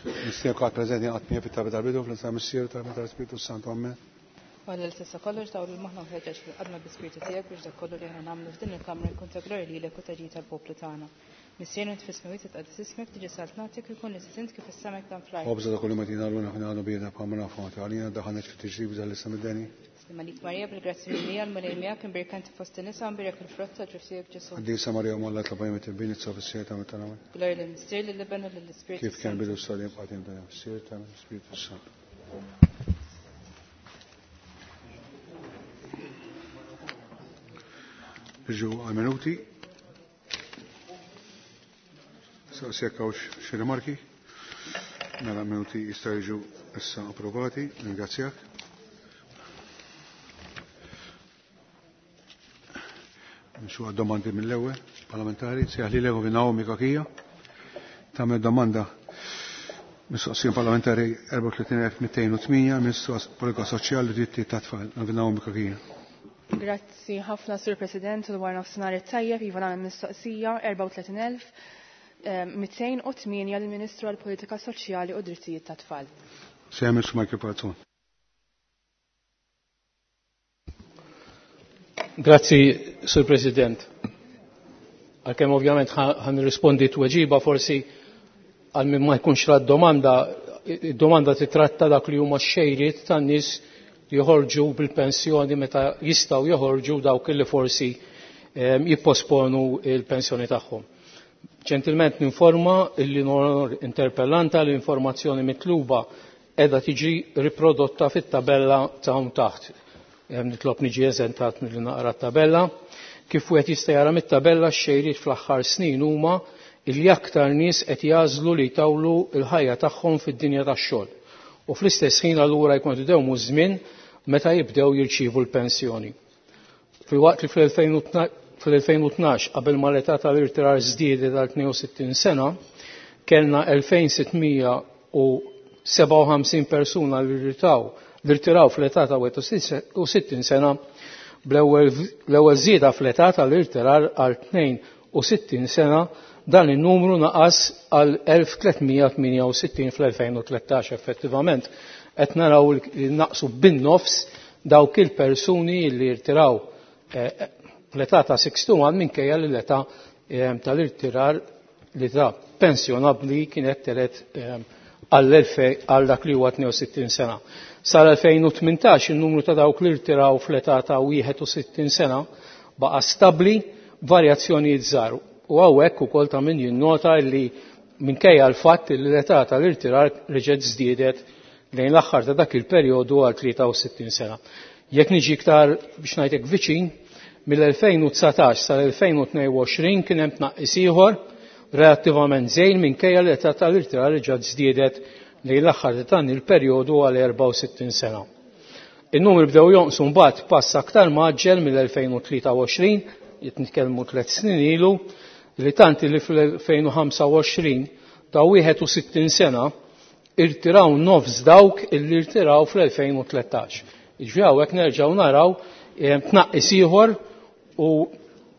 Mistiednek għad preżenti għad miegħi fit-talba tal-bidu fl-isem Missier tal tal-Spiritu Santu. Amen. Għalla li tista' kollox dawl il-moħħna u ħeġġeġ fil-qadma bi-Spiritu tiegħek biex dak kollu li aħna nagħmlu f'din il-kamra jkun ta' glorja lilek u ta' ġid tal-poplu tagħna. Missierna int fis-smewwiet titqaddes ismek, tiġi saltnatek, ikun li trid int kif is-sema hekk dan fl-art. Ħobża ta' kuljum agħtina llum aħna għadu biedna bħalma nafu għanti għalina daħalniex fit-tiġrib iżda ħlisna mid-deni. Sliem għalik Marija bil-grazzja mimlija l-Mulej miegħek imbierka inti fost in-nisa u mbierek il-frott tal-ġuf tiegħek Ġesù. Qaddisa Marija Omm Alla itlob għalina midinbin issa u fis-siegħa ta' mewtna. Amen. Glorja lill-Missier, lill-Iben u lill-Ispirtu Kif kien s-Santu. bidu issa dejjem qadim dejjem fis-siegħa ta' l-Ispirtu s-Santu. Niġu għal-minuti. Saqsi jekk hawnx xi rimarki. Mela minuti jistgħu jiġu issa approvati. Ringrazzjak. Nimxu għad-domandi mill-ewwel parlamentari. Sejjaħ li l Naomi Cachia. Tagħmel domanda mistoqsija parlamentari 34208 Ministru Politika Soċjali u Drittijiet tat-Tfal. Naomi Cachia. Grazzi ħafna Sur President u wara nofsinhar it-tajjeb iva nagħmel mistoqsija 34208 lill-Ministru għall-Politika Soċjali u Drittijiet tat-Tfal. Sejjaħ Ministru Michael Falzon. Grazzi, Sur President. Għalkemm ovvjament ħa nirrispondi tweġiba forsi għal min ma jkunx ra domanda, id-domanda titratta dak li huma xejriet tan-nies li joħorġu bil-pensjoni meta jistgħu joħorġu dawk li forsi jipposponu il-pensjoni tagħhom. Ġentilment ninforma illi interpellanta l-informazzjoni mitluba edha tiġi riprodotta fit-tabella ta' hawn taħt. Nitlob niġi eżentat milli naqra t-tabella. Kif wieħed jista' jara mit-tabella x-xejriet fl-aħħar snin huma illi aktar nies qed jagħżlu li jtawlu l-ħajja tagħhom fid-dinja tax-xogħol. U fl-istess ħin allura jkun qed idewmu żmien meta jibdew jirċievu l-pensjoni. Filwaqt li fl-2012 qabel ma l-età tal-irtirar żdiedet għal 62 sena, kellna 2657 persuna li rtiraw fl-età ta' 61 sena, bl-ewwel żieda fl-età tal-irtirar għal 62 sena, dan in-numru naqas għal 1368 fl-2013. Effettivament qed naraw li naqsu bin-nofs dawk il-persuni li rtiraw fl-età ta' 61 minkejja li l-età tal-irtirar li ta' pensjonabbli kienet telet għal dak li huwa 62 sena. Sal-2018 il-numru ta' dawk li rtiraw fl-età ta' 61 sena baqa' stabbli b'varjazzjonijiet żgħar. U hawnhekk ukoll ta' min jinnota li minkejja l-fatt li l-età tal-irtirar reġgħet żdiedet lejn l-aħħar ta' dak il-perjodu għal 63 sena. Jekk niġi iktar biex ngħidlek viċin, mill-2019 sal-2022 kien hemm tnaqqis ieħor relattivament żejn minkejja l-età tal-irtirar reġgħet żdiedet lejn l-aħħar ta' dan il-perjodu għal 64 sena. In-numri bdew jonqsu mbagħad pass aktar mgħaġġel mill-2023, qed nitkellmu 3 snin ilu, li tant li fl-2025 ta' 61 sena irtiraw nofs dawk illi irtiraw fl-2013. Jiġifieri hawnhekk nerġgħu naraw tnaqqis ieħor u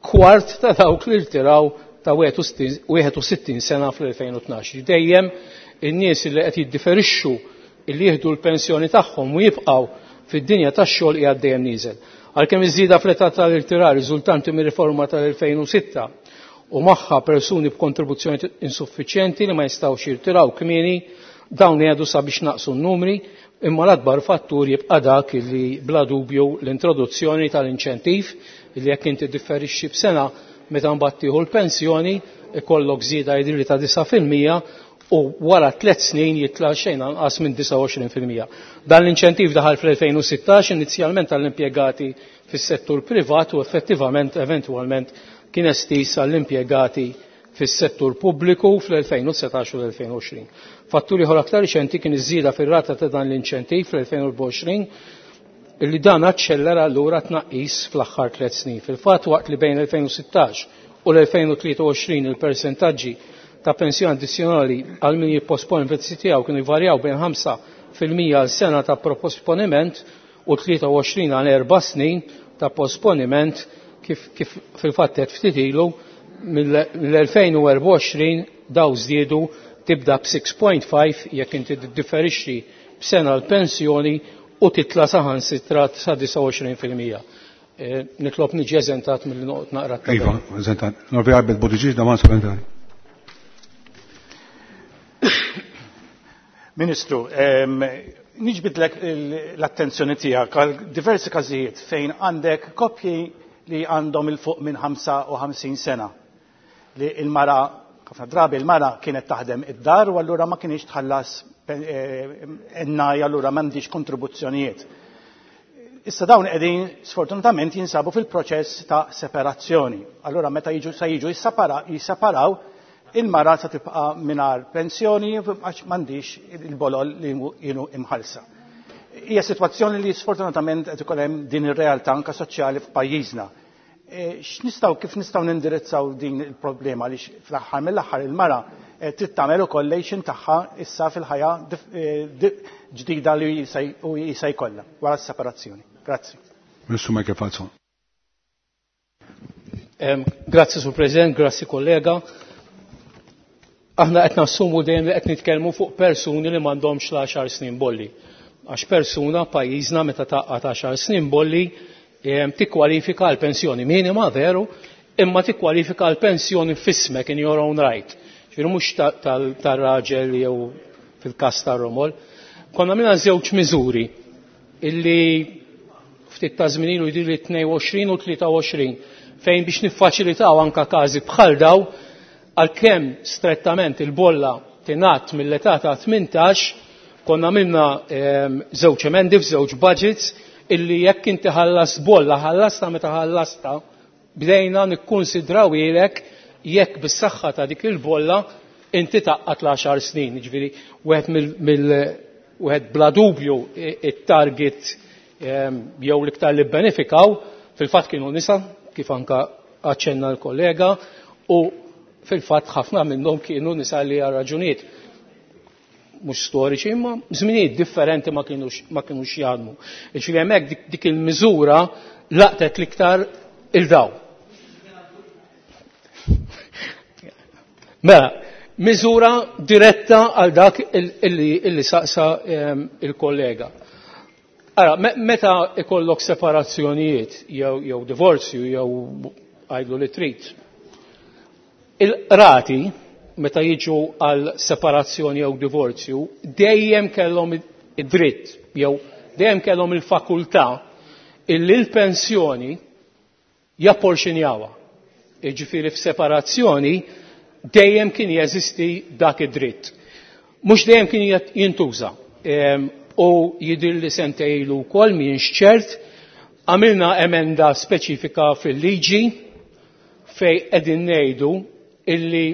kwart ta' dawk li irtiraw ta' 61 sena fl-2012. Dejjem in-nies li qed jiddiferixxu illi jieħdu l-pensjoni tagħhom u jibqgħu fid-dinja tax-xogħol qiegħed dejjem nieżel. Għalkemm iż-żieda fl-età tal-irtirar riżultanti mir-riforma tal-2006 u magħha persuni b'kontribuzzjoni insuffiċjenti li ma jistgħux jirtiraw kmieni, dawn jgħidu sabiex naqsu n-numri, imma l-akbar fattur jibqa' dak li bla dubju l-introduzzjoni tal-inċentiv li jekk inti differixxi b'sena meta mbagħad tieħu l-pensjoni ikollok żieda jidhirli ta' 9% u wara 3 snin jitla' xejn anqas minn 29%. Dan l-inċentiv daħal fl-2016 inizjalment għall-impjegati fis-settur privat u effettivament eventwalment kien estiż għall-impjegati fis-settur pubbliku fl-2019 u l-2020. Fatturi ieħor aktar riċenti kien iż-żieda fir-rata ta' dan l-inċentiv fl-2024 illi dan aċċellera allura tnaqqis fl-aħħar 3 snin. Fil-fatt waqt li bejn l-2016 u l-2023 il-persentaġġi ta' pensjoni addizzjonali għal min jipposponi l-investiti tiegħu kienu jvarjaw bejn 5% għal sena ta' posponiment u 23 għal 4 snin ta' posponiment kif fil-fatt qed ftit ilu mill-2024 daw żdiedu Tibda b'6.5 jekk inti tiddiferixxi b'sena l-pensjoni u titla saħansitra sa 29%. Nitlob niġi eżentat milli noqgħod naqra Iva, eżentat. Norvi Albert Buttigieg, domanda supplementari. Ministru, niġbidlek l-attenzjoni tiegħek għal diversi każijiet fejn għandek koppji li għandhom il fuq minn 55 sena li il-mara, ħafna drabi il-mara kienet taħdem id-dar u allura ma kienx tħallas ennaj, allura m'għandix kontribuzzjonijiet. Issa dawn qegħdin sfortunatament jinsabu fil-proċess ta' separazzjoni. Allura meta jiġu se jiġu jisseparaw, il-mara se tibqa' mingħajr pensjoni għax m'għandix il-bolol li jienu imħallsa. Hija sitwazzjoni li sfortunatament qed ikun hemm din ir-realtà anke soċjali f'pajjiżna. X'nistgħu, kif nistgħu nindirizzaw din il-problema li fl-aħħar mill-aħħar il-mara trid tagħmel ukoll lejxin tagħha issa fil-ħajja ġdida li jista' jkollha wara s-separazzjoni. Grazzi. Ministru Michael Falzon. Grazzi Sur President, grazzi kollega. Aħna qed nassumu dejjem li qed nitkellmu fuq persuni li m'għandhomx l-10 snin bolli. Għax persuna pajjiżna meta taqgħad 10 snin bolli tikkwalifika għal pensjoni minima veru, imma tikkwalifika għal pensjoni f'ismek in your own right. Ġifieri mhux tar-raġel jew fil-każ tar-romol. Konna minna żewġ miżuri illi ftit ta' żmien ilu jidhirli 22 u 23 fejn biex niffaċilitaw anka każi bħal daw, għalkemm strettament il-bolla tingħadd mill-età ta' 18, konna minna żewġ emendi f'żewġ budgets illi jekk inti ħallas bolla, ħallasta meta ħallasta, bdejna nikkonsidraw ilek jekk bis-saħħa ta' dik il-bolla inti taqqat l-10 snin. Jiġifieri wieħed wieħed bla dubju it-target jew l-iktar li bbenefikaw fil-fatt kienu nisa, kif anka aċċenna l-kollega, u fil-fatt ħafna minnhom kienu nisa li għal raġunijiet mhux storiċi imma żminijiet differenti ma kinux jaħdmu. Jiġifieri hemmhekk dik il-miżura laqtet l-iktar il-daw. Mela, miżura diretta għal dak illi saqsa il-kollega. Ara, meta ikollok separazzjonijiet jew divorzju jew għajdu li trid, il-qrati meta jiġu għal separazzjoni jew divorzju dejjem kellhom id-dritt jew dejjem kellhom il-fakultà illi l-pensjoni japporxinjawha. Jiġifieri f'separazzjoni dejjem kien jeżisti dak id-dritt. Mhux dejjem kien jintuża. U jidhir li sentejn ilu wkoll m'ienx ċert, għamilna emenda speċifika fil-liġi fej qegħdin ngħidu illi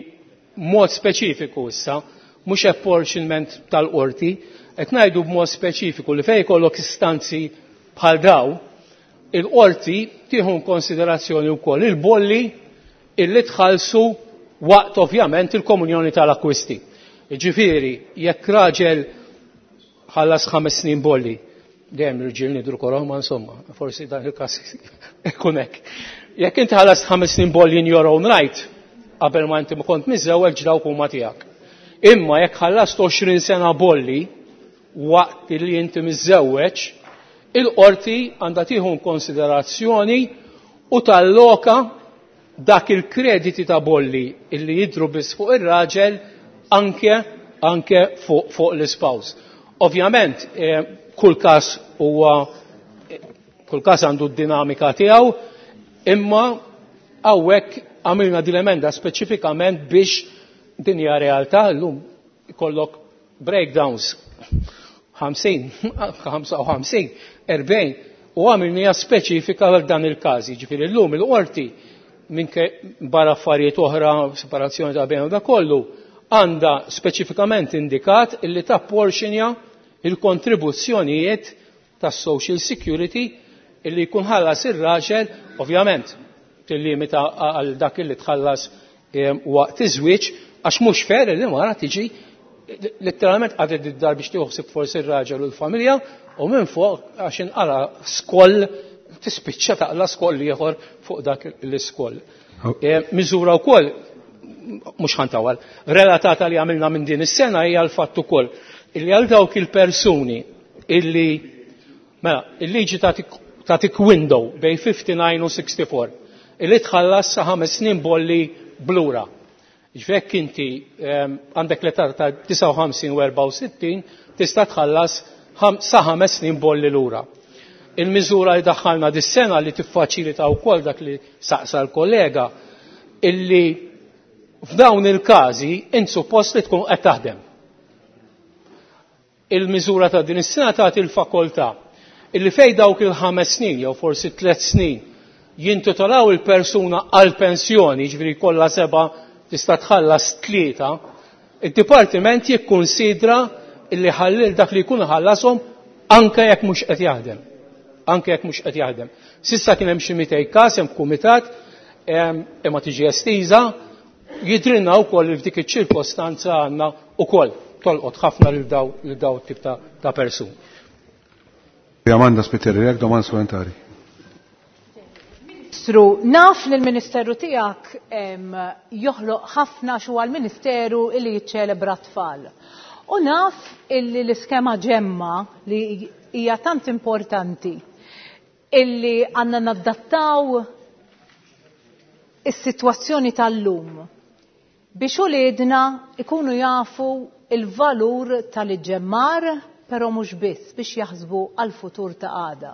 mod speċifiku issa, mhux apportionment tal-qorti, qed ngħidu b'mod speċifiku li fejn jkollok istanzi bħal daw, il-qorti tieħu konsiderazzjoni wkoll il-bolli illi tħallsu waqt ovvjament il-komunjoni tal-akkwisti. Jiġifieri, jekk raġel ħallas 5 snin bolli, dejjem l-irġiel nidru koroh, ma insomma, forsi dan il-każ ikun hekk. Jekk inti ħallas 5 snin bolli in your own right, qabel ma inti ma kont miżżewweġ dawk huma tiegħek. Imma jekk ħallast 20 sena bolli waqt li inti miżżewweġ, il-qorti għandha tieħu konsiderazzjoni u talloka dak il-krediti ta' bolli illi jidru biss fuq ir-raġel anke fuq l-ispouse. Ovvjament, kull każ huwa, kull każ għandu d-dinamika tiegħu, imma hawnhekk għamilna din l-emenda speċifikament biex din hija realtà llum ikollok breakdowns 50, 55, 40, u għamilniha speċifika għal dan il-każ. Jiġifieri llum il-qorti minke barra affarijiet oħra, separazzjoni ta' bejn u da kollu, għandha speċifikament indikat illi tapporxinja il-kontribuzzjonijiet tas Social Security illi jkun ħallas ir-raġel, ovvjament tillimita għal dak illi tħallas waqt iż-żwieġ, għax mhux fair li mara tiġi letteralment għadet id-dar biex tieħu forsi ir-raġel u l-familja, u minn fuq għax inqala skoll tispiċċa taqla skoll ieħor fuq dak l-iskoll. Miżura wkoll mhux ħantawal, relatata li għamilna minn din is-sena hija l-fatt ukoll illi għal dawk il-persuni illi mela, il-liġi tagħtik window bejn 59 u 64 illi tħallas sa 5 snin bolli blura. Ġvek inti għandek l-età ta' 59 u 64 tista' tħallas sa 5 snin bolli lura. Il-miżura li daħħalna dis-sena li tiffaċilita wkoll dak li saqsa l-kollega illi f'dawn il-każi int suppost li tkun qed taħdem. Il-miżura ta' din is-sena tagħti l-fakoltà illi fej dawk il-5 snin jew forsi 3 snin jintitolaw il-persuna għal pensjoni, ġifieri kollha 7 tista' tħallas 3, id-dipartiment jikkunsidra illi ħallil dak li jkun ħallashom anke jekk mhux qed jaħdem. Anke jekk mhux qed jaħdem. Sissa kien hemm xi 200 każ hemm kumitat imma tiġi estiża, jidrinna wkoll li f'dik iċ-ċirkostanza għandna wkoll tolqot ħafna lil daw tip ta' persuni. Amanda Spiteri, jekk domanda supplementari. Ministru, naf li l-Ministeru tiegħek joħloq ħafna xu għal-Ministeru illi jiċċelebra tfal. U naf illi l-iskema ġemma li hija tant importanti illi għandna naddattaw is-sitwazzjoni tal-lum biex uliedna ikunu jafu il-valur tal-iġġemmar, però mhux biss biex jaħsbu għal-futur ta' għada.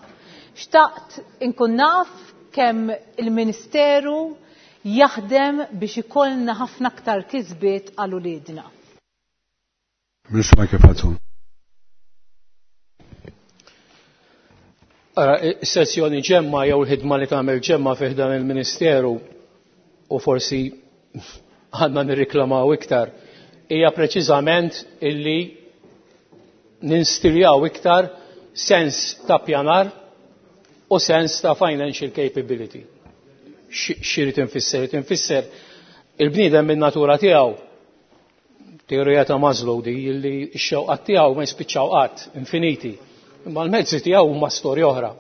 Xtaqt inkun naf kemm il-Ministeru jaħdem biex ikollna ħafna aktar kisbiet għal uliedna. Ministru Michael Falzon. Ara, is-sezzjoni ġemma jew il-ħidma li tagħmel ġemma fih dan il-Ministeru u forsi għandna nirriklamaw iktar, hija preċiżament illi ninstiljaw iktar sens ta' pjanar u sens ta' financial capability. X'irid infisser? Irid infisser il-bniedem min natura tiegħu, teorija ta' Maslow di illi x-xewqat tiegħu ma jispiċċaw qatt, infiniti. Imma l-mezzi tiegħu huma storja oħra.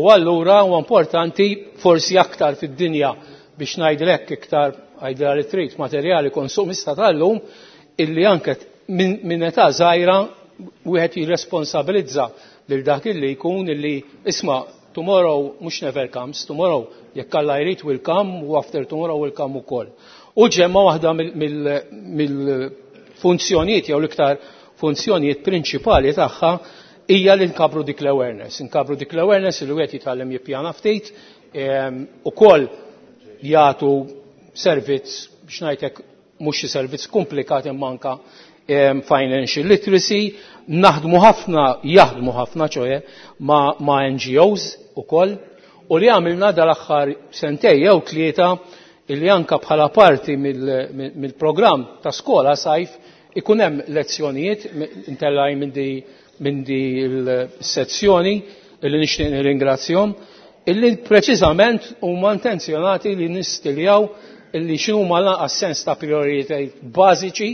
U allura huwa importanti forsi aktar fid-dinja biex ngħidlek iktar għajdra li trid materjali konsumista tal-lum illi anke minn età żgħira wieħed jirresponsabilizza lil dak illi jkun illi isma' tomorrow mhux never comes, tomorrow jekk Alla jrid will come u after tomorrow will come ukoll. U ġemma waħda mill-funzjonijiet jew l-iktar funzjonijiet prinċipali tagħha hija li nkabru dik l-awareness. Nkabru dik l-awareness li wieħed jitgħallem jippjana ftit, ukoll jagħtu servizz biex ngħidlek mhux xi servizz komplikat imma anke financial literacy, naħdmu ħafna, jaħdmu ħafna ċoħe ma' NGOs ukoll, u li għamilna dal-aħħar sentej jew 3 illi anka bħala parti mill-programm ta' skola sajf ikun hemm lezzjonijiet intellaj minn di l-sezzjoni illi nixtieq nirringrazzjahom, illi preċiżament huma intenzjonati li nistiljaw illi x'inhuma lanqas sens ta' prioritajiet bażiċi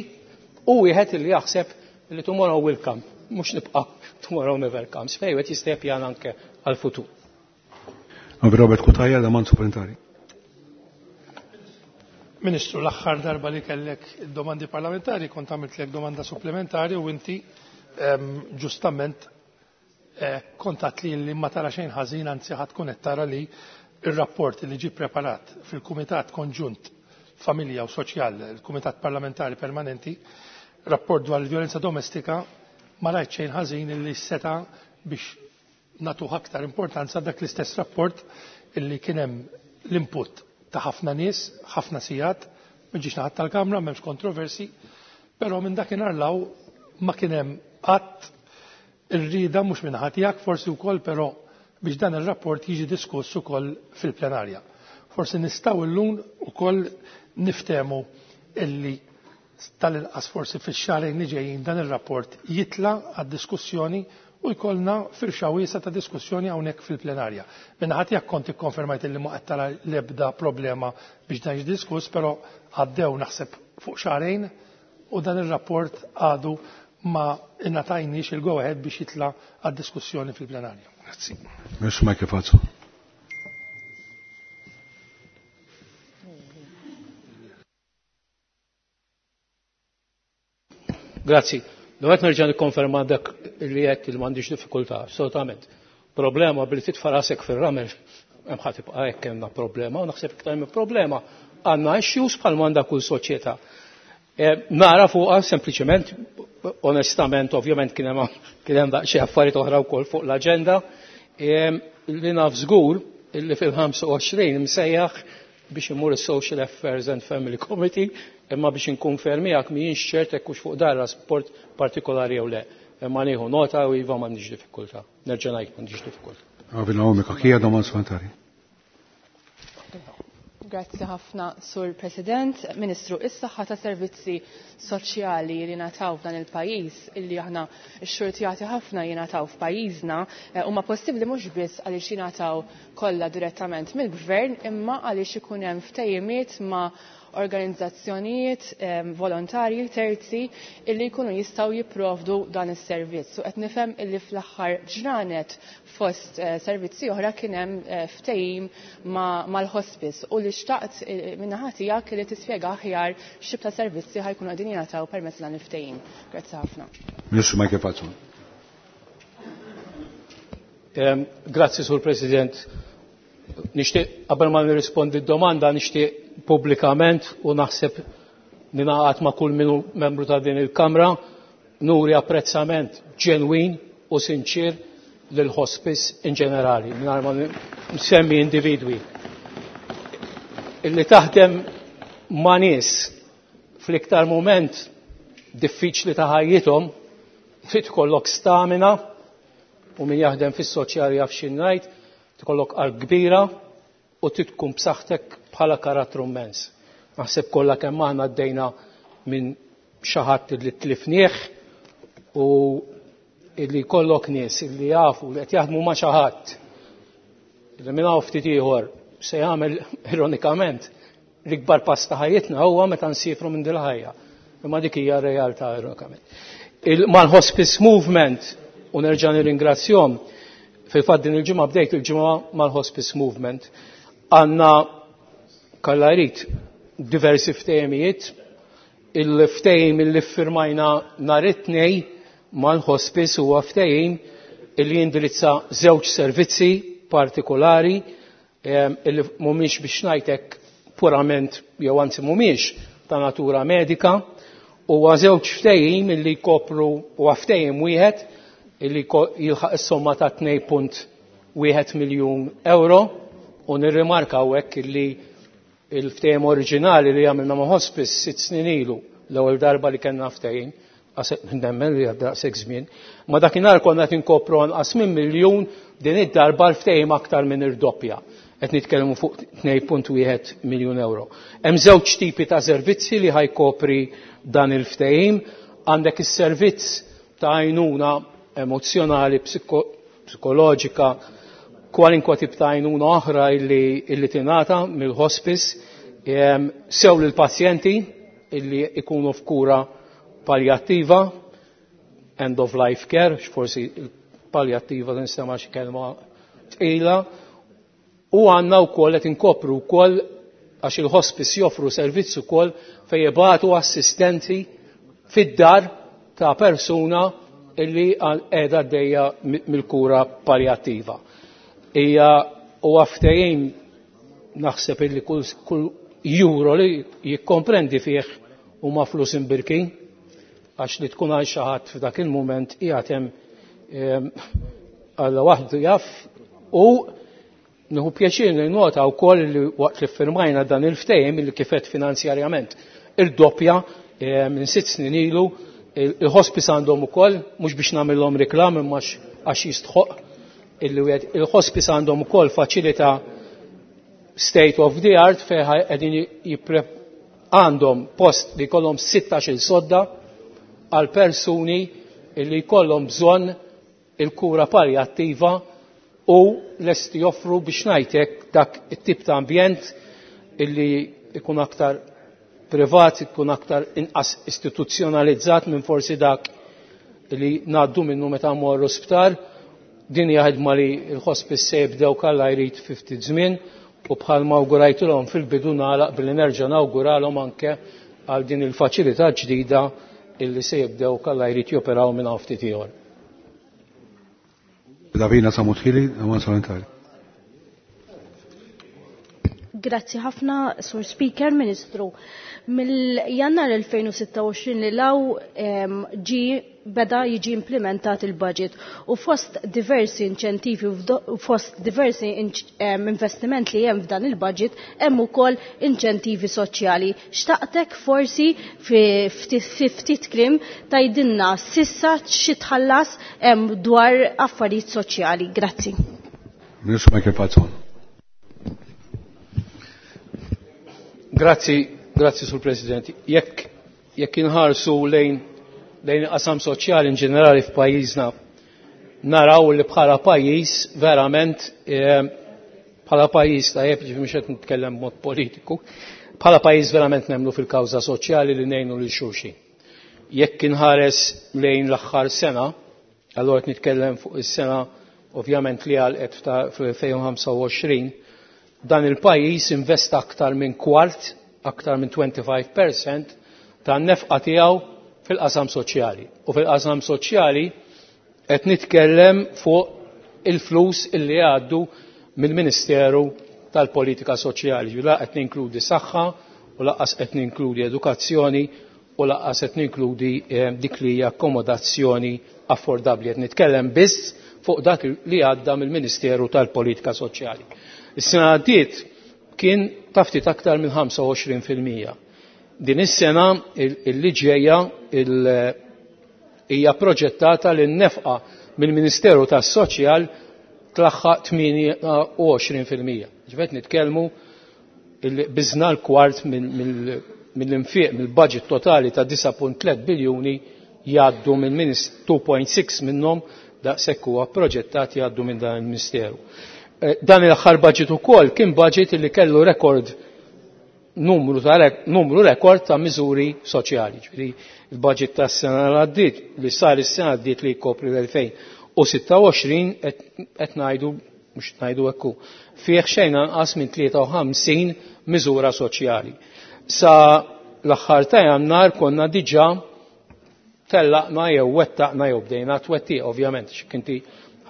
u wieħed illi jaħseb li tomorrow will come, mhux nibqa' tomorrow never comes, fejn wieħed jista' jippjana anke għall-futur. Robert Cutajar, domanda supplementari. Ministru, l-aħħar darba li kellek domandi parlamentari kont għamiltlek domanda supplementari u inti ġustament kontat li ma tara xejn ħażin, anzi ħadd tkun qed tara li ir-rapport li ġie preparat fil-Kumitat Konġunt Familja u Soċjal, il-Kumitat Parlamentari Permanenti, rapport dwar il-vjolenza domestika, ma rajt xejn ħażin li seta biex nagħtuh aktar importanza dak l-istess rapport illi kien hemm l-input ta' ħafna nies, ħafna sigħat, ma ġiex naħat tal-Kamra, m'hemmx kontroversi, però minn dakinhar law ma kien hemm qatt ir-rieda mhux minn ħadd tiegħek forsi wkoll, però biex dan ir-rapport jiġi diskuss ukoll fil-plenarja. Forsi nistgħu llum ukoll niftehmu illi tal-inqas forsi fix-xahrejn li ġejjin dan ir-rapport jitla' għad-diskussjoni u jkollna firxa wiesa ta' diskussjoni hawnhekk fil-plenarja. Minn ħadd jekk kont ikkonfermajt illi ma qed tara l-ebda problema biex dan jiġi diskuss, però għaddew naħseb fuq xahrejn u dan ir-rapport għadu ma ingħatajniex il-go ahead biex jitla' għad-diskussjoni fil-plenarja. Grazzi. Ministru Michael Falzon. Grazzi. Dwar nerġa' nikkonferma dak li qed li m'għandix diffikultà, assolutament. Problema billi titfa' rasek fir-ramel hemm ħadd tibqa' hekk hemm problema u naħseb iktar minn problema għandna issues bħal m'għandha kull soċjetà. Nara fuqha sempliċement, onestament, ovvjament kien hemm daqsxejn affarijiet oħra wkoll fuq l-aġenda, li naf żgur illi fil-25 msejjaħ biex imur is-Social Affairs and Family Committee, imma biex inkun fermijak mhijiex ċert hekk hux fuq dar rapport partikolari jew le. Imma nieħu nota u iva m'għandix diffikultà. Nerġa' ngħid m'għandix diffikultà. Għavil Naomi Cachia, domanda supplementari. Grazzi ħafna, Sur President. Ministru, is-saħħa ta' servizzi soċjali li nataw f'dan il-pajjiż illi aħna xxurtjati ħafna jingħataw f'pajjiżna huma possibbli mhux biss għaliex jingħataw kollha direttament mill-gvern imma għaliex ikun hemm ftehimiet ma' organizzazzjonijiet volontarji terzi illi jkunu jistgħu jipprovdu dan is-servizz. U qed nifhem illi fl-aħħar ġranet fost servizzi oħra kien hemm ftehim mal-hospice u li xtaqt min-naħa tiegħek li tispjega aħjar x'tip ta' servizzi ħajkunu qegħdin jingħataw permezz dan il-ftehim. Grazzi ħafna. Ministru Michael Falzon. Grazzi, Sur President. Nixtieq qabel ma nirrispondi d-domanda nixtieq pubblikament u naħseb ninaqat ma' kull minu membru ta' din il-Kamra nuri apprezzament ġenwin u sinċir lil hospice in ġenerali, mingħajr ma nsemmi individwi. Illi taħdem ma' nies fl-iktar moment diffiċli ta' ħajjithom, trid ikollok stamina u min jaħdem fis-soċjali jaf xi ngħid, tkollok qalb kbira u trid tkun b'saħħtek bħala karattru immens. Naħseb kollha kemm aħna għaddejna minn xi ħadd li tlifnieh u illi jkollok nies illi jafu li qed jaħdmu ma' xi ħadd li minn hawn ftit ieħor se jagħmel ironikament l-ikbar pass ta' ħajjitna huwa meta nsifru minn dil ħajja. Imma dik hija r-realtà ironikament. Mal-Hospice Movement u nerġa' nirringrazzjahom, fil-fatt din il-ġimgħa bdejt il-ġimgħa mal-Hospice Movement. Għandna kalla jrid diversi ftehimijiet, il-ftehim li ffirmajna nhar it-Tnejn mal-Hospice huwa ftehim illi jindirizza żewġ servizzi partikolari illi mhumiex biex ngħidlek purament jew anzi mhumiex ta' natura medika, huwa żewġ ftehim illi jkopru huwa ftehim wieħed illi jilħaq is-somma ta' 2.1 miljun euro u nirrimarka hawnhekk illi il-ftehim oriġinali li għamilna ma' Hospice 6 snin ilu, l-ewwel darba li kellna ftehim, nemmen li għadda daqshekk żmien, ma dakinhar konna qed inkopru anqas minn miljun, din id-darba l-ftehim aktar minn irdoppja. Qed nitkellmu fuq 2.1 miljun euro. Hemm żewġ tipi ta' servizzi li ħajkopri dan il-ftehim. Għandek is-servizz ta' għajnuna emozjonali, psikoloġika, kwalinkwa tip ta' għajnuna oħra illi tingħata mill-hospice, sew lill-pazjenti illi ikunu f'kura palliattiva, end of life care, forsi palliattiva tinstema' xi kelma tqila, u għandna wkoll qed inkopru wkoll għax il-hospice joffru servizz ukoll fejn jibagħtu assistenti fid-dar ta' persuna illi qiegħda għaddejja mill-kura palliattiva. Hija huwa ftehim naħseb illi kull euro li jikkomprendi fih huma flus imbirkin, għax li tkun għal xi ħadd f'dak il-mument qiegħed hemm Alla waħdu jaf, u nieħu pjaċir nota wkoll li waqt li ffirmajna dan il-ftehim li kifet finanzjarjament irdoppja minn 6 snin ilu, il-hospice għandhom ukoll, mhux biex nagħmilhom reklam imma għax jistħoq illi wieħed, il-hospice għandhom ukoll faċilità state of the art fejn qegħdin għandhom post li jkollhom 16-il sodda għal persuni illi jkollhom bżonn il-kura palliattiva u lesti joffru biex ngħidlek dak it-tip ta' ambjent illi ikun aktar privat, ikun aktar inqas istituzzjonalizzat minn forsi dak li ngħaddu minnu meta mmorru sptar. Din hija ħidma li l-hospice se jibdew kalla jrid fi ftit żmien u bħalma awgurajtilhom fil-bidu nagħlaq billi nerġa' nawguralhom anke għal din il-faċilità ġdida illi se jibdew kalla jrid joperaw minn hawn ftit ieħor. Davina Samutħili, domanda supplementari. Grazzi ħafna, Sur Speaker, Ministru. Mill-Jannar 2026 li law ġi beda jiġi implementat il-budget u fost diversi inċentivi u fost diversi investiment li hemm f'dan il-budget hemm ukoll inċentivi soċjali. Xtaqtek forsi fi ftit kliem tgħidilna sissa xi tħallas dwar affarijiet soċjali. Grazzi. Ministru Michael Falzon. Grazzi, grazzi Sur President. Jekk jekk inħarsu lejn lejn qasam soċjali in ġenerali f'pajjiżna naraw li bħala pajjiż verament bħala pajjiż tajjeb ġifi mhux qed nitkellem b'mod politiku, bħala pajjiż verament nemmnu fil-kawża soċjali li ngħinu lil xulxin. Jekk inħares lejn l-aħħar sena, allura qed nitkellem fuq is-sena ovvjament li għalqet fl-2025, dan il-pajjiż investa aktar minn kwart, aktar minn 25% tan-nefqa tiegħu fil-qasam soċjali. U fil-qasam soċjali qed nitkellem fuq il-flus illi għaddu mill-Ministeru tal-Politika Soċjali. La qed ninkludi saħħa u lanqas qed ninkludi edukazzjoni u lanqas qed ninkludi dik li hija akkomodazzjoni affordabbli. Qed nitkellem biss fuq dak li għadda mill-Ministeru tal-Politika Soċjali. Is-sena għaddiet kien ta' ftit aktar minn 25%. Din is-sena il ġejja hija proġettata li n-nefqa mill-Ministeru tas-Soċjal tlaħħaq 28%. Ġifieri nitkellmu biżna l-kwart mill-infiq mill-budget totali ta' 9.3 biljuni jgħaddu minn 2.6 minnhom daqshekk huwa proġettat jgħaddu minn dan il-Ministeru. Dan il-aħħar budget ukoll kien budget li kellu rekord numru ta' numru rekord ta' miżuri soċjali. Ġifieri il-budget tas-sena l għaddiet li sar is-sena għaddiet li jkopri l-2026 qed ngħidu mhux ngħidu hekk hu, fih xejn anqas minn 53 miżura soċjali. Sa l-aħħar ta' Jannar konna diġà tellaqna jew wettaqna jew bdejna twettiq ovvjament x'kien inti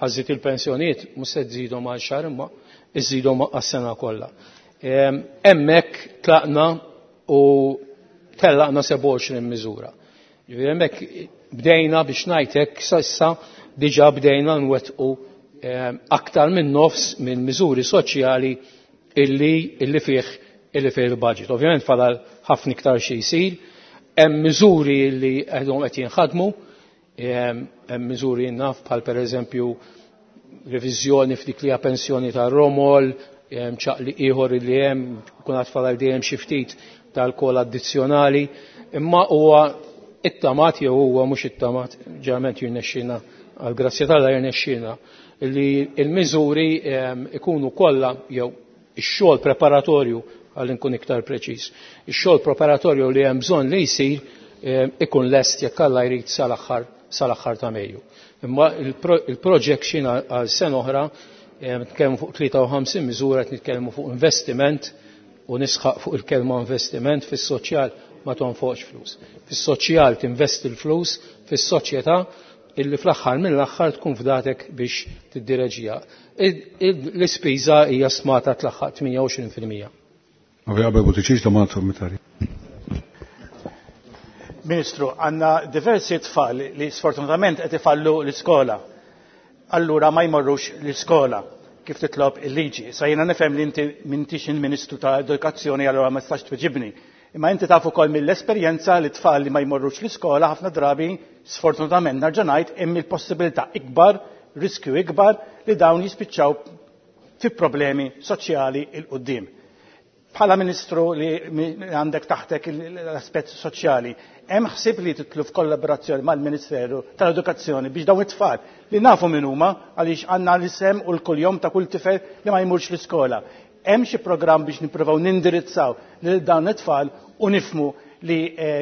ħażżit il-pensjonijiet mhux se tżidhom għal xahar imma iżżidhom għas-sena kollha. Hemmhekk tlaqna u tellaqna 27 miżura. Ġifieri hemmhekk bdejna biex ngħidlek s'issa diġà bdejna nwettqu aktar minn nofs minn miżuri soċjali illi illi fih illi fih il-budget. Ovvjament fadal ħafna iktar xi jsir, hemm miżuri li għadhom qed jinħadmu, hemm miżuri naf bħal pereżempju reviżjoni f'dik li hija pensjoni tar-romol, ċaqli ieħor li hemm kun għad fadal dejjem xi ftit tal-kol addizzjonali, imma huwa it-tamat jew huwa mhux it-tamat ġeneralment jirnexxina għal grazzja t'Alla jirnexxina li l-miżuri ikunu kollha jew ix-xogħol preparatorju għal nkun iktar preċiż. Ix-xogħol preparatorju li hemm bżonn li jsir ikun lest jekk Alla jrid sal-aħħar sal-aħħar ta' Mejju. Imma il-projection għal sena oħra nitkellmu fuq 53 miżura qed nitkellmu fuq investiment u nisħaq fuq il-kelma investiment fis-soċjal ma tonfoqx flus. Fis-soċjal tinvesti l-flus fis-soċjetà illi fl-aħħar mill-aħħar tkun fdatek biex tiddireġija. L-ispiża hija stmata tlaħħaq 28%. Onorevole Buttigieg, domanda supplementari. Ministru, għandna diversi tfal li sfortunatament qed ifallu l-iskola. Allura ma jmorrux l-iskola kif titlob il-liġi. Sa jiena nifhem li inti m'intix il-Ministru ta' Edukazzjoni allura ma tistax tweġibni. Imma inti taf ukoll mill-esperjenza li tfal li ma jmorrux l-iskola ħafna drabi sfortunatament nerġa' ngħid hemm il-possibilità ikbar, riskju ikbar li dawn jispiċċaw fi problemi soċjali il quddiem. Bħala Ministru li għandek taħtek l-aspett soċjali, hemm ħsieb li titlu f'kollaborazzjoni mal-Ministeru tal-Edukazzjoni biex dawn it-tfal li nafu min huma għaliex għandna l-isem u l-kuljom ta' kull tifel li ma jmurx l-iskola. Hemm xi programm biex nippruvaw nindirizzaw lil dawn it-tfal u nifmu li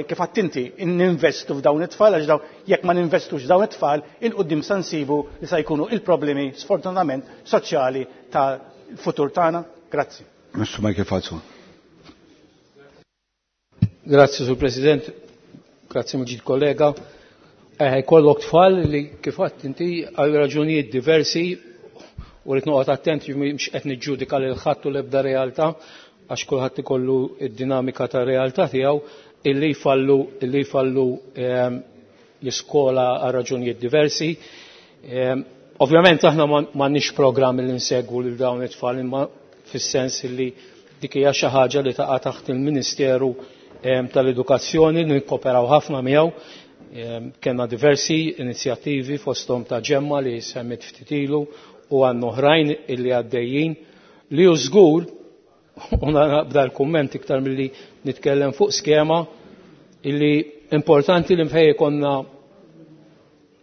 kif għedt inti ninvestu f'dawn it-tfal għax dawn jekk ma ninvestux f'dawn it-tfal il-qudiem sa nsibu li sa jkunu il-problemi sfortunatament soċjali tal-futur tagħna. Grazzi. Mr. Michael Falzon. Grazzi, Sur President. Grazzi mill kollega. Jkollok tfal li kif għedt inti għal raġunijiet diversi u rrid noqgħod attent mhux qed niġġudika lil ħadd u l-ebda realtà għax kulħadd ikollu d-dinamika ta' realtà tiegħu illi jfallu l-iskola għal raġunijiet diversi. Ovvjament aħna m'għandniex programm li nsegwu lil dawn it-tfal imma fis-sens li dik hija xi ħaġa li taqa' taħt il-Ministeru tal-Edukazzjoni li nikkoperaw ħafna miegħu. Kellna diversi inizjattivi fosthom ta' ġemma li semmit ftit ilu u għandna oħrajn illi għaddejjin li hu żgur u naqbda l-kumment iktar milli nitkellem fuq skema illi importanti li mfej konna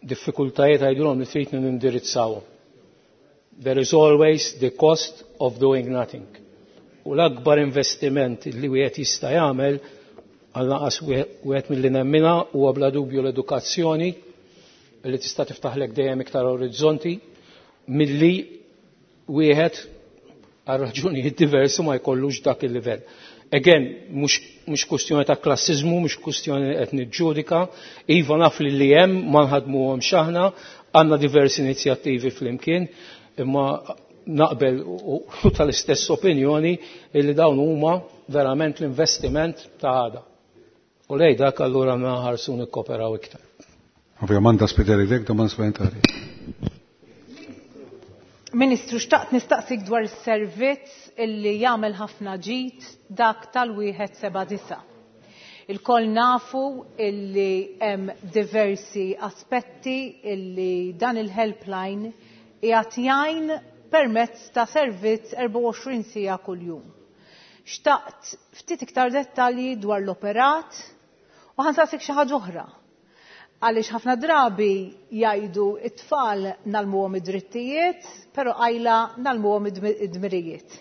diffikultajiet għajdulhom li trid nindirizzawhom. There is always the cost of doing nothing. U l-akbar investiment li wieħed jista' jagħmel għal-naqas wieħed milli nemmina huwa bla dubju l-edukazzjoni li tista' tiftaħlek dejjem iktar orizzonti milli wieħed għal raġunijiet diversi ma jkollux dak il-livell. Again, mhux kwestjoni ta' klassizmu, mhux kwestjoni qed niġġudika, iva naf li li hemm ma nħadmuhomx aħna, għandna diversi inizjattivi flimkien, imma naqbel u tal-istess opinjoni illi dawn huma verament l-investiment ta' għada. U lej dak allura naħarsu nikkoperaw iktar. Ovvjament Spiteri dek domanda supplementari. Ministru, xtaqt nistaqsik dwar is-servizz illi jagħmel ħafna ġid dak tal-179. Il-koll nafu illi hemm diversi aspetti illi dan il-helpline qiegħed jgħin permezz ta' servizz 24 siegħa kuljum. Xtaqt ftit iktar dettalji dwar l-operat u ħa nsaqsik xi ħaġa oħra. Għaliex ħafna drabi jgħidu it-tfal ngħallmuhom id-drittijiet, però qajla ngħallmuhom id-dmirijiet.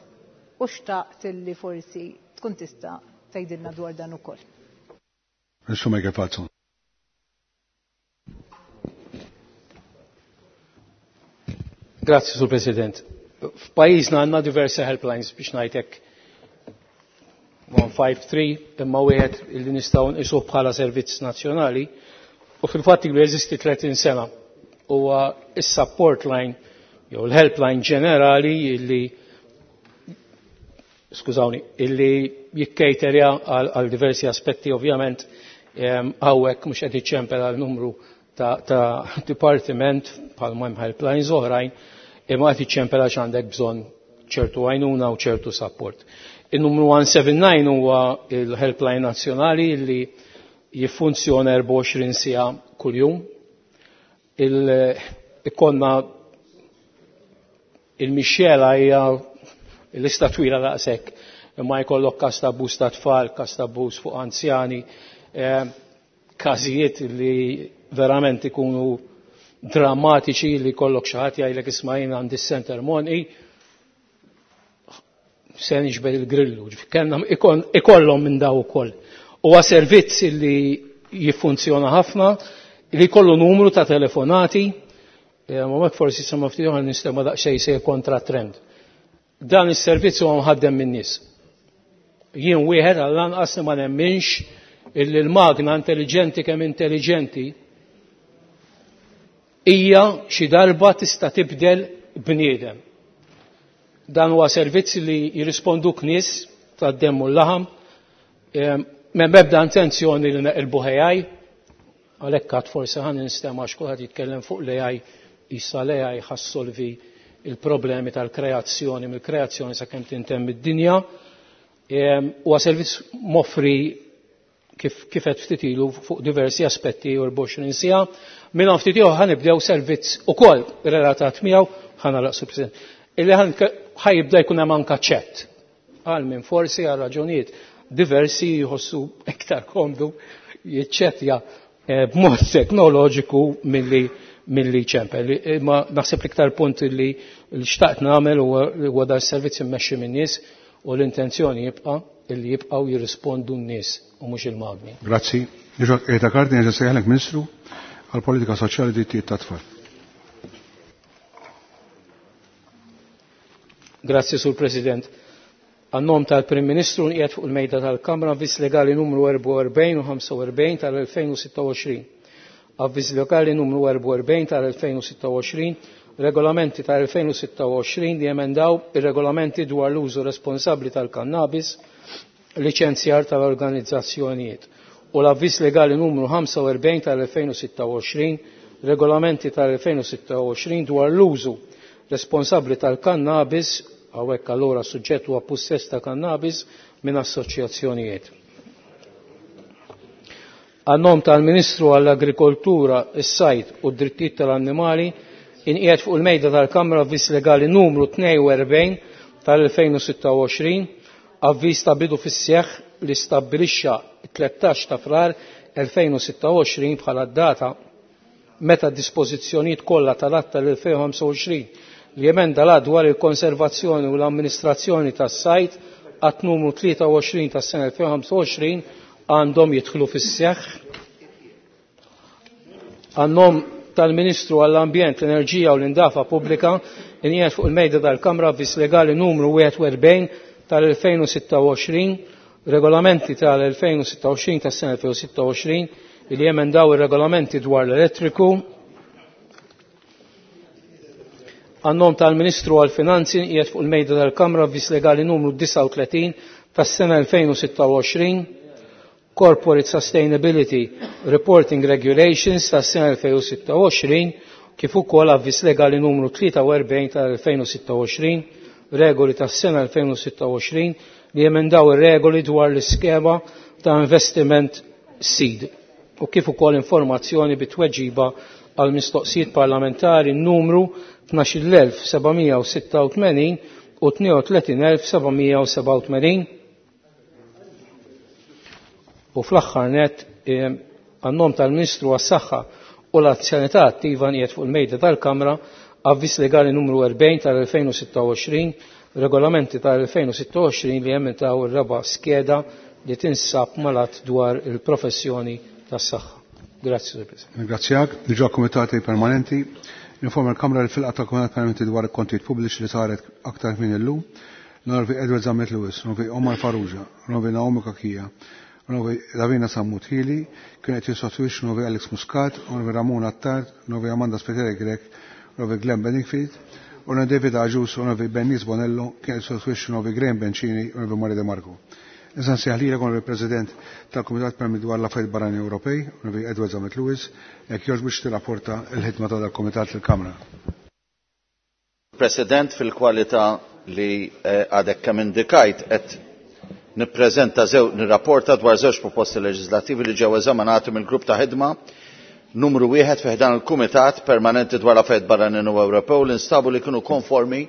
U xtaqt illi forsi tkun tista' tgħidilna dwar dan ukoll. Ministru Michael Falzon. Grazzi, Sur President. F'pajjiżna għandna diversi helplines biex ngħidlek 153 imma wieħed illi nistgħu nqisuh bħala servizz nazzjonali u fil-fatt ilu jeżisti 30 sena huwa is-support line jew l-helpline ġenerali illi skużawni, illi jikkejterja għal diversi aspetti ovvjament hawnhekk mhux qed iċċempel għal numru ta' dipartiment bħalma hemm helplines oħrajn imma qed iċċempel għax għandek bżonn ċertu għajnuna u ċertu support. Il-numru 179 huwa il-helpline nazzjonali li jiffunzjona 24 siegħa kuljum. Ikonna il-mixjela hija l-lista twila daqshekk, imma jkollok każ ta' abbuż ta' tfal, każ ta' abbuż fuq anzjani, każijiet li verament ikunu drammatiċi li jkollok xi ħadd jgħidlek isma' jien għandi center money se niġbed il-grillu, kellna ikollhom minn daw ukoll. Huwa servizz li jiffunzjona ħafna, li jkollu numru ta' telefonati, ma mek forsi sema ftit oħra nistema daqsxejn se kontra trend. Dan is-servizz huwa mħaddem min-nies. Jien wieħed għall-anqas li ma nemminx illi l-magna intelligenti kemm intelligenti hija xi darba tista' tibdel bniedem. Dan huwa servizz li jirrisponduk nies tad-demm u l-laħam, m'hemm ebda intenzjoni li neqilbu AI, għalhekk għad forsi ħa ninstema' għax kulħadd jitkellem fuq l-AI, issa l-AI ħa ssolvi il-problemi tal-kreazzjoni, mill-kreazzjoni sakemm tintemm id-dinja. Huwa servizz moffri kif qed ftit ilu fuq diversi aspetti u 24 siegħa. Minn hawn ftit ieħor ħa nibdew servizz ukoll relatat miegħu, ħa nagħlaq Sur President, illi ħa jibda jkun hemm anke chat. Għal minn forsi għal raġunijiet diversi jħossu iktar komdu jiċċettja b'mod teknoloġiku milli ċempel. Imma naħseb l-iktar punt li xtaqt nagħmel huwa dar servizz immexxi min-nies u l-intenzjoni jibqa' illi jibqgħu jirrispondu n-nies u mhux il-magni. Grazzi. Eta Kardi, nerġa' sejħlek Ministru għall-Politika Soċjali Drittijiet tat-Tfal. Grazzi, Sur President. Għan-nom tal-Prim Ministru nqiegħed fuq il-mejda tal-Kamra avviż legali numru 44 u 45 tal-2026. Avviż legali numru 44 tal-2026, regolamenti tal-2026 li emendaw ir-regolamenti dwar l-użu responsabbli tal-kannabis, liċenzjar tal-organizzazzjonijiet u l-avviż legali numru 45 tal-2026, regolamenti tal-2026 dwar l-użu responsabbli tal-kannabis, hawnhekk allura suġġett huwa pussess ta' kannabis minn assoċjazzjonijiet. Għan-nom tal-Ministru għall-Agrikoltura, is-Sajd u d-Drittijiet tal-Annimali inqiegħed fuq il-mejda tal-Kamra avviż legali numru 42 tal-2026, avviż ta' bidu fis-seħħ li stabbilixxa 13 ta' Frar 2026 bħala d-data meta d-dispożizzjonijiet kollha tal-Att tal-2025 li emenda l dwar il-konservazzjoni u l-amministrazzjoni tas-sajd att numru 23 tas-sena 2025 għandhom jidħlu fis-seħħ. Għan-nom tal-Ministru għall-Ambjent, l-Enerġija u l-Indafa Pubblika inqiegħed fuq il-mejda tal-Kamra avviż legali numru 41 tal-2026, regolamenti tal-2026 tas-sena 2026 li jemendaw ir-regolamenti dwar l-elettriku. Għan-nom tal-Ministru għall-Finanzi qiegħed fuq il-mejda tal-Kamra avviż legali numru 39 tas-sena 2026, Corporate Sustainability Reporting Regulations tas-sena 2026, kif ukoll avviż legali numru 43 tal-2026, regoli tas-sena 2026 li jemendaw ir-regoli dwar l-iskema ta' investiment seed u kif ukoll informazzjoni bi tweġiba għal mistoqsijiet parlamentari numru 12786 u 32787. U fl-aħħar net għan-nom tal-Ministru għas-Saħħa u l-Anzjanità Attiva nqiegħed fuq il-mejda tal-Kamra avviż legali numru 40 tal-2026, regolamenti tal-2026 li jementaw ir-raba' skeda li tinsab malat dwar il-professjoni tas-saħħa. Grazzi, Sur President. Ringrazzjak. Diġà komitati permanenti. Informa l-Kamra li fil-qata komitat permanenti dwar il-kontijiet pubbliċi li saret aktar minn illum. L-Onorevoli Edward Zammit Lewis, l-Onorevoli Omar Farrugia, l-Onorevoli Naomi Cachia, l-Onorevoli Lavina Sammut Hili, kien qed jissostitwixxu l-Onorevoli Alex Muscat, l-Onorevoli Ramon Attard, l-Onorevoli Amanda Spiteri Grech, l-Onorevoli Glenn Bedingfield, l-Onorevoli David Agius, l-Onorevoli Bernice Bonello, kien qed jissostitwixxu l-Onorevoli Graham Bencini, l-Onorevoli Mario De Marco. Issa nsejjaħ lilek Onorevoli President tal-Kumitat Permanenti dwar l-Affarijiet Barranin Ewropej, Onorevoli Edward Zammit Lewis, jekk jogħġbok biex tirrapporta l-ħidma ta' dal-Kumitat lill-Kamra. President, fil-kwalità li għadek kemm indikajt qed nippreżenta zew nirrapporta dwar żewġ proposti leġislattivi li ġew eżaminati mill-grupp ta' ħidma numru wieħed fi ħdan il-Kumitat Permanenti dwar l-Affarijiet Barranin u Ewropew li nstabu li kienu konformi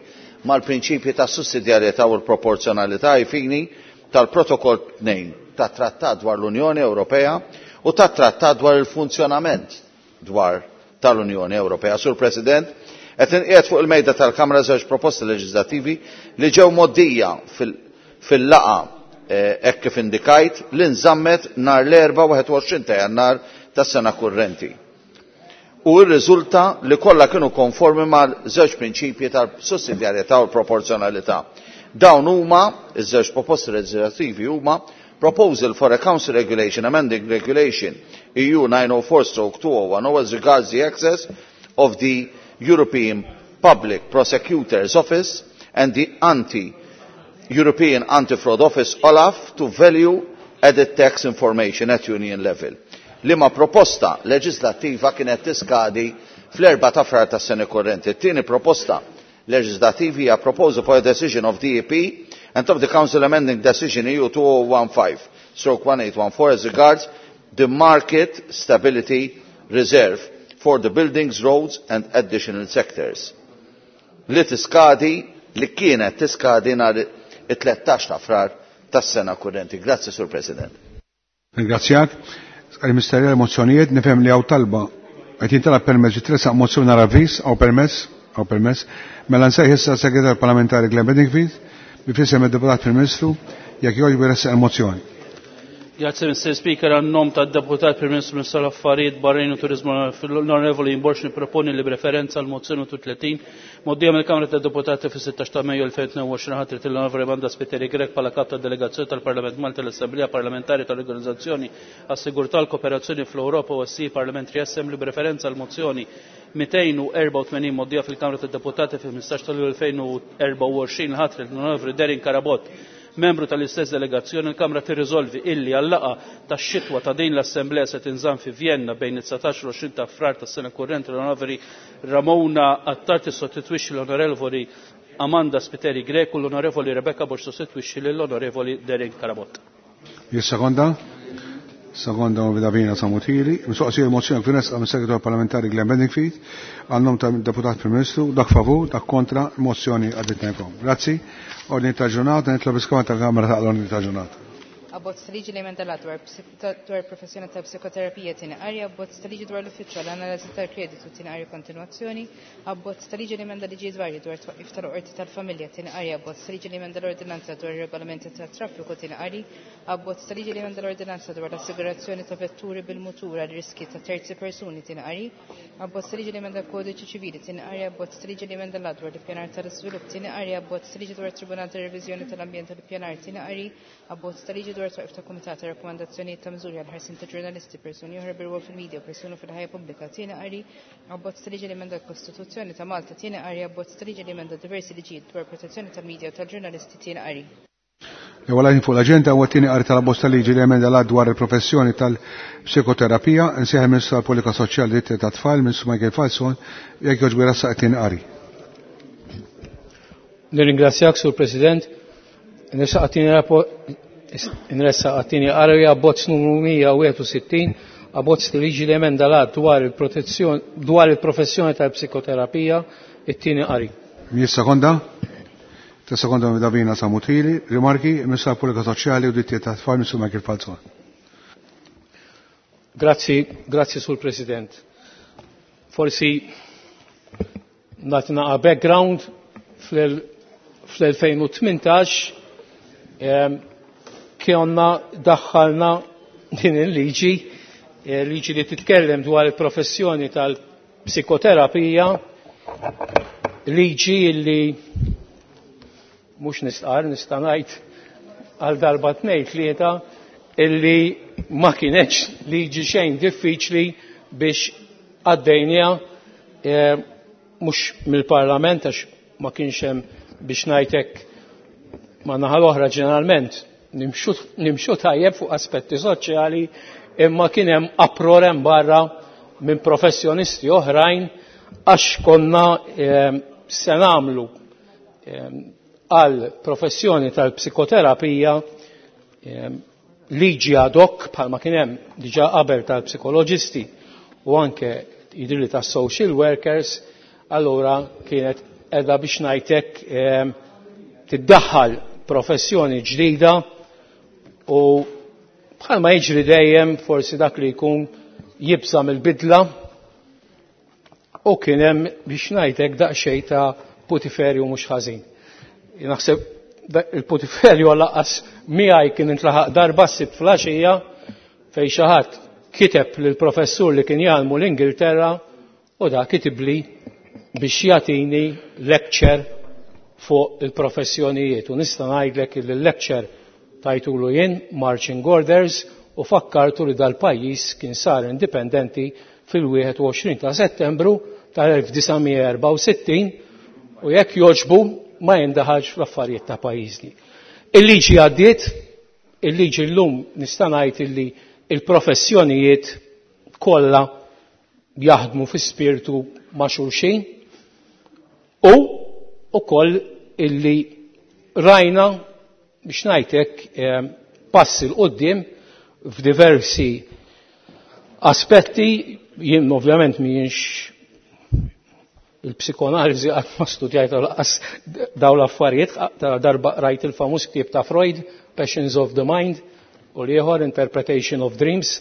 mal-prinċipji ta' sussidjarjetà u l-proporzjonalità ai fini tal-Protokoll 2 tat-Trattat dwar l-Unjoni Ewropea u tat-Trattat dwar il-funzjonament dwar tal-Unjoni Ewropea. Sur President, qed inqiegħed fuq il-mejda tal-Kamra żewġ proposti leġislattivi li ġew moddija fil-laqa hekk kif indikajt li nżammet nhar l-erba' 21 ta' Jannar tas-sena kurrenti. U rriżulta li kollha kienu konformi mal-żewġ prinċipji tal-sussidjarjetà u l-proporzjonalità. Dawn huma iż-żewġ proposti leġislattivi huma Proposal for a Council Regulation Amending Regulation EU 904/2010 as regards the access of the European Public Prosecutor's Office and the Anti-European Anti-Fraud Office OLAF to value added tax information at Union level. Liema proposta leġislattiva kienet tiskadi fl-4 ta' frar tas-sena korrenti. Tieni proposta leġislattivi hija proposal for a decision of the EP and of the Council amending decision EU 2015/1814 as regards the market stability reserve for the buildings, roads and additional sectors. Li tiskadi, li kienet tiskadi nhar it-13 ta' frar tas-sena kurrenti. Grazzi, Sur President. Ringrazzjak. Għal-Misterja l-mozzjonijiet, nifhem li hawn talba qed jintalab permezz li tressaq mozzjoni għal avviż, hawn permess, hawn permess. Mela nsejħ issa segretar parlamentari Glenn Bedingfield bi fisem id-deputat Prim Ministru jekk jogħġbu jressaq il-mozzjoni. Grazie Mr. Speaker, għan-nom tad-deputat Prim Ministru Ministru tal-Affarijiet Barranin u Turizmu l-Onorevoli Borg niproponi li b'referenza għal mozzjoni 30 mgħoddija mill-Kamra tad-Deputati fis-16 ta' Mejju 2022 ħatret l-Onorevoli Amanda Spiteri Grech bħala kap tad-delegazzjoni tal-Parlament Malti l-Assemblea Parlamentari tal-Organizzazzjoni għas-Sigurtà u l-Kooperazzjoni fl-Ewropa OSCE Parliamentary Assembly b'referenza għal mozzjoni 284 mgħoddija fil-Kamra tad-Deputati fil-15 ta' Lulju 2024 ħatret l-Onorevoli Darren Carabott membru tal-istess delegazzjoni. Il-Kamra tirriżolvi illi għal-laqgħa tax-xitwa ta' din l-Assemblea se tinżamm fi Vienna bejn it-19 u 20 ta' Frar tas-sena kurrenti l-Onorevoli Ramona Attard tissostitwixxi l-Onorevoli Amanda Spiteri Grech u l-Onorevoli Rebecca Borg sostitwixxi lill-Onorevoli Darren Carabott. Jissekonda? Sekonda u Davina Samutili. Mistoqsija l-mozzjoni kif imressqa mis-Segretarju Parlamentari Glenn Bedingfield għan-nom tad-Deputat Prim Ministru. Dak favur, dak kontra, il-mozzjoni għaddiet ngħidkom. Grazzi. Ordni ta' ġurnata, nitlob iskema tal-Kamra ta' l-ordni ta' ġurnata. Abbozz ta' liġi li emenda l-att dwar dwar professjoni ta' psikoterapija tieni qari, abbozz ta' liġi dwar l-uffiċċju għal analiżi tal-kreditu tieni qari kontinwazzjoni, abbozz ta' liġi li emenda liġijiet varji dwar twaqqif tal-qorti tal-familja tieni qari, abbozz ta' liġi li emenda l-ordinanza dwar ir-regolamenti tat-traffiku tieni qari, abbozz ta' liġi li emenda l-ordinanza dwar l-assigurazzjoni ta' vetturi bil-mutur għal riski ta' terzi persuni tieni qari, abbozz ta' liġi li emenda l-kodiċi ċivili tieni qari, abbozz ta' liġi li emenda l-att dwar l-ippjanar tal-iżvilupp tieni qari, abbozz ta' liġi dwar it-Tribunal tar-Reviżjoni tal-Ambjent u l-Ippjanar tieni qari, abbozz ta' liġi dwar twaqif ta' kumitat ta' rakkomandazzjonijiet ta' miżuri għall-ħarsien ta' ġurnalisti, persuni oħra bir-rwol fil-media u persuni fil-ħajja pubblika tieni qari, abbozz ta' liġi li emenda l-Kostituzzjoni ta' Malta tieni qari, abbozz ta' liġi li emenda diversi liġijiet dwar protezzjoni tal-media u tal-ġurnalisti tieni qari. L-ewwel għajn fuq l-aġenda huwa t-tieni qari tal-abbozz ta' liġi li emenda l-att dwar il-professjoni tal-psikoterapija. Insejjaħ il-Ministru tal-Politika Soċjali u Diritti tat-Tfal, Ministru Michael Falzon, jekk jogħġbu jrassaq it-tieni qari. Nirringrazzjak, Sur President. Nressaq għat-tieni qari abbozz numru 161, abbozz ta' liġi li emenda l-att dwar il-protezzjoni dwar il-professjoni tal-psikoterapija, it-tieni qari. Min sekonda? Ta' sekonda minn Davina Samutili. Rimarki, il-Ministru tal-Politika Soċjali u Drittijiet tat-Tfal, Ministru Michael Falzon. Grazzi, grazzi Sur President. Forsi nagħti naqa' background fl-2018 konna daħħalna din il-liġi, liġi li titkellem dwar il-professjoni tal-psikoterapija, liġi li mhux nistqar, nista' ngħid għal darba tnejn tlieta illi ma kienetx liġi xejn diffiċli biex għaddejnija mhux mill-Parlament għax ma kienx hemm biex ngħidlek ma naħa l-oħra ġeneralment nimxu tajjeb fuq aspetti soċjali imma kien hemm uproar hemm barra minn professjonisti oħrajn għax konna se nagħmlu għal professjoni tal-psikoterapija liġi ad hoc bħalma kien hemm diġà qabel tal-psikoloġisti u anke jidhirli tas-social workers, allura kienet edha biex ngħidlek tiddaħħal professjoni ġdida u bħalma jiġri dejjem forsi dak li jkun jibża mill-bidla u kien hemm biex ngħidlek daqsxejn ta' putiferju mhux ħażin. Naħseb il-putiferju laqqas miegħi kien intlaħaq darba s-sibt flaxija fejn xi ħadd kiteb lill-professur li kien jgħallmu l-Ingilterra u da kitibli biex jagħtini lecture fuq il-professjonijiet. U nista' ngħidlek li l-lecture tajtulu jien Marching Orders u fakkartu li dal-pajjiż kien sar indipendenti fil-21 ta' Settembru tal-1964 u jekk joġbu ma jindaħalx fl-affarijiet ta' pajjiżni. Il-liġi għaddiet, il-liġi llum nista' ngħid illi il-professjonijiet kollha jaħdmu fi spirtu ma' xulxin u ukoll illi rajna biex ngħidlek passi 'l quddiem f'diversi aspetti. Jien ovvjament m'ienx il-psikoanaliżi qatt ma studjajt lanqas daw l-affarijiet, ta' darba rajt il-famuż ktieb ta' Freud, Passions of the Mind, u l-ieħor Interpretation of Dreams.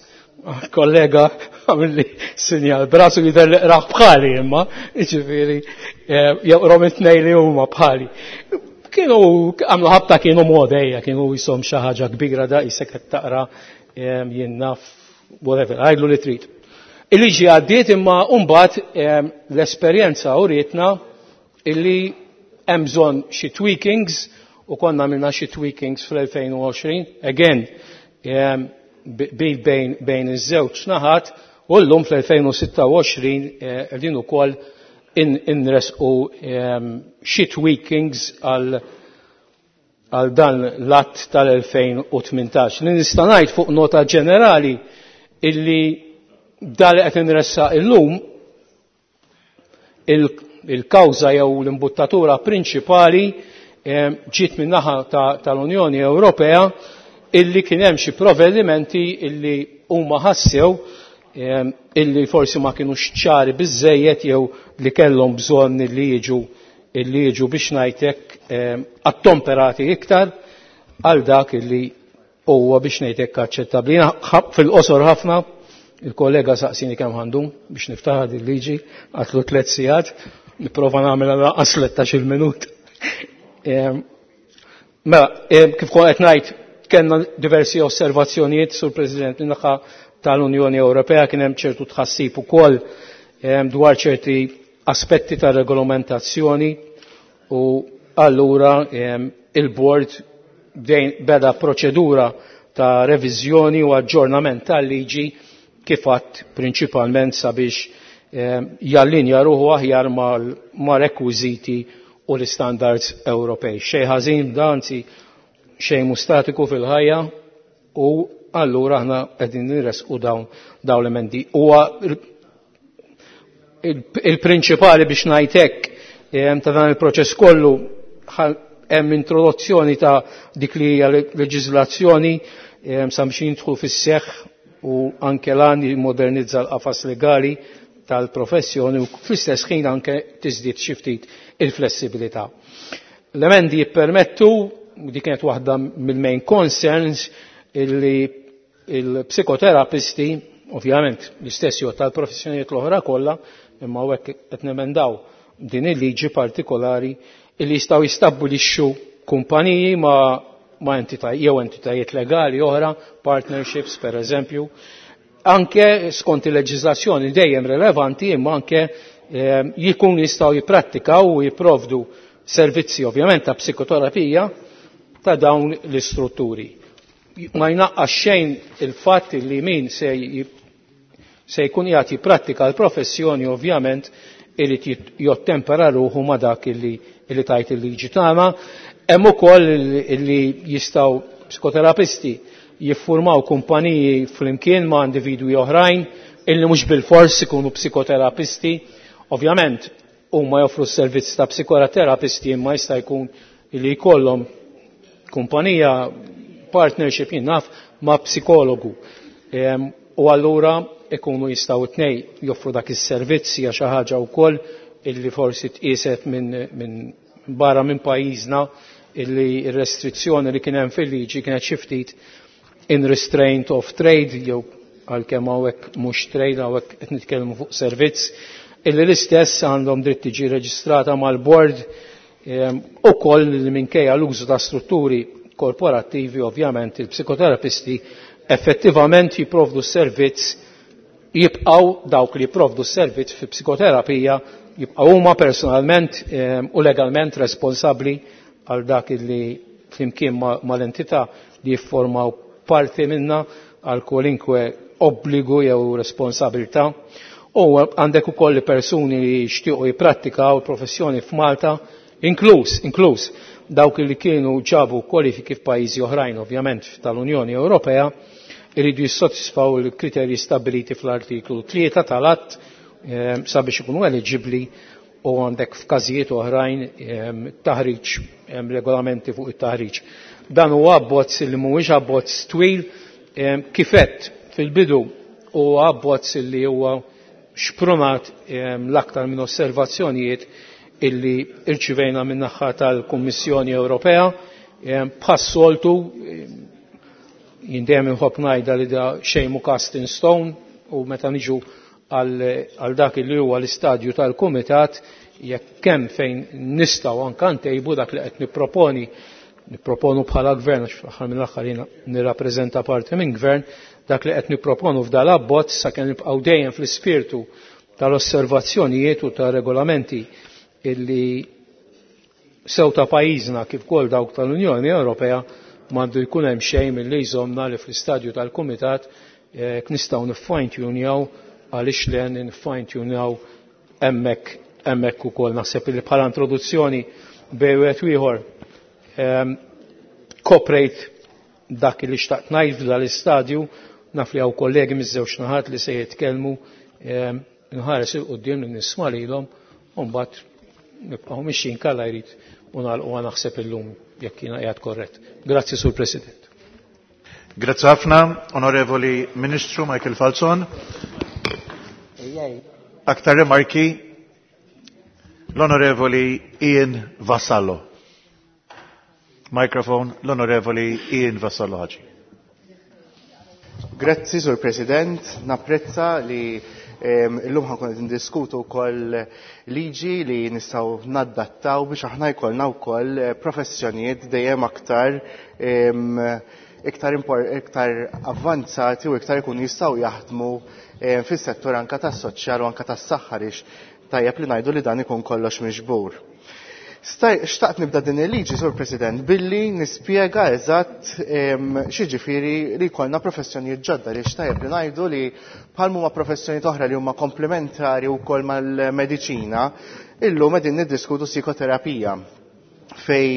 Kollega għamilli sinjal brasu jidher li qrah bħali imma, jiġifieri joqrom it-tnejn li huma bħali. Kienu għamlu ħabta kienu modejja, kienu jisom xi ħaġa kbira da jisek qed taqra Jien naf, whatever, għidlu li trid. Il-liġi għaddiet imma mbagħad l-esperjenza urietna illi hemm bżonn xi tweakings u konna għamilna xi tweakings fl-2020, again, bejn iż-żewġ naħat, u llum fl-2026 qegħdin ukoll inresqu xi tweakings għal dan l-att tal-2018. Li nista' ngħid fuq nota ġenerali illi dan li qed inressaq illum il-kawża jew l-imbuttatura prinċipali ġiet min-naħa tal-Unjoni Ewropea illi kien hemm xi provvedimenti illi huma ħassew illi forsi ma kinux ċari biżejjed jew li kellhom bżonn li jiġu illi jiġu biex ngħidlek attomperati iktar għal dak illi huwa biex ngħidlek aċċettabbli. Fil-qosor ħafna il-kollega saqsini kemm għandu biex niftaħ din liġi għatlu 3 sigħat, nipprova nagħmel lanqas 13-il minut. Mela, kif kont qed ngħid, kellna diversi osservazzjonijiet sur President min-naħa tal-Unjoni Ewropea, kien hemm ċertu tħassib ukoll dwar ċerti aspetti ta' regolamentazzjoni u allura il-board beda proċedura ta' reviżjoni u aġġornament tal-liġi kif għadd prinċipalment sabiex jallinja ruħu aħjar ma' rekwiżiti u l-standards Ewropej. Xejn ħażin da, anzi xejn mhu statiku fil-ħajja u allura aħna qegħdin nirresqu dawn l-emendi. Huwa il-prinċipali biex ngħid hekk ta' dan il-proċess kollu hemm introduzzjoni ta' dik li hija leġiżlazzjoni sabiex jidħlu fis-seħħ u anke lan jimmodernizza l-qafas legali tal-professjoni u fl-istess ħin anke tiżdied xi ftit il-flessibilità. L-emendi jippermettu, u dik kienet waħda mill-main concerns, illi il-psikoterapisti, ovvjament l-istess jgħod tal-professjonijiet l-oħra kollha, imma hawnhekk qed nemendaw din il-liġi partikolari, illi jistgħu jistabbilixxu kumpaniji ma' entità jew entitajiet legali oħra, partnerships per eżempju, anke skont il-leġiżlazzjoni dejjem relevanti, imma anke jikun jistgħu jipprattikaw u jipprovdu servizzi ovvjament ta' psikoterapija ta' dawn l-istrutturi. Ma jnaqqas xejn il-fatt li min se jkun jagħti jiprattika l-professjoni ovvjament irid jottempera ruħu ma' dak illi tajt il-liġi tagħna. Hemm ukoll illi jistgħu psikoterapisti jiffurmaw kumpaniji flimkien ma' individwi oħrajn illi mhux bilfors ikunu psikoterapisti. Ovvjament huma joffru s-servizz ta' psikoterapisti imma jista' jkun illi jkollhom kumpanija partnership jien naf ma' psikologu. U allura ikunu jistgħu tnej joffru dak is-servizz hija xi ħaġa wkoll illi forsi tqieset minn barra minn pajjiżna illi r-restrizzjoni li kien hemm fil-liġi kienet xi ftit in restraint of trade, jew għalkemm hawnhekk mhux trade, hawnhekk qed nitkellmu fuq servizz, illi l-istess għandhom dritt tiġi reġistrata mal-board ukoll li minkejja l-użu ta' strutturi korporattivi ovvjament il-psikoterapisti effettivament jipprovdu s-servizz, jibqgħu dawk li jipprovdu s-servizz fi psikoterapija jibqgħu huma personalment u legalment responsabbli għal dak li flimkien mal-entità li jiffurmaw parti minna għal kwalinkwe obbligu jew responsabilità. U għandek ukoll persuni li jixtiequ jipprattikaw professjoni f'Malta, inkluż dawk li kienu ġabu kwalifiki f'pajjiżi oħrajn ovvjament tal-Unjoni Ewropea, iridu jissodisfaw il-kriterji stabiliti fl-artiklu 3 tal-att sabiex ikunu eliġibbli, u għandek f'każijiet oħrajn taħriġ, regolamenti fuq it-taħriġ. Dan huwa abbozz li mhuwiex abbozz twil, kifett fil-bidu huwa abbozz li huwa xprunat l-aktar minn osservazzjonijiet illi irċivejna min-naħa tal-Kummissjoni Ewropea. Bħas-soltu jien dejjem inħobb ngħidha li da xejn mhu cast in stone, u meta niġu għal dak li huwa l-istadju tal-Kumitat, jekk kemm fejn nistgħu anke ntejbu dak li qed nipproponi nipproponu bħala gvern, għax fl-aħħar mill-aħħar jiena nirrappreżenta parti minn gvern, dak li qed nipproponu f'dal abbozz sakemm nibqgħu dejjem fl-ispirtu tal-osservazzjonijiet u tar-regolamenti illi sew ta' pajjiżna kif ukoll dawk tal-Unjoni Ewropea m'għandu jkun hemm xejn milli jżommna li fl-istadju tal-kumitat jekk nistgħu niffine tunejaw għaliex le niffine tunejaw hemmhekk hemmhekk ukoll naħseb li bħala introduzzjoni bejn wieħed u ieħor koprejt dak li xtaqt ngħid f'dal-istadju naf li hawn kollegi miż-żewġ naħat li se jitkellmu nħares il quddiem li nisma' lilhom u mbagħad nibqgħu mixjin kalla jrid u nagħlqu naħseb illum jekk jiena qiegħed korrett. Grazzi Sur President. Grazzi ħafna, Onorevoli Ministru Michael Falzon. Aktar rimarki l-Onorevoli Ian Vassallo. Microphone, l-Onorevoli Ian Vassallo Ħaġi. Grazzi, Sur President. Napprezza li illum ħankun qed ndiskutu wkoll liġi li nistgħu naddattaw biex aħna jkollna wkoll professjonijiet dejjem aktar iktar iktar avvanzati u iktar ikunu jistgħu jaħdmu fis-settur anka tas-soċjal u anka tas-saħħa għaliex tajjeb li ngħidu li dan ikun kollox miġbur. Xtaqt nibda din il-liġi, Sur President, billi nispjega eżatt x'jiġifieri li jkollna professjonijiet ġodda li xtajjeb li ngħidu li bħal huma professjonijiet oħra li huma komplementari wkoll mal-mediċina, illum qegħdin niddiskutu psikoterapija fej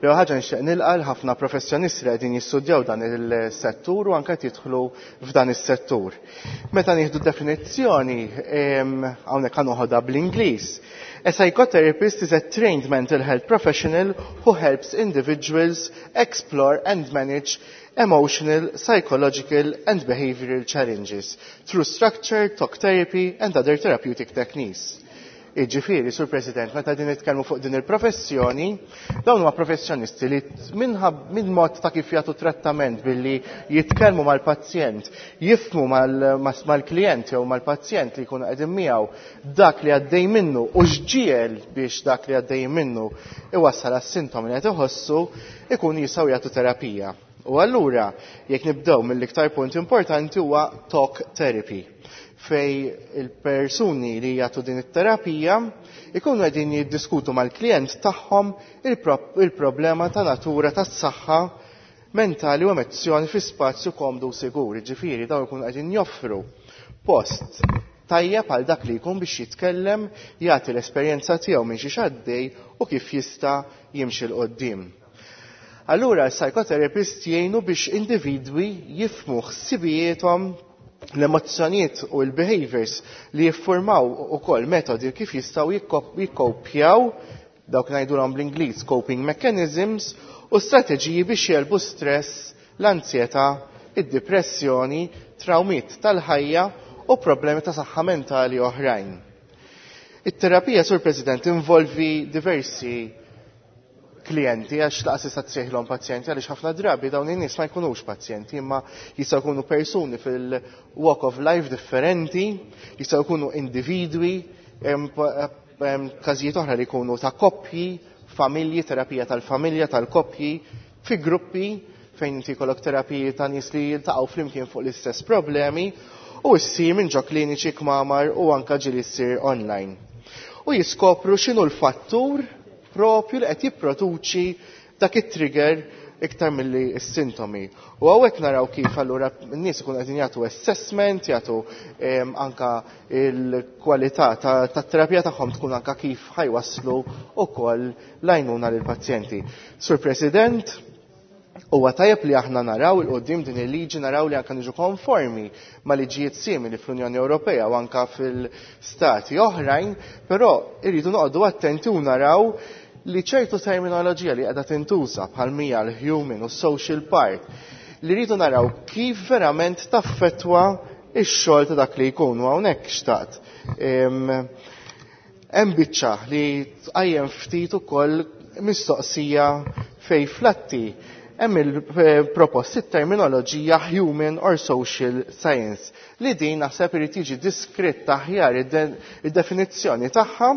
l ħaġa nixtieq nilqa' ħafna professjonisti li qegħdin jistudjaw dan il-settur u anke qed jidħlu f'dan is-settur. Meta nieħdu definizzjoni hawnhekk ħa noħodha bl-Ingliż. A psychotherapist is a trained mental health professional who helps individuals explore and manage emotional, psychological and behavioral challenges through structured talk therapy and other therapeutic techniques. Iġifieri, Sur President, meta din nitkellmu fuq din il-professjoni, dawn huma professjonisti li minn mod ta' kif jagħtu trattament billi jitkellmu mal-pazjent, jifhmu mal-klient jew mal-pazjent li jkunu qegħdin miegħu dak li għaddej minnu u x'ġiel biex dak li għaddej minnu iwassal għas-sintomi li qed iħossu, ikunu jistgħu jagħtu terapija. U allura, jekk nibdew mill-iktar punt importanti huwa talk therapy fej il-persuni li jagħtu din it-terapija ikunu qegħdin jiddiskutu mal-klient tagħhom il-problema ta' natura tas-saħħa mentali u emozzjoni fi spazju komdu u sigur. Ġifieri dawn ikunu qegħdin joffru post tajjeb għal dak li jkun biex jitkellem, jagħti l-esperjenza tiegħu minn xi għaddej u kif jista' jimxi 'l quddiem. Allura l-psychotherapist jgħinu biex individwi jifhmu ħsibijiethom, l-emozzjonijiet u l-behaviors li jiffurmaw ukoll metodi kif jistgħu jikkopjaw dawk ngħidulhom bl-Ingliż coping mechanisms u strateġiji biex jegħlbu stress, l-ansjetà, id-depressjoni, trawmiet tal-ħajja u problemi ta' saħħa mentali oħrajn. It-terapija, Sur President, involvi diversi klijenti għax lanqas tista' tsejħilhom pazjenti għaliex ħafna drabi dawn in-nies ma jkunux pazjenti imma jistgħu jkunu persuni fil-walk of life differenti, jistgħu jkunu individwi, każijiet oħra li jkunu ta' koppji, familji, terapija tal-familja, tal-koppji, fi gruppi fejn inti jkollok terapiji ta' nies li jiltaqgħu flimkien fuq l-istess problemi u ssir minn ġo kliniċi kmamar u anka ġieli ssir online. U jiskopru x'inhu l-fattur propju li qed jipproduċi dak it-trigger iktar milli s-sintomi. U hawnhekk naraw kif allura n-nies ikunu qegħdin jagħtu assessment, jagħtu anka il-kwalità tat-terapija tagħhom tkun anka kif ħa jwasslu ukoll l-għajnuna lill-pazjenti. Sur President, huwa tajjeb li aħna naraw 'il quddiem din il-liġi naraw li anka niġu konformi ma' liġijiet simili fl-Unjoni Ewropea u anka fil-stati oħrajn, però irridu noqogħdu attenti u naraw li ċertu terminoloġija li qiegħda tintuża bħal mija l-human u social part li rridu naraw kif verament taffetwa ix-xogħol ta' dak li jkun u hawnhekk xtaqt. Hemm biċċa li tqajjem ftit ukoll mistoqsija fej flatti Hemm il-proposti terminoloġija human or social science li din naħseb irid jiġi diskritt aħjar id-definizzjoni tagħha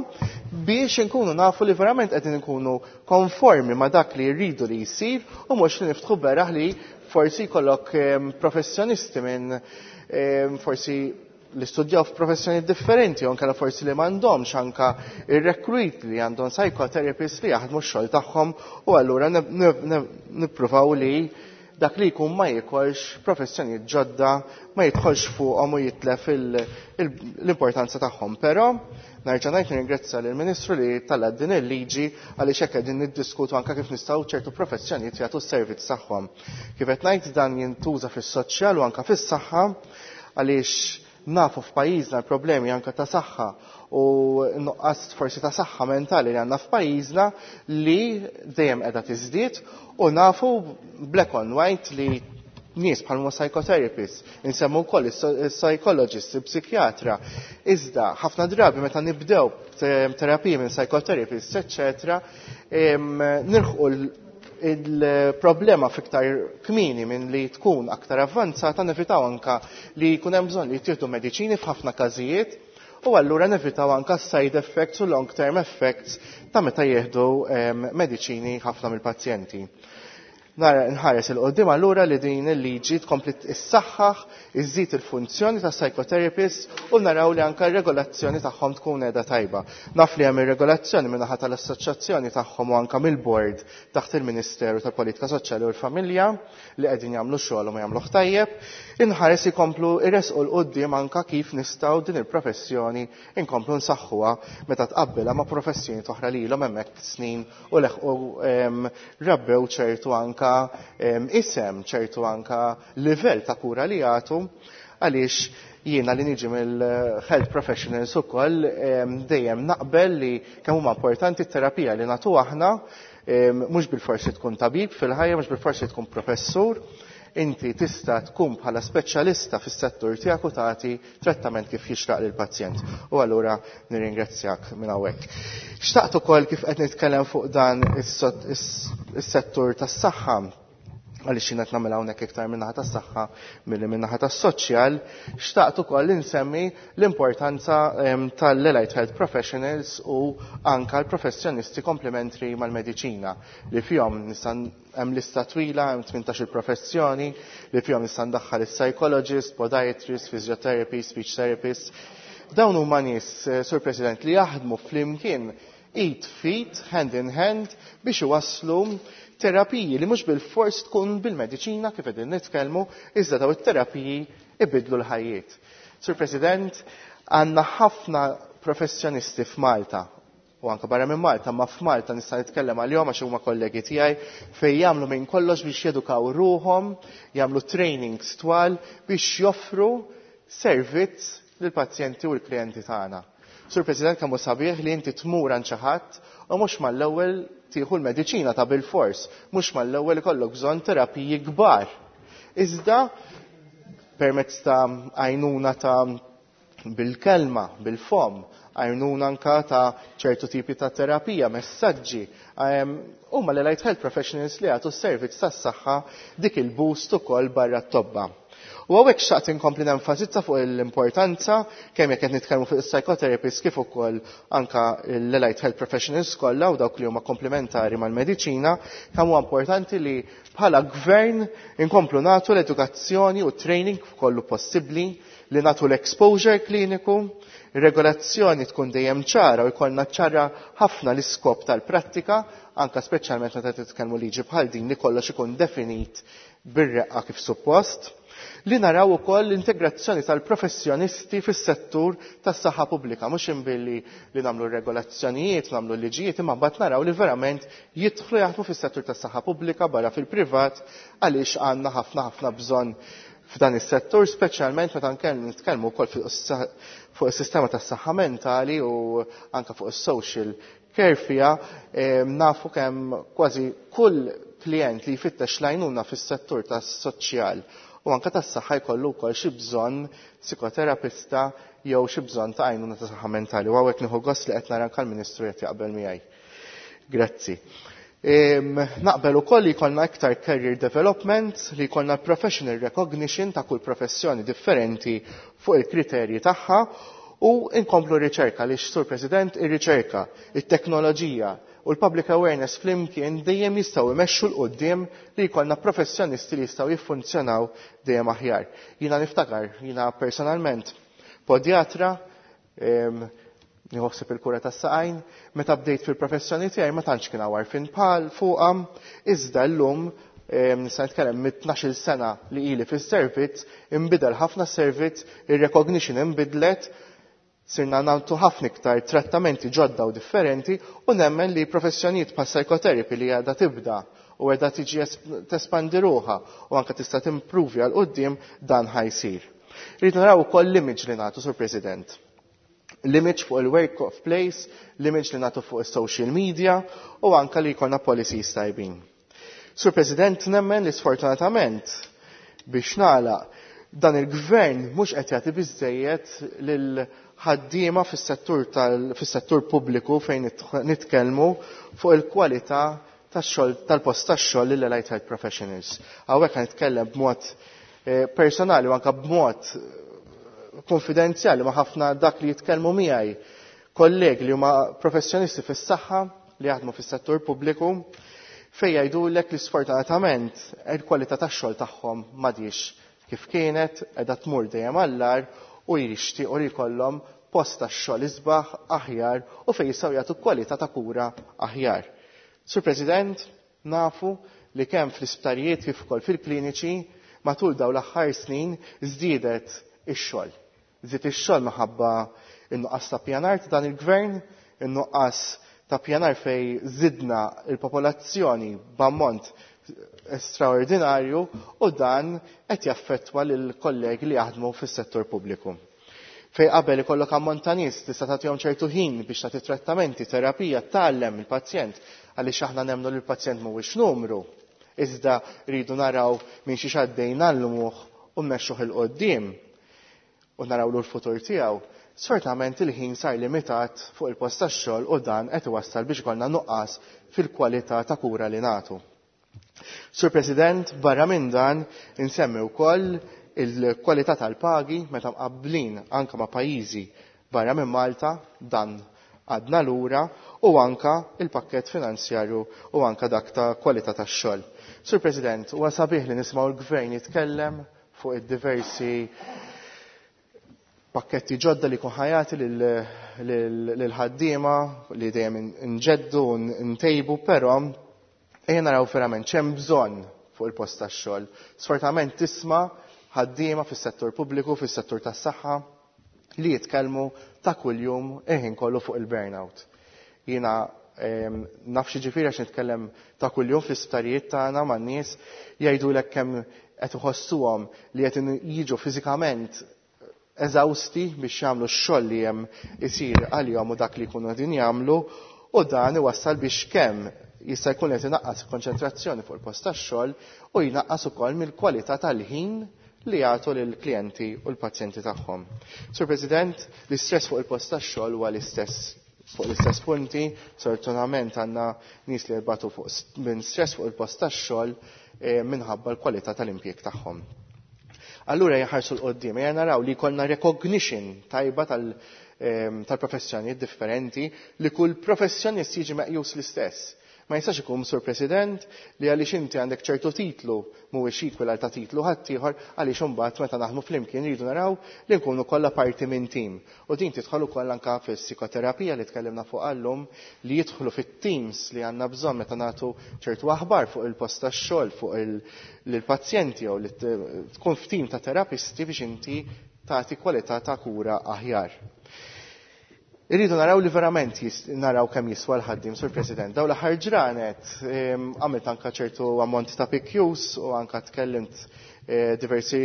biex inkunu nafu li verament qegħdin inkunu konformi ma' dak li rridu li jsir u mhux li niftħu beraħ li forsi jkollok professjonisti minn forsi li studjaw f'professjoni differenti, u anke forsi li m'għandhomx anka ir-rekruit li għandhom psychotherapists li jaħdmu x-xogħol tagħhom u allura nippruvaw li dak li jkun ma jikolx professjonijiet ġodda, ma jidħolx fuqhom u jitlef l-importanza tagħhom. Però nerġa' ngħid nirringrazzja lill-Ministru li talla din il-liġi għaliex hekk qegħdin niddiskutu anke kif nistgħu ċertu professjonijiet jagħtu s-servizz tagħhom. Kif qed ngħid dan jintuża fis-soċjal u anke fis-saħħa għaliex nafu f'pajjiżna l-problemi anke ta' saħħa u nuqqas forsi ta' saħħa mentali li għandna f'pajjiżna li dejjem qiegħda tiżdied u nafu black on white li nies bħal huma psychotherapists, insemmu wkoll is-psychologists, il-psikjatra. Iżda ħafna drabi meta nibdew terapiji minn psychotherapists, eċċetera, nilħqu il-problema fiktar kmini minn li tkun aktar avvanzata, nevitaw anka li jkun hemm bżonn li jittieħdu mediċini f'ħafna każijiet u allura nevitaw anka side effects u long term effects ta' meta jieħdu mediċini ħafna mill-pazjenti. Nara nħares il-qoddim allura li din il-liġi tkompli issaħħaħ, iżżid il-funzjoni ta' psychotherapist u naraw li anka r-regolazzjoni tagħhom tkun qiegħda tajba. Naf li hemm ir-regolazzjoni min-naħa tal-assoċjazzjoni tagħhom u anka mill-board taħt il-Ministeru tal-Politika Soċjali u l-Familja li qegħdin jagħmlu xogħol u ma jagħmluh tajjeb. Inħares ikomplu irresqu 'l quddiem anka kif nistgħu din il-professjoni inkomplu nsaħħuha meta tqabbilha ma' professjoni oħra li ilhom hemmhekk snin u leħqu rabbew ċertu anka isem, ċertu anka livell ta' kura li jagħtu, għaliex jiena li niġi mill-health professionals ukoll dejjem naqbel li kemm huma importanti t-terapija li nagħtu aħna, mhux bil-forsi tkun tabib fil-ħajja, mhux bil-forsi tkun professur, inti tista' tkun bħala speċjalista fis-settur tiegħek u tagħti trattament kif jixraq lill-pazjent. U allura nirringrazzjak minn hawnhekk. Xtaqt ukoll kif qed nitkellem fuq dan is-settur tas-saħħa, għaliex jien qed nagħmel hawnhekk iktar min-naħa tas-saħħa milli min-naħa tas-soċjal, xtaqt ukoll insemmi l-importanza tal-allied health professionals u anka l-professjonisti komplementri mal-mediċina li fihom nista' hemm lista twila, hemm 18 professjoni li fihom nista' ndaħħal is-psychologist, podiatrist, physiotherapist, speech therapist. Dawn huma nies, Sur President, li jaħdmu flimkien id fit, hand in hand, biex iwasslu terapiji li mhux bil-fors tkun bil-mediċina kif qegħdin nitkellmu, iżda daw it-terapiji ibidlu l-ħajjiet. Sur President, għandna ħafna professjonisti f'Malta u anka barra minn Malta, ma f'Malta nista' nitkellem għalihom għax huma kollegi tiegħi fejn jagħmlu minn kollox biex jedukaw ruhom, jagħmlu trainings twal biex joffru servizz lill-pazjenti u l-klijenti tagħna. Sur President, kemm hu sabiħ li inti tmur għand xi ħadd u mhux mal-ewwel tieħu l-mediċina ta' bil-fors, mhux mal-ewwel ikollok bżonn terapiji kbar. Iżda permezz ta' għajnuna ta' bil-kelma, bil-fom, għajnuna anka ta' ċertu tipi ta' terapija, messaġġi. Huma l-allied health professionals li jagħtu s-servizz tas-saħħa dik il-boost ukoll barra t-tobba. U hawnhekk xtaqt inkompli nenfasizza fuq l-importanza kemm jekk qed nitkellmu fuq is-psychotherapists kif ukoll anka l-allied health professionals kollha u dawk li huma komplementari mal-mediċina, kemm huwa importanti li bħala gvern inkomplu nagħtu l-edukazzjoni u training kollu possibbli, li nagħtu l-exposure kliniku, regolazzjoni tkun dejjem ċara u jkollna ċara ħafna l-iskop tal-prattika, anka speċjalment meta titkellmu liġi bħal din li kollox ikun definit bir-reqqa kif suppost, li naraw ukoll l-integrazzjoni tal-professjonisti fis-settur tas-saħħa pubblika, mhux imbilli li nagħmlu regolazzjonijiet, nagħmlu liġijiet, imma mbagħad naraw li verament jidħlu jaħdmu fis-settur tas-saħħa pubblika barra fil-privat, għaliex għandna ħafna ħafna bżonn f'dan is-settur, speċjalment meta nitkellmu wkoll fuq is-sistema tas-saħħa mentali u anke fuq is-social care fiha, nafu kemm kważi kull klient li jfittex l-għajnuna fis-settur tas-soċjal u anke tas-saħħa jkollu wkoll xi bżonn psikoterapista jew xi bżonn ta' għajnuna ta' saħħa mentali. U hawnhekk nieħu gost li qed nara anke l-Ministru qed jaqbel miegħi. Grazzi. Naqbel ukoll li jkollna iktar career development, li jkollna professional recognition ta' kull professjoni differenti fuq il-kriterji tagħha u inkomplu riċerka li Sur President ir-riċerka, it-teknoloġija u l-public awareness flimkien dejjem jistgħu jmexxu 'l quddiem li jkollna professjonisti li jistgħu jiffunzjonaw dejjem aħjar. Jiena niftakar, jiena personalment podjatra, nieħu il-kura tas-saqajn, meta bdejt fil-professjoni tiegħi ma tantx kien hawn għarfien bħal fuqha, iżda llum nista' nitkellem mit-12-il sena li ili fis-servizz, inbidel ħafna servizz, ir-recognition inbidlet, sirna nagħtu ħafna iktar trattamenti ġodda u differenti u nemmen li professjonijiet bħal psychotherapy li għadha tibda u għedha tiġi tespandi ruħha u anke tista' timpruvi għal quddiem dan ħa jsir. Rrid naraw ukoll l-image li nagħtu, Sur President. L-image fuq il-work of place, l-image li nagħtu fuq is-social media u anke li jkollna policies tajbin. Sur President, nemmen li sfortunatament biex nagħlaq dan il-gvern mhux qed jagħti biżejjed lil ħaddiema fis-settur pubbliku fejn nitkellmu fuq il-kwalità tax-xogħol tal-post tax-xogħol lil allied health professionals. Hawnhekk nitkellem b'mod personali u anke b'mod konfidenzjali ma' ħafna dak li jitkellmu miegħi kollegi li huma professjonisti fis-saħħa li jaħdmu fis-settur pubbliku fejn jgħidulek li sfortunatament il-kwalità tax-xogħol tagħhom m'għadix kif kienet, qiegħda tmur dejjem għall-agħar u jixtiequ li jkollhom post tax-xogħol isbaħ aħjar u fejn jistgħu jagħtu kwalità ta' kura aħjar. Sur President, nafu li kemm fl-isptarijiet kif ukoll fil-kliniċi matul dawn l-aħħar snin żdiedet ix-xogħol. Żdied ix-xogħol minħabba in-nuqqas ta' pjanar ta' dan il-gvern, in-nuqqas ta' pjanar fej żidna il-popolazzjoni b'ammont straordinarju u dan qed jaffettwa lil kollegi li jaħdmu fis-settur pubbliku. Fej qabel ikollok ammont ta' nies tista' tagħtihom ċertu ħin biex tagħti trattamenti, terapija, tgħallem il-pazjent għaliex aħna nemmnu li l-pazjent mhuwiex numru. Iżda rridu naraw minn xi għaddej ngħallmuh u mmexxuh 'il quddiem u narawlu l-futur tiegħu. Sfortunatament il-ħin sar limitat fuq il-post tax-xogħol u dan qed iwassal biex ikollna nuqqas fil-kwalità ta' kura li nagħtu. Sur President, barra minn dan insemmi wkoll il-kwalità tal-pagi meta mqabblin anke ma' pajjiżi barra minn Malta, dan għadna lura, u anka il-pakket finanzjarju u anka dak ta' kwalità tax-xogħol. Sur President, huwa sabiħ li nismgħu l-gvern jitkellem fuq id-diversi pakketti ġodda li jkun ħajati lil-ħaddiema li dejjem nġeddu u ntejbu, però ejja naraw verament x'hemm bżonn fuq il-post tax-xogħol. Sfortunatament tisma' ħaddiema fis-settur pubbliku, fis-settur tas-saħħa li jitkellmu ta' kuljum il-ħin kollu fuq il-burnout. Jiena naf xi ġifieri għax nitkellem ta' kuljum fl-isptarijiet tagħna man-nies jgħidulek kemm qed iħossuhom li qed jiġu fiżikament eżawsti biex jagħmlu x-xogħol li hemm isir għalihom u dak li jkunu qegħdin jagħmlu, u dan iwassal biex kemm jista' jkun qed inaqqas konċentrazzjoni fuq il-post tax-xogħol u jnaqqas ukoll mill-kwalità tal-ħin li jagħtu lill-klijenti u l-pazjenti tagħhom. Sur President, l-istress fuq il-post tax-xogħol huwa l-istess fuq l-istess punti, sfortunatament għandna nies li jbatu fuq minn stress fuq il-post tax-xogħol minħabba l-kwalità tal-impjieg tagħhom. Allura jħarsu 'l quddiem, ejja naraw li jkollna recognition tajba tal-professjonijiet differenti, li kull professjonist jiġi meqjus l-istess. Ma jistax ikun, Sur President, li għaliex inti għandek ċertu titlu mhuwiex equal għal ta' titlu ħaddieħor, għaliex imbagħad meta naħdmu flimkien rridu naraw li nkunu kollha parti minn tim. U din tidħol ukoll anke fis-psikoterapija li tkellimna fuq għallum, li jidħlu fit-teams li għandna bżonn meta nagħtu ċertu aħbar fuq il-post tax-xogħol, fuq lill-pazjenti jew li tkun f'tim ta' terapisti biex inti tagħti kwalità ta' kura aħjar. Irridu naraw li verament naraw kemm jiswa l-ħaddiem, Sur President. Dawn l-aħħar ġranet għamilt anka ċertu ammont ta' PQs u anka tkellimt diversi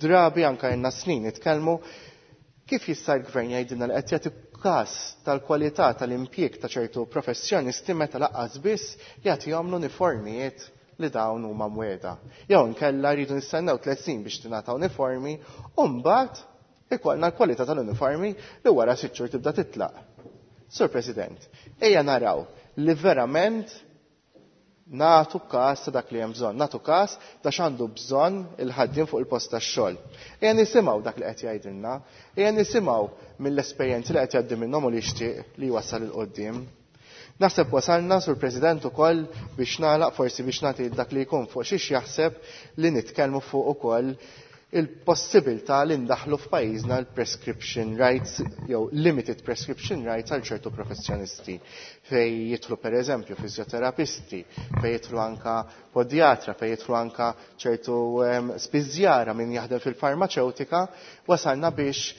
drabi, anka jenna snin nitkellmu kif jista' l-gvern jgħidilna li qed jagħti każ tal-kwalità tal-impjieg ta' ċertu professjonisti meta laqqas biss jagħtihom l-uniformijiet li dawn huma mweda. Jew inkella rridu nistennew 3 snin biex tingħata uniformi u mbagħad ikollna l-kwalità tal-uniformi li wara 6 xhur tibda titlaq. Sur President, ejja naraw li verament Nagħtu każ ta' dak li hemm bżonn, nagħtu każ ta' x'għandu bżonn il-ħaddiem fuq il-post tax-xogħol. Ejja nisimgħu dak li qed jgħidilna, ejja nisimgħu mill-esperjenzi li qed jgħaddi minnhom u li jixtieq li jwassal 'il quddiem. Naħseb wasalna, Sur President, ukoll biex nagħlaq forsi biex nagħti dak li jkun fuq xiex jaħseb li nitkellmu fuq ukoll il-possibilità li ndaħlu f'pajjiżna l-prescription rights jew limited prescription rights għal ċertu professjonisti fej jidħlu pereżempju fiżjoterapisti, fej jidħlu anka podjatra, fej jidħlu anka ċertu spiżjara min jaħdem fil-farmaċewtika, wasalna biex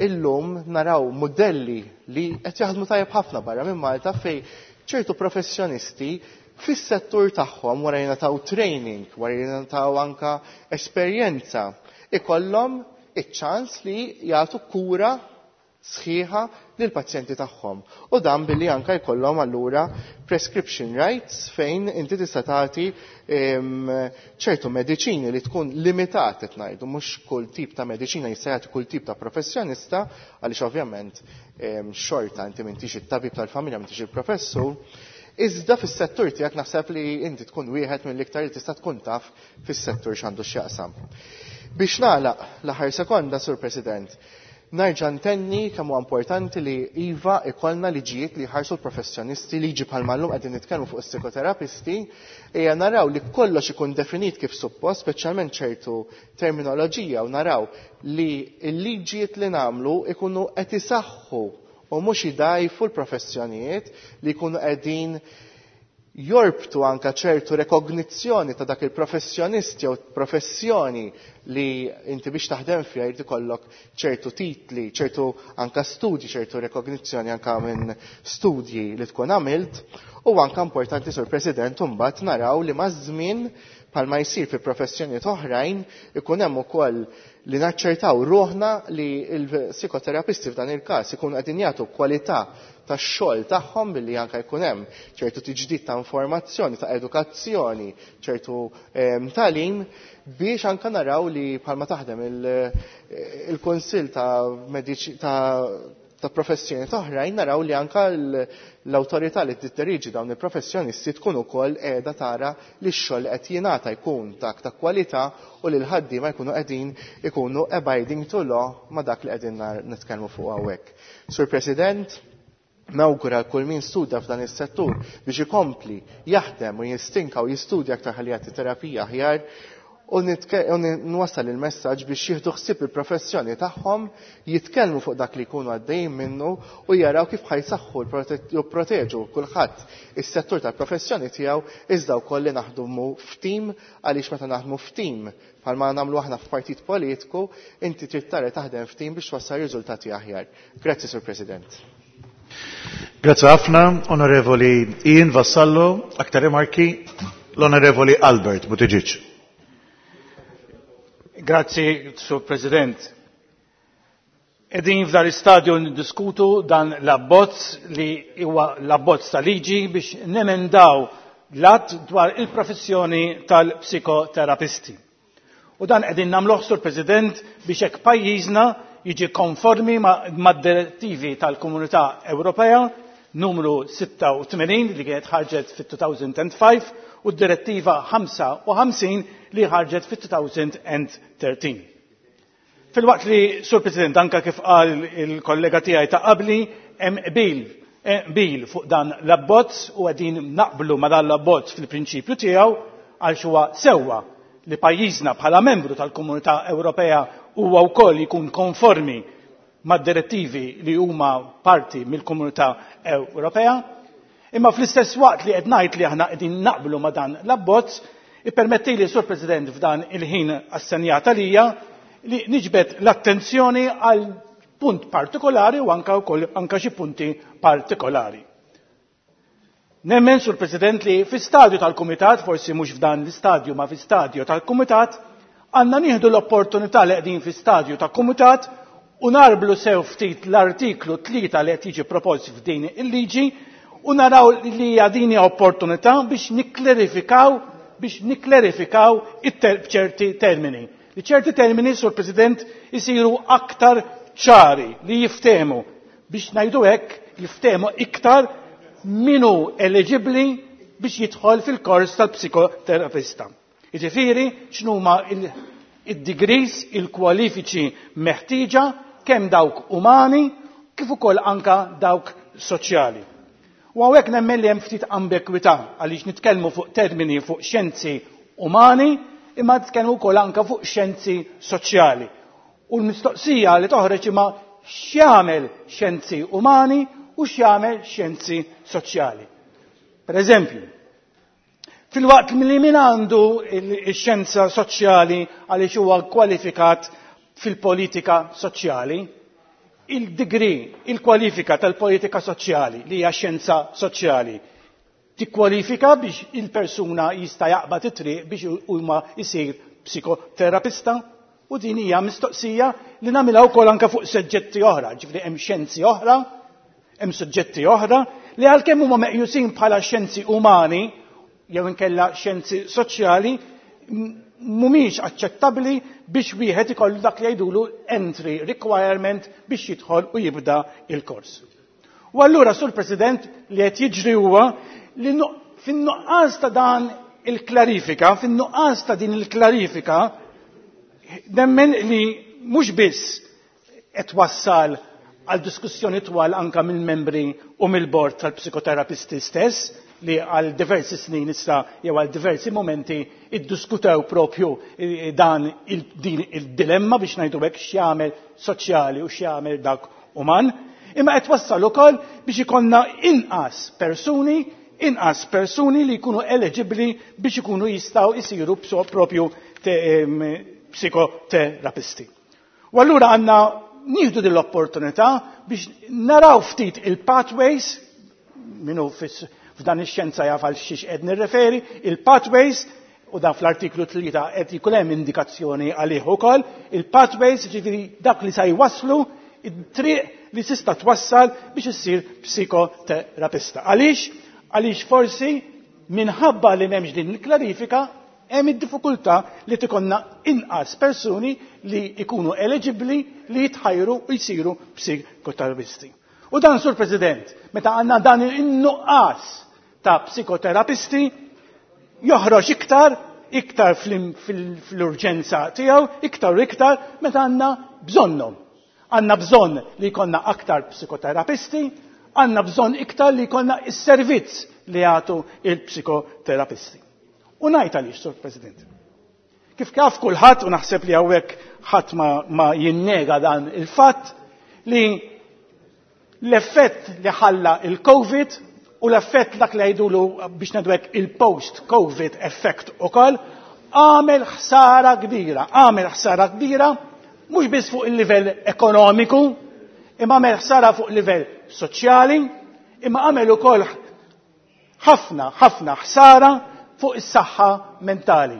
illum naraw modelli li qed jaħdmu tajjeb ħafna barra minn Malta fej ċertu professjonisti fis-settur tagħhom wara jingħataw training, wara jingħataw anka esperjenza, ikollhom iċ-ċans li jagħtu kura sħiħa lill-pazjenti tagħhom. U dan billi anka jkollhom allura prescription rights fejn inti tista' tagħti ċertu mediċini li tkun limitat qed ngħidu, mhux kull tip ta' mediċina jista' jagħti kull tip ta' professjonista għaliex ovvjament xorta inti m'intix it-tabib tal-familja, m'intix il-professur. Iżda fis-settur tiegħek naħseb li inti tkun wieħed mill-iktar li tista' tkun taf fis-settur x'għandu x'jaqsam. Biex nagħlaq l-aħħar sekonda, Sur President, nerġa' ntenni kemm huwa importanti li iva ikollna liġijiet li jħarsu l-professjonisti, liġi bħalma llum qegħdin nitkellmu fuq is-psikoterapisti, ejja naraw li kollox ikun definit kif suppost, speċjalment ċertu terminoloġija, u naraw li l-liġijiet li nagħmlu ikunu qed isaħħu u mhux idajfu l-professjonijiet li jkunu qegħdin jorbtu anka ċertu rekognizzjoni ta' dak il-professjonist jew professjoni li inti biex taħdem fiha jrid ikollok ċertu titli, ċertu anka studji, ċertu rekognizzjoni anka minn studji li tkun għamilt. U anka importanti, Sur President, imbagħad naraw li maż-żmien bħalma jsir fi professjonijiet oħrajn ikun hemm ukoll li naċċertaw ruħna li l-psikoterapisti f'dan il-każ ikunu qegħdin jagħtu kwalità tax-xogħol tagħhom billi anke jkun hemm ċertu tiġdid ta' informazzjoni, ta' edukazzjoni, ċertu tagħlim biex anke naraw li bħalma taħdem il-Kunsill ta' professjoni oħrajn, naraw li anka l-awtorità li tiddiriġi dawn il-professjonisti tkun ukoll qiegħda tara li x-xogħol qed jingħata jkun dak ta' kwalità u li l-ħaddiema jkunu qegħdin ikunu abiding to law ma' dak li qegħdin nitkellmu fuq hawnhekk. Sur President, nawgura kull min studja f'dan is-settur biex ikompli jaħdem u jistinka u jistudja aktar ħalli jagħti terapija aħjar, u nwassal il-messaġġ biex jieħdu ħsieb il-professjoni tagħhom, jitkellmu fuq dak li jkunu għaddejjin minnu u jaraw kif ħajsaħħu jipproteġu kulħadd is-settur tal-professjoni tiegħu, iżda wkoll li naħdmu f'tim, għaliex meta naħdmu f'tim bħalma nagħmlu aħna f'partit politiku, inti trid tara taħdem f'tim biex twassal riżultati aħjar. Grazzi, Sur President. Grazzi ħafna, Onorevoli Ian Vassallo, aktar rimarki l-Onorevoli Albert Buttigieg. Grazzi, Sur President. Edin f'dan l-istadju niddiskutu dan l-abbozz li huwa l-abbozz ta' liġi biex nemendaw l-att dwar il-professjoni tal-psikoterapisti. U dan qegħdin nagħmluh, Sur President, biex hekk pajjiżna jiġi konformi mad-direttivi tal-Komunità Ewropea numru 86 li kienet ħarġet fit-2005 u d-direttiva 55 li ħarġet fit-2013. Fil-waqt li, Sur President, anka kif qal il-kollega tiegħi ta' qabli, hemm qbil fuq dan l-abbozz u qegħdin naqblu ma' dan l-abbozz fil-prinċipju tiegħu għal huwa sewwa li pajjiżna bħala membru tal-Komunità Ewropea huwa wkoll jkun konformi mad-direttivi li huma parti mill-Komunità Ewropea. Imma fl-istess waqt li qed ngħid li aħna qegħdin naqblu ma' dan l-abbozz, ippermettili, Sur President, f'dan il-ħin assenjata lija li niġbed l-attenzjoni għal punt partikolari u anka wkoll anka xi punti partikolari. Nemmen, Sur President, li fi stadju tal-Kumitat, forsi mhux f'dan l-istadju ma fi stadju tal-Kumitat, għandna nieħdu l-opportunità li qegħdin fi stadju tal-Kumitat u narblu sew ftit l-artiklu 3 li qed jiġi propost f'din il-liġi u naraw li hija din hija opportunità biex niklerifikaw ċerti termini. Li ċerti termini, Sur President, isiru aktar ċari li jiftehmu biex ngħidu hekk jiftehmu iktar minu eligibli biex jidħol fil-kors tal-psikoterapista. Jiġifieri x'numa id-degrees, il-kwalifiċi meħtieġa kemm dawk umani kif ukoll anka dawk soċjali. U hawnhekk nemmen li hemm ftit ambigwità għaliex nitkellmu fuq termini fuq xjenzi umani imma nitkellmu wkoll anka fuq xjenzi soċjali. U l-mistoqsija li toħroġ imma x'jagħmel xjenzi umani u x'jagħmel xjenzi soċjali. Per eżempju, filwaqt li min għandu x-xjenza soċjali għaliex huwa kwalifikat fil-politika soċjali, il-degree, il-kwalifika tal-politika soċjali li hija xjenza soċjali tikkwalifika biex il-persuna jista' jaqbad it-triq biex huma jsir psikoterapista u din hija mistoqsija li nagħmilha wkoll anke fuq suġġetti oħra, ġifieri hemm xjenzi oħra, hemm suġġetti oħra li għalkemm huma meqjusin bħala xjenzi umani jew inkella xjenzi soċjali mhumiex aċċettabbli biex wieħed ikollu dak li jgħidulu entry requirement biex jidħol u jibda il-kors. U allura, Sur President, li qed jiġri huwa li fin-nuqqas ta' dan il-klarifika, fin-nuqqas ta' din il-klarifika, nemmen li mhux biss qed wassal għal diskussjoni twal anka mill-membri u mill-bord tal-psikoterapisti stess li għal diversi snin issa jew għal diversi momenti iddiskutew propju dan din il-dilemma biex ngħidu hekk x'jagħmel soċjali u x'jagħmel dak uman, imma qed wassal ukoll biex ikollna inqas persuni inqas persuni li jkunu eligibbli biex ikunu jistgħu jsiru propju psikoterapisti. U allura għandna nieħdu din l-opportunità biex naraw ftit il-pathways, minnu f'dan ix-xjenza jaf għal xiex qed nirreferi, il-pathways, u dan fl-artiklu 3 qed jkun hemm indikazzjoni għalih ukoll, il-pathways ġifieri dak li sa jwasslu it-triq li tista' twassal biex issir psikoterapista. Għaliex? Għaliex forsi minħabba li m'hemmx din il-klarifika hemm id-diffikultà li tikonna inqas persuni li jkunu eligibbli li jitħajru u jsiru psikoterapisti. U dan, Sur President, meta għandna dan in-nuqqas ta' psikoterapisti, joħroġ iktar, iktar fl-urġenza tiegħu, iktar u iktar meta għandna bżonnhom. Għandna bżonn li jkollna aktar psikoterapisti, għandna bżonn iktar li jkollna is-servizz li jagħtu il-psikoterapisti. U ngħid għaliex, Sur President. Kif kaf kulħadd u naħseb li hawnhekk ħadd ma jinnega dan il-fatt li l-effett li ħalla il-Covid u l-effett dak li jgħidulu biex ngħidu hekk il-post-Covid effect ukoll għamel ħsara kbira, għamel ħsara kbira mhux biss fuq il-livell ekonomiku, imma għamel ħsara fuq livell soċjali, imma għamel ukoll ħafna, ħafna ħsara fuq is-saħħa mentali.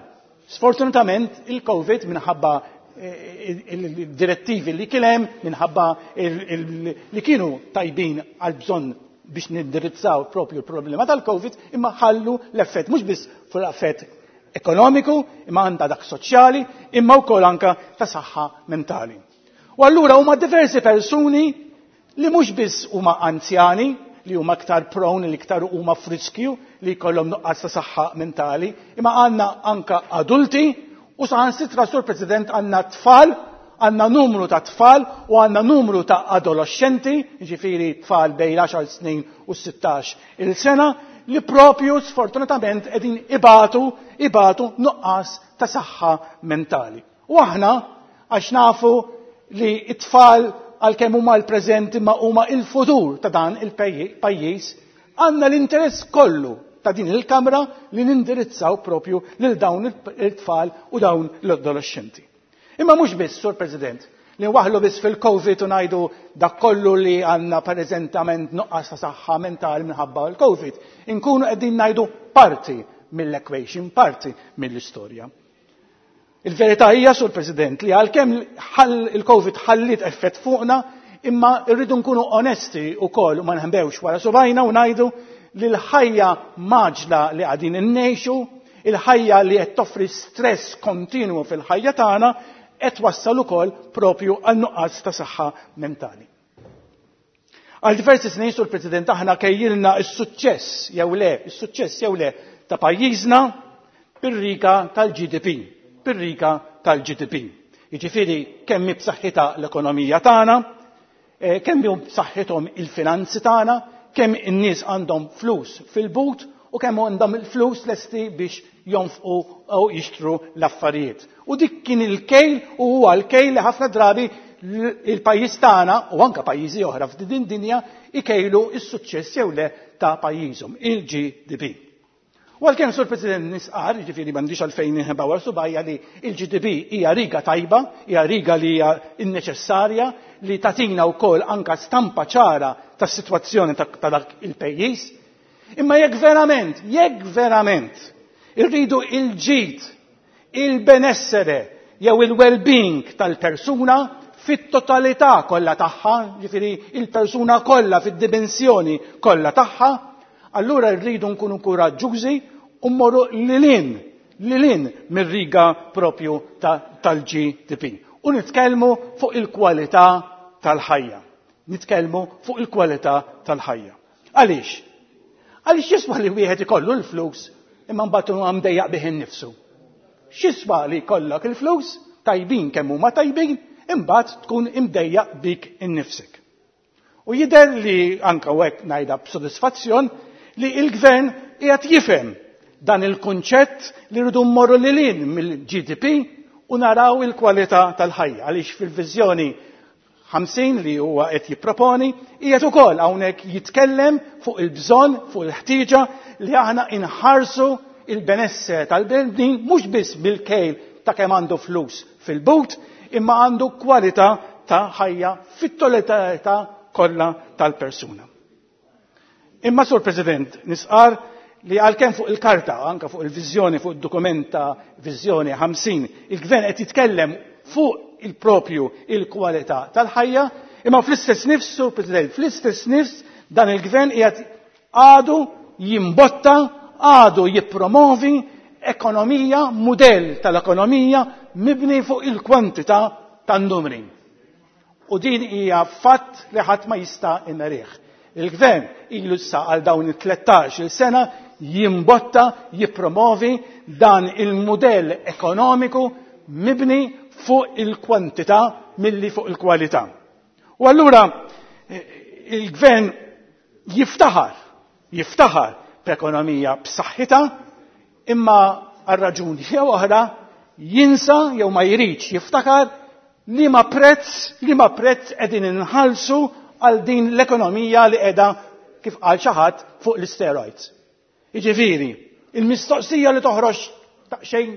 Sfortunatament il-Covid minħabba il-direttivi li kien hemm, minħabba li kienu tajbin għal bżonn biex nindirizzaw propju l-problema tal-Covid, imma ħallu l-effett mhux biss fuq l-effett ekonomiku, imma għandha dak soċjali, imma wkoll anka ta' saħħa mentali. U allura huma diversi persuni li mhux biss huma anzjani, li huma aktar prone, li iktar huma f'riskju li jkollhom nuqqas ta' saħħa mentali, imma għandna anka adulti u saħansitra, Sur President, għandna tfal, għandna numru ta' tfal u għandna numru ta' adolescenti, ġifieri tfal bejn 10 snin u 16 il-sena, li propju sfortunatament qegħdin ibatu nuqqas ta' saħħa mentali. U aħna għax nafu li t-tfal għalkemm huma l-preżent imma huma il-futur ta' dan il-pajjiż, għandna l-interess kollu ta' din il-Kamra li nindirizzaw propju lil dawn il-tfal u dawn l-adolescenti. Imma mhux biss, Sur President, li waħlu biss fil-Covid u ngħidu dak kollu li għandna preżentament nuqqas ta' saħħa mentali minħabba l-Covid. Inkunu qegħdin ngħidu parti mill-equation, parti mill-istorja. Il-verità hija, Sur President, li għalkemm il-Covid ħalliet effett fuqna, imma rridu nkunu onesti wkoll u ma nħembewx wara subajna u ngħidu li l-ħajja maġla li qegħdin innejxu, il-ħajja li qed toffri stress kontinwu fil-ħajja tagħna, qed wassal ukoll propju għal nuqqas ta' saħħa mentali. Għal diversi snin, Sur President, aħna kejjilna s-suċċess jew le, is-suċċess jew le ta' pajjiżna bir-riga tal-GDP, bir-riga tal-GDP. Jiġifieri kemm hi b'saħħitha l-ekonomija tagħna, kemm hi b'saħħithom il-finanzi tagħna, kemm in-nies għandhom flus fil-but u kemm għandhom il-flus lesti biex jonfqu u jixtru l-affarijiet. U dik kien il-kejl u huwa l-kejl li ħafna drabi il-pajjiż tagħna u anke pajjiżi oħra f'din dinja ikejlu s-suċċess jew le ta' pajjiżhom, il-GDP. U għalkemm, Sur President, nisqar, jiġifieri m'għandix għalfejn inħeba wara subgħajja li l-GDP hija riga tajba, hija riga li hija neċessarja li tagħtina wkoll anka stampa ċara tas-sitwazzjoni ta' dak il-pejjiż. Imma jekk verament, jekk verament irridu il-ġid, il-benessere jew il-well-being tal-persuna fit-totalità kollha tagħha, jiġifieri il-persuna kollha fid-dimensjoni kollha tagħha, allura rridu nkunu kuraġġużi u mmorru lilin, lilin mir-riga propju tal-GDP. U nitkellmu fuq il-kwalità tal-ħajja. Nitkellmu fuq il-kwalità tal-ħajja. Għaliex? Għaliex jiswa li wieħed ikollu l-flus imma mbagħad huwa mdejjaq bih innifsu? X'jiswa li jkollok il-flus tajbin kemm huma tajbin imbagħad tkun imdejjaq bik innifsek? U jidher li anke hekk ngħidha b'sodisfazzjon li l-gvern qiegħed jifhem dan il-kunċett li rridu mmorru lil hinn mill-GDP u naraw il-kwalità tal-ħajja, għaliex fil-viżjoni 50 li huwa qed jipproponi qiegħed ukoll hawnhekk jitkellem fuq il-bżonn, fuq il-ħtieġa li aħna inħarsu il-benessere tal-bnedmin mhux biss bil-kejl ta' kemm għandu flus fil-but, imma għandu kwalità ta' ħajja fit-totalità kollha tal-persuna. Imma, Sur President, nisqar li għalkemm fuq il-karta, anka fuq il-viżjoni, fuq id-dokument ta' viżjoni 50, il-gvern qed jitkellem fuq il-propju il-kwalità tal-ħajja, imma fl-istess nifs, Sur President, fl-istess nifs dan il-gvern qiegħed għadu jimbotta, għadu jippromovi ekonomija, mudell tal-ekonomija mibni fuq il-kwantità tan-numri. U din hija fatt li ħadd ma jista' imerih. Il-gvern ilu issa għal dawn it-13-il sena jimbotta, jippromovi dan il-mudell ekonomiku mibni fuq il-kwantità milli fuq il-kwalità. U allura il-gvern jiftaħar, jiftaħar b'ekonomija b'saħħitha, imma għal raġuni jew oħra jinsa jew ma jridx jiftakar li ma prezz, li ma prezz qegħdin inħallsu għal din l-ekonomija li qiegħda, kif qal xi ħadd, fuq l-steroids. Jiġifieri, il-mistoqsija li toħroġ xejn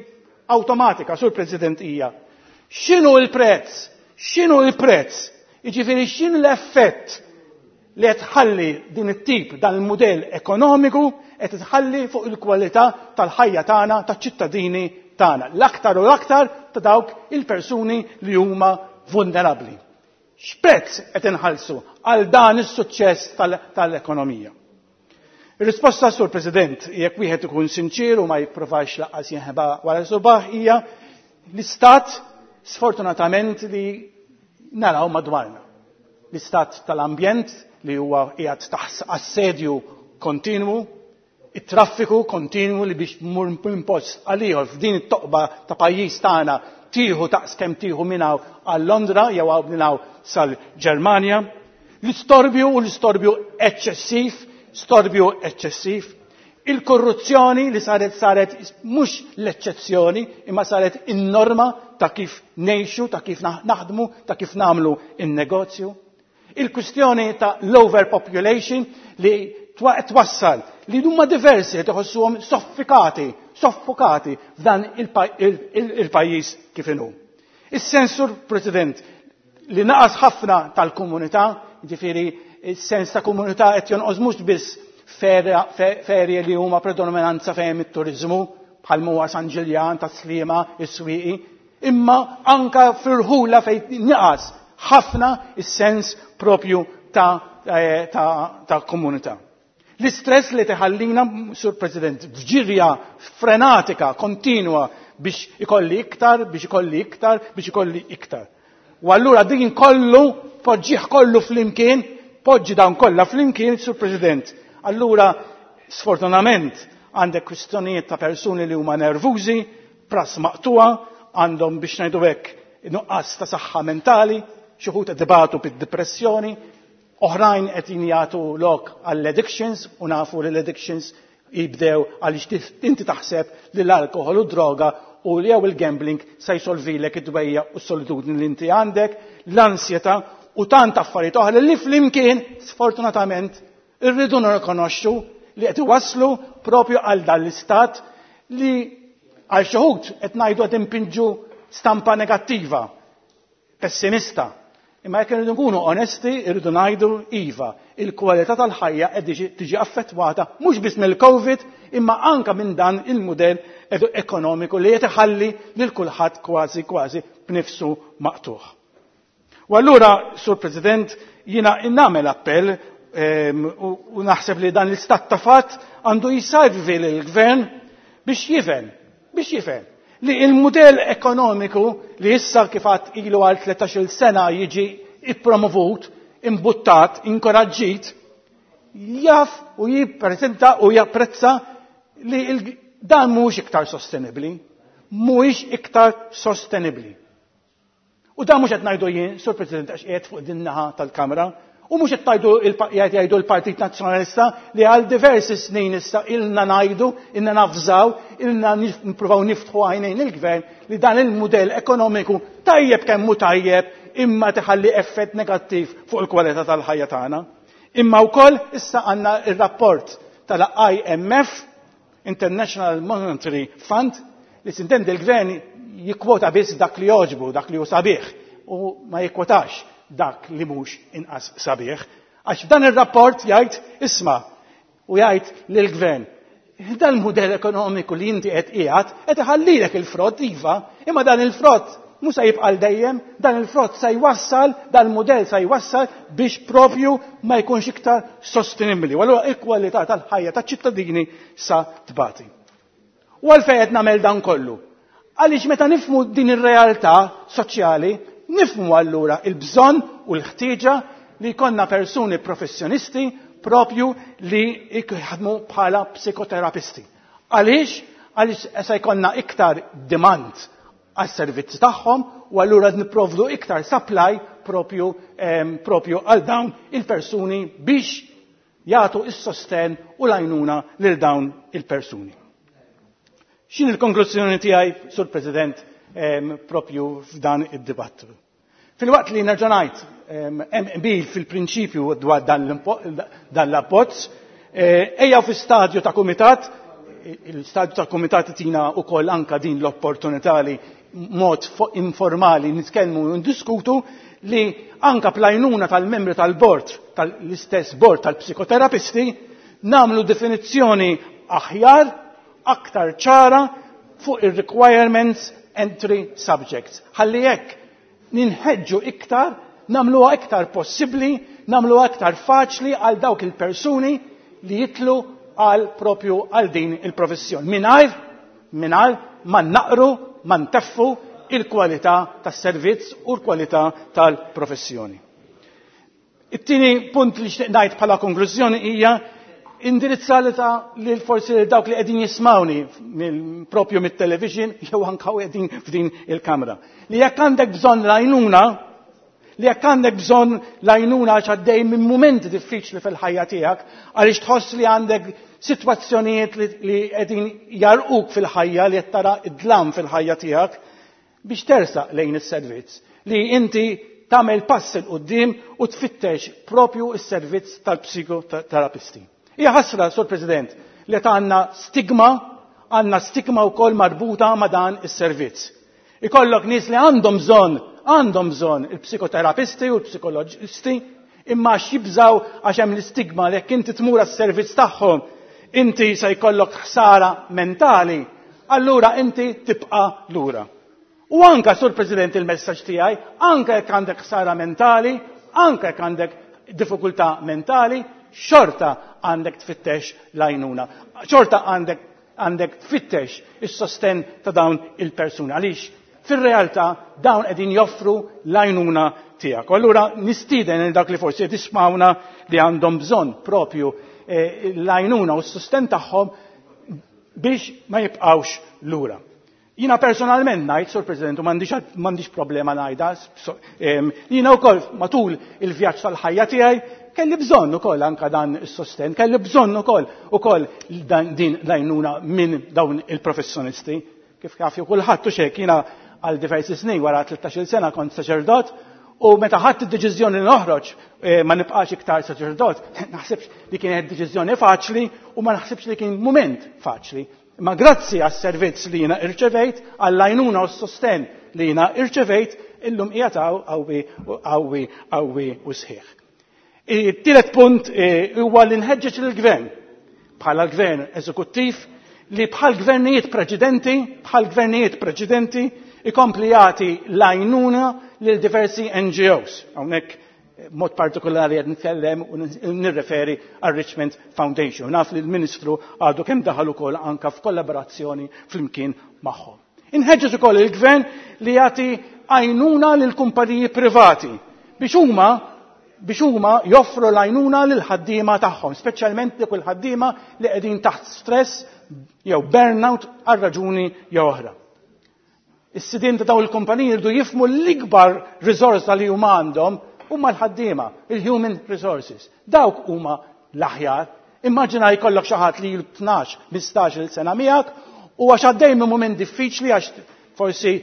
awtomatika, Sur President, hija x'inhu l-prezz? X'inhu l-prezz? Jiġifieri x'inhu l-effett li qed tħalli din it-tip, dan il-mudell ekonomiku qed tħalli fuq il-kwalità tal-ħajja tagħna, taċ-ċittadini tagħna, l-aktar u l-aktar ta' dawk il-persuni li huma vulnerabbli. X'prezz qed inħallsu għal dan is-suċċess tal-ekonomija? Ir-risposta, Sur President, jekk wieħed ikun sinċir u ma jipprovax laqqas jinħeba wara subaħ, hija l-istat sfortunatament li naraw madwarna. L-istat tal-ambjent li huwa qiegħed taħt assedju kontinwu, it-traffiku kontinwu li biex mur minn post għal ieħor f'din it-toqba ta' pajjiż tagħna tieħu taqs kemm tieħu minn hawn għal Londra jew hawn minn hawn sal-Ġermanja. L-istorbju u l-istorbju eċċessiv, storbju eċċessiv, il-korruzzjoni li saret mhux l-eċċezzjoni imma saret in-norma ta' kif ngħixu, ta' kif naħdmu, ta' kif nagħmlu in-negozju. Il-kwistjoni ta' l-overpopulation li twassal li huma diversi li tħossuhom soffokati, soffokati f'dan il-pajjiż kif inhu. Is-sens, Sur President, li naqas ħafna tal-komunità, jiġifieri is-sens ta' komunità qed jonqos mhux biss ferje li huma predominanza fejn it-turiżmu bħal huwa San Ġiljan, Tas-Sliema, is-Swieqi, imma anka fil-ħula fejn naqas ħafna is-sens propju ta' komunità. L-istress li teħallina, Sur President, f'ġirja frenatika, kontinwa biex ikolli iktar, biex ikolli iktar, biex ikolli iktar. U allura din kollu, poġġih kollu flimkien, Poġġi dawn kollha flimkien, Sur President. Allura, sfortunament, għandek kwistjonijiet ta' persuni li huma nervużi, pras maqtuha, għandhom biex ngħidu hekk nuqqas ta' saħħa mentali, xi wħud qed ibatu bid-depressjoni, oħrajn qed jagħtu lok għall-addictions u nafu li l-addictions jibdew għaliex inti taħseb li l-alkohol u droga u jew il-gambling se jsolvilek id-dwejja u s-solitudni li inti għandek, l-ansjetà u tant affarijiet oħra li flimkien sfortunatament irridu nirrikonoxxu li qed iwasslu propju għal dan l-istat li għal xi wħud qed ngħidu qed impinġu stampa negattiva, pessimista. Imma jekk irridu nkunu onesti, irridu ngħidu iva, il-kwalità tal-ħajja qed tiġi affettwata mhux biss mill-COVID imma anka minn dan il-mudell ekonomiku li qed iħalli lil kulħadd kważi kważi b'nifsu maqtuħ. U allura, Sur President, jiena nagħmel appell u naħseb li dan l-istat ta' fatt għandu jisajvi lill-gvern biex jifhem, biex jifhem li il-mudell ekonomiku li issa kif għad ilu għal 13-il sena jiġi ippromovut, imbuttat, inkoraġġit, jaf u jippreżenta u japprezza li dan mhuwiex iktar sostenibbli, mhuwiex iktar sostenibbli. U dan mhux qed ngħidu jien, Sur President, għax qiegħed fuq din naħa tal-Kamra, u mhux qed tgħidu jgħidu l-Partit Nazzjonalista li għal diversi snin issa ilna ngħidu, ilna nafżaw, ilna nippruvaw niftħu għajnejn il-gvern li dan il-mudell ekonomiku tajjeb kemm hu tajjeb imma tiħalli effett negattiv fuq il-kwalità tal-ħajja tagħna. Imma wkoll issa għandna ir-rapport tal-IMF, International Monetary Fund, li sintendi l-gvern jikkwota biss dak li jogħġbu, dak li hu sabiħ, u ma jikkwotax dak li mhux inqas sabiħ. Għax dan ir-rapport jgħid isma' u jgħid lill-gvern dan il-mudell ekonomiku li inti qed qiegħed qed iħallilek il-frott iva, imma dan il-frott mhux se jibqa' dejjem, dan il-frott se jwassal, dan il-mudell se jwassal biex propju ma jkunx iktar sostenibbli. U allura il-kwalità tal-ħajja taċ-ċittadini sa tbati. U għalfejn qed nagħmel dan kollu? Għaliex meta nifhmu din ir-realtà soċjali, nifhmu allura il-bżonn u l-ħtieġa li jkollna persuni professjonisti propju li jħadmu bħala psikoterapisti. Għaliex? Għaliex se jkollna iktar demand għas-servizzi tagħhom u allura nipprovdu iktar supply propju, propju għal dawn il-persuni biex jagħtu is-sosten u l-għajnuna lil dawn il-persuni. X'in il-konklużjoni tiegħi, Sur President, propju f'dan id-dibattitu? Filwaqt li nerġa' ngħid hemm qbil fil-prinċipju dwar dan l-abbozz, ejja fi stadju ta' kumitat, il-stadju ta' kumitat tina wkoll anka din l-opportunità li mod informali nitkellmu u ndiskutu li anka plajnuna tal-membri tal-bord, tal-istess bord tal-psikoterapisti, namlu definizzjoni aħjar, aktar ċara fuq il-requirements entry subjects. Ħalli hekk ninħeġġu iktar, namluha iktar possibbli, namluha iktar faċli għal dawk il-persuni li jitlu għal propju għal din il-professjoni. Mingħajr, mingħajr ma naqru, ma nteffu il-kwalità tas-servizz u l-kwalità tal-professjoni. It-tieni punt li xtieq ngħid bħala konklużjoni hija indirizzalita lil forsi lil dawk li qegħdin jismawni propju mit-television jew anke qegħdin f'din il-kamra. Li jekk għandek bżonn l-għajnuna, li jekk għandek bżonn l-għajnuna għax għaddej minn mumenti diffiċli fil-ħajja tiegħek, għaliex tħoss li għandek sitwazzjonijiet li qegħdin jarquk fil-ħajja, li qed tara id-dlam fil-ħajja tiegħek, biex tersaq lejn is-servizz, li inti tagħmel pass 'il quddiem u tfittex propju s-servizz tal-psikoterapisti. Hija ħasra, Sur President, li għandna stigma, għandna stigma wkoll marbuta ma' dan is-servizz. Ikollok nies li għandhom bżonn, għandhom bżonn il-psikoterapisti u l-psikoloġisti, imma għax jibżaw għax hemm l-istigma li jekk inti tmur għas-servizz tagħhom, inti se jkollok ħsara mentali, allura inti tibqa' lura. U anka, Sur President, il-messaġġ tiegħi, anka jekk għandek ħsara mentali, anka jekk għandek diffikultà mentali, xorta għandek tfittex l-għajnuna. Xorta għandek tfittex is-sosten ta' dawn il-persuni. Għaliex? Fir-realtà dawn qegħdin joffru l-għajnuna tiegħek. U allura nistieden lil dak li forsi qed jismgħuna li għandhom bżonn propju eh, l-għajnuna u s-susten tagħhom biex ma jibqgħux lura. Jiena personalment ngħid, Sur President, u m'għandix problema ngħidha, jiena wkoll matul il-vjaġġ tal-ħajja tiegħi kelli bżonn ukoll anka dan is-sosten, kelli bżonn ukoll ukoll din l-għajnuna minn dawn il-professjonisti. Kif jaf kulħadd u xek jiena għal diversi snin wara 13-il sena kont saċerdot u meta ħadt id-deċiżjoni li noħroġ eh, ma nibqax iktar saċerdot, naħsibx li kienet deċiżjoni faċli u ma naħsibx li kien mument faċli. Imma grazzi għas-servizz li jiena irċevejt, għall-għajnuna u s-sostenn li jiena irċevejt, illum qiegħed hawn qawwi qawwi qawwi u sħiħ. It-tielet punt eh, huwa li nħeġġeġ lill-gvern bħala l-gvern eżekuttiv li bħal gvernijiet preċedenti, bħal gvernijiet preċedenti ikompli jagħti l-għajnuna lil diversi NGOs. Hawnhekk Mod partikolari qed nitkellem u nirreferi għal Richmond Foundation. Naf li l-Ministru għadu kemm daħal ukoll anka f'kollaborazzjoni flimkien magħhom. Inħeġġeġ ukoll il-Gvern li jagħti għajnuna lil kumpaniji privati biex huma biex huma joffru l-għajnuna lil ħaddiema tagħhom, speċjalment dik il-ħaddiema li qegħdin taħt stress jew burnout għal raġuni jew oħra. Is-sidien ta' dawn il-kumpaniji jridu jifhmu l-ikbar riżorsa li huma għandhom huma l-ħaddiema, il-human resources. Dawk huma l-aħjar. Immaġina jkollok xi ħadd li ilu 12, 15-il sena miegħek u għax għaddej minn mument diffiċli għax forsi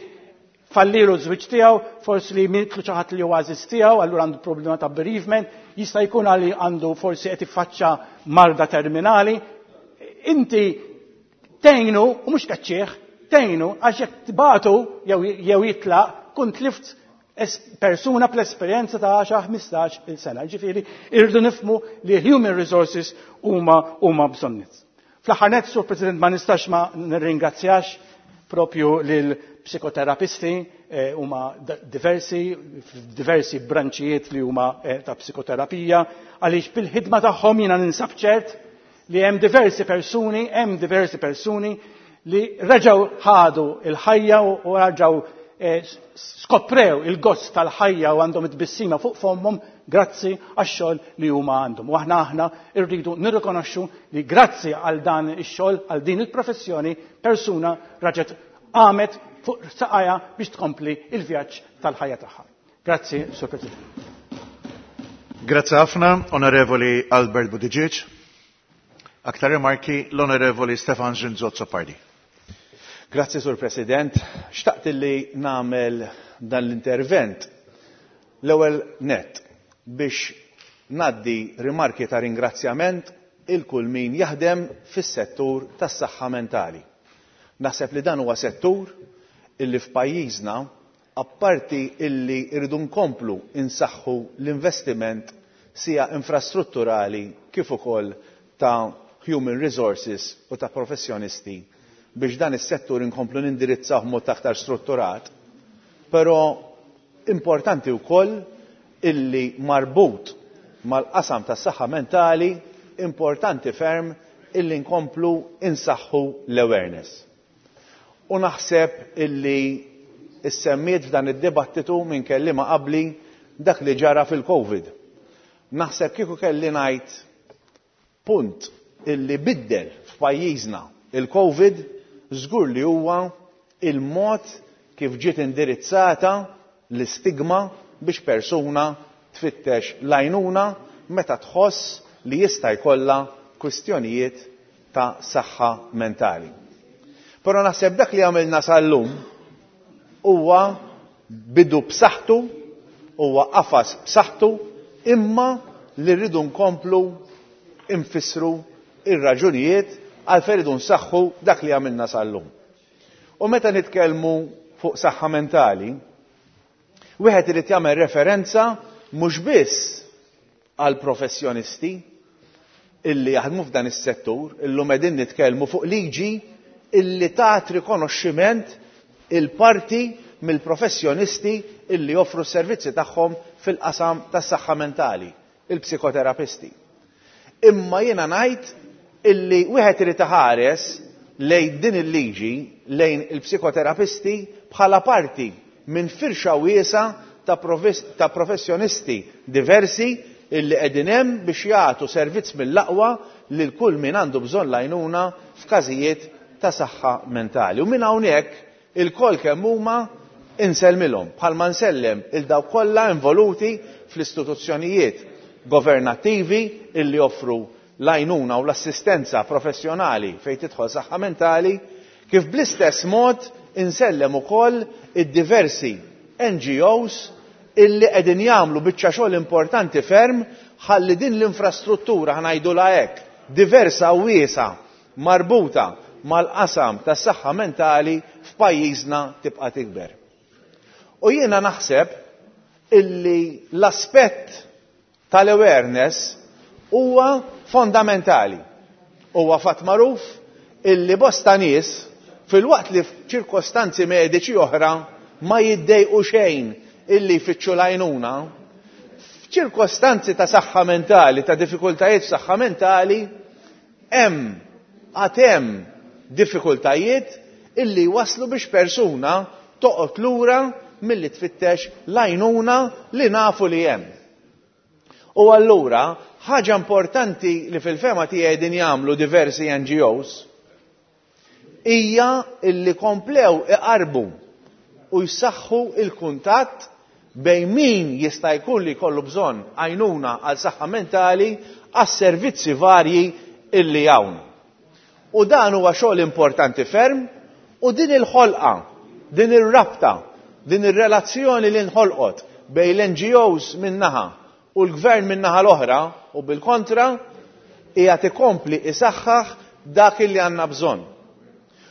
fallilu ż-żwieġ tiegħu, forsi li mietlu xi ħadd li huwa għażiż tiegħu, allura għandu problema ta' bereavement, jista' jkun għali għandu forsi qed iffaċċa marda terminali. Inti Tgħinu u mhux tkeċċih, tgħinu għax jekk tibagħtu jew jitlaq tkun tlift persuna bl-esperjenza ta' 10, 15 il sena. Ġifieri irridu nifhmu li human resources huma huma bżonnit. Fl-aħħar nett, Sur President, ma nistax ma nirringrazzjax propju lil psikoterapisti eh, huma diversi diversi branċijiet li huma eh, ta' psikoterapija għaliex bil-ħidma tagħhom jiena ninsab ċert li hemm diversi persuni, hemm diversi persuni li reġgħu ħadu il-ħajja u reġgħu eh, skoprew il-gost tal-ħajja u għandhom it-tbissima fuq fommhom grazzi għax-xogħol li huma għandhom. U aħna aħna rridu nirrikonoxxu li grazzi għal dan ix-xogħol, għal din il-professjoni, persuna raġet qamet fuq saqajha biex tkompli il-vjaġġ tal-ħajja tagħha. Grazzi, Sur President. Grazzi ħafna, Onorevoli Albert Buttigieg. Aktar rimarki l-Onorevoli Stefan Zinzot Sopardi. Grazzi, Sur President. Xtaqt li nagħmel dan l-intervent l-ewwel nett biex ngħaddi rimarki ta' ringrazzjament il kull min jaħdem fis-settur tas-saħħa mentali. Naħseb li dan huwa settur illi f'pajjiżna apparti illi rridu nkomplu insaħħu l-investiment sija infrastrutturali kif ukoll ta' human resources u ta' professjonisti biex dan is-settur inkomplu nindirizzawh b'mod aktar strutturat, però importanti wkoll illi marbut mal-qasam tas-saħħa mentali importanti ferm illi nkomplu insaħħu l-awareness. U naħseb illi issemmiet f'dan id-dibattitu minn kelliema qabli dak li ġara fil-Covid. Naħseb kieku kelli ngħid punt illi biddel f'pajjiżna il-Covid żgur li huwa il-mod kif ġiet indirizzata l-istigma biex persuna tfittex l-għajnuna meta tħoss li jista' jkollha kwistjonijiet ta' saħħa mentali. Però naħseb dak li għamilna sal-lum huwa bidu b'saħħtu, huwa qafas b'saħħtu, imma li rridu nkomplu nfissru ir-raġunijiet għalfejn rridu nsaħħu dak li għamilna sal-lum. U meta nitkellmu fuq saħħa mentali, wieħed irid jagħmel referenza mhux biss għal professjonisti illi jaħdmu f'dan is-settur, illum qegħdin nitkellmu fuq liġi illi tat rikonoxximent il-parti mill-professjonisti illi joffru s-servizzi tagħhom fil-qasam tas-saħħa mentali, il-psikoterapisti. Imma jiena ngħid illi wieħed irid iħares lejn din il-liġi, lejn il-psikoterapisti bħala parti minn firxa wiesgħa ta' ta' professjonisti diversi illi qegħdin hemm biex jagħtu servizz mill-aqwa lil kull min għandu bżonn l-għajnuna f'każijiet ta' saħħa mentali. U minn hawnhekk ilkoll kemm huma insellmilhom bħalma nsellem il dawk kollha involuti fl-istituzzjonijiet governattivi illi joffru l-għajnuna u l-assistenza professjonali fejn tidħol saħħa mentali, kif bl-istess mod insellem ukoll id-diversi NGOs illi qegħdin jagħmlu biċċa xogħol importanti ferm ħalli din l-infrastruttura, ħa ngħidulha hekk, diversa u wiesgħa marbuta mal-qasam tas-saħħa mentali f'pajjiżna tibqa' tikber. U jiena naħseb illi l-aspett tal-awareness huwa fondamentali. Huwa fatt magħruf illi bosta nies filwaqt li f'ċirkostanzi mediċi oħra ma jiddejqu xejn illi jfittxu l-għajnuna, f'ċirkostanzi ta' saħħa mentali, ta' diffikultajiet f'saħħa mentali, hemm għad hemm diffikultajiet illi jwasslu biex persuna toqgħod lura milli tfittex l-għajnuna li nafu li hemm. U allura, ħaġa importanti li fil-fehma tiegħi qegħdin jagħmlu diversi NGOs hija illi komplew iqarrbu u jsaħħu l-kuntatt bejn min jista' jkun li jkollu bżonn għajnuna għal saħħa mentali għas-servizzi varji illi hawn. U dan huwa xogħol importanti ferm u din il-ħolqa, din ir-rabta, din ir-relazzjoni li nħolqot bejn l-NGOs minn naħa u l-Gvern min-naħa l-oħra u bil-kontra qiegħed ikompli isaħħaħ dak illi għandna bżonn.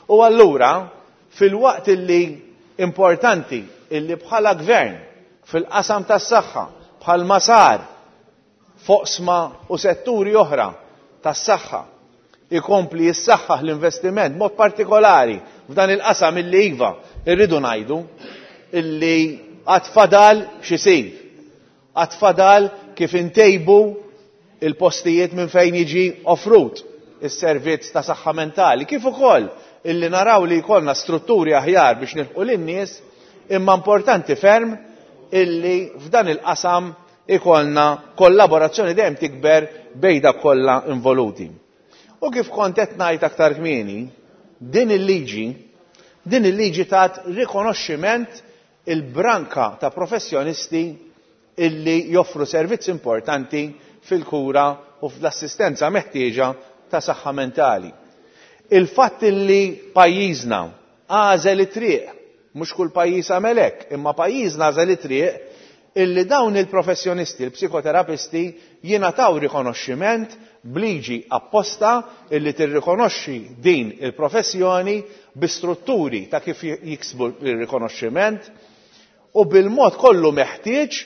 U allura filwaqt illi importanti illi bħala Gvern fil-qasam tas-saħħa bħalma sar f'oqsma u setturi oħra tas-saħħa ikompli jissaħħaħ l-investiment mod partikolari f'dan il-qasam illi iva irridu ngħidu illi għad fadal x'isir. Għad fadal kif intejbu il-postijiet minn fejn jiġi offrut is-servizz ta' saħħa mentali, kif ukoll illi naraw li jkollna strutturi aħjar biex nilħqu lin-nies, imma importanti ferm illi f'dan il-qasam ikollna kollaborazzjoni dejjem tikber bejn dawk kollha involuti. U kif kont qed ngħid aktar kmieni, din il-liġi, din il-liġi tat rikonoxximent il-branka ta' professjonisti illi joffru servizz importanti fil-kura u fl-assistenza meħtieġa ta' saħħa mentali. Il-fatt illi pajjiżna għażel it-triq, mhux kull pajjiż għamel hekk, imma pajjiżna għażel it-triq illi dawn il-professjonisti, il-psikoterapisti, jingħataw rikonoxximent b'liġi apposta illi tirrikonoxxi din il-professjoni bi strutturi ta' kif jiksbu r-rikonoxximent u bil-mod kollu meħtieġ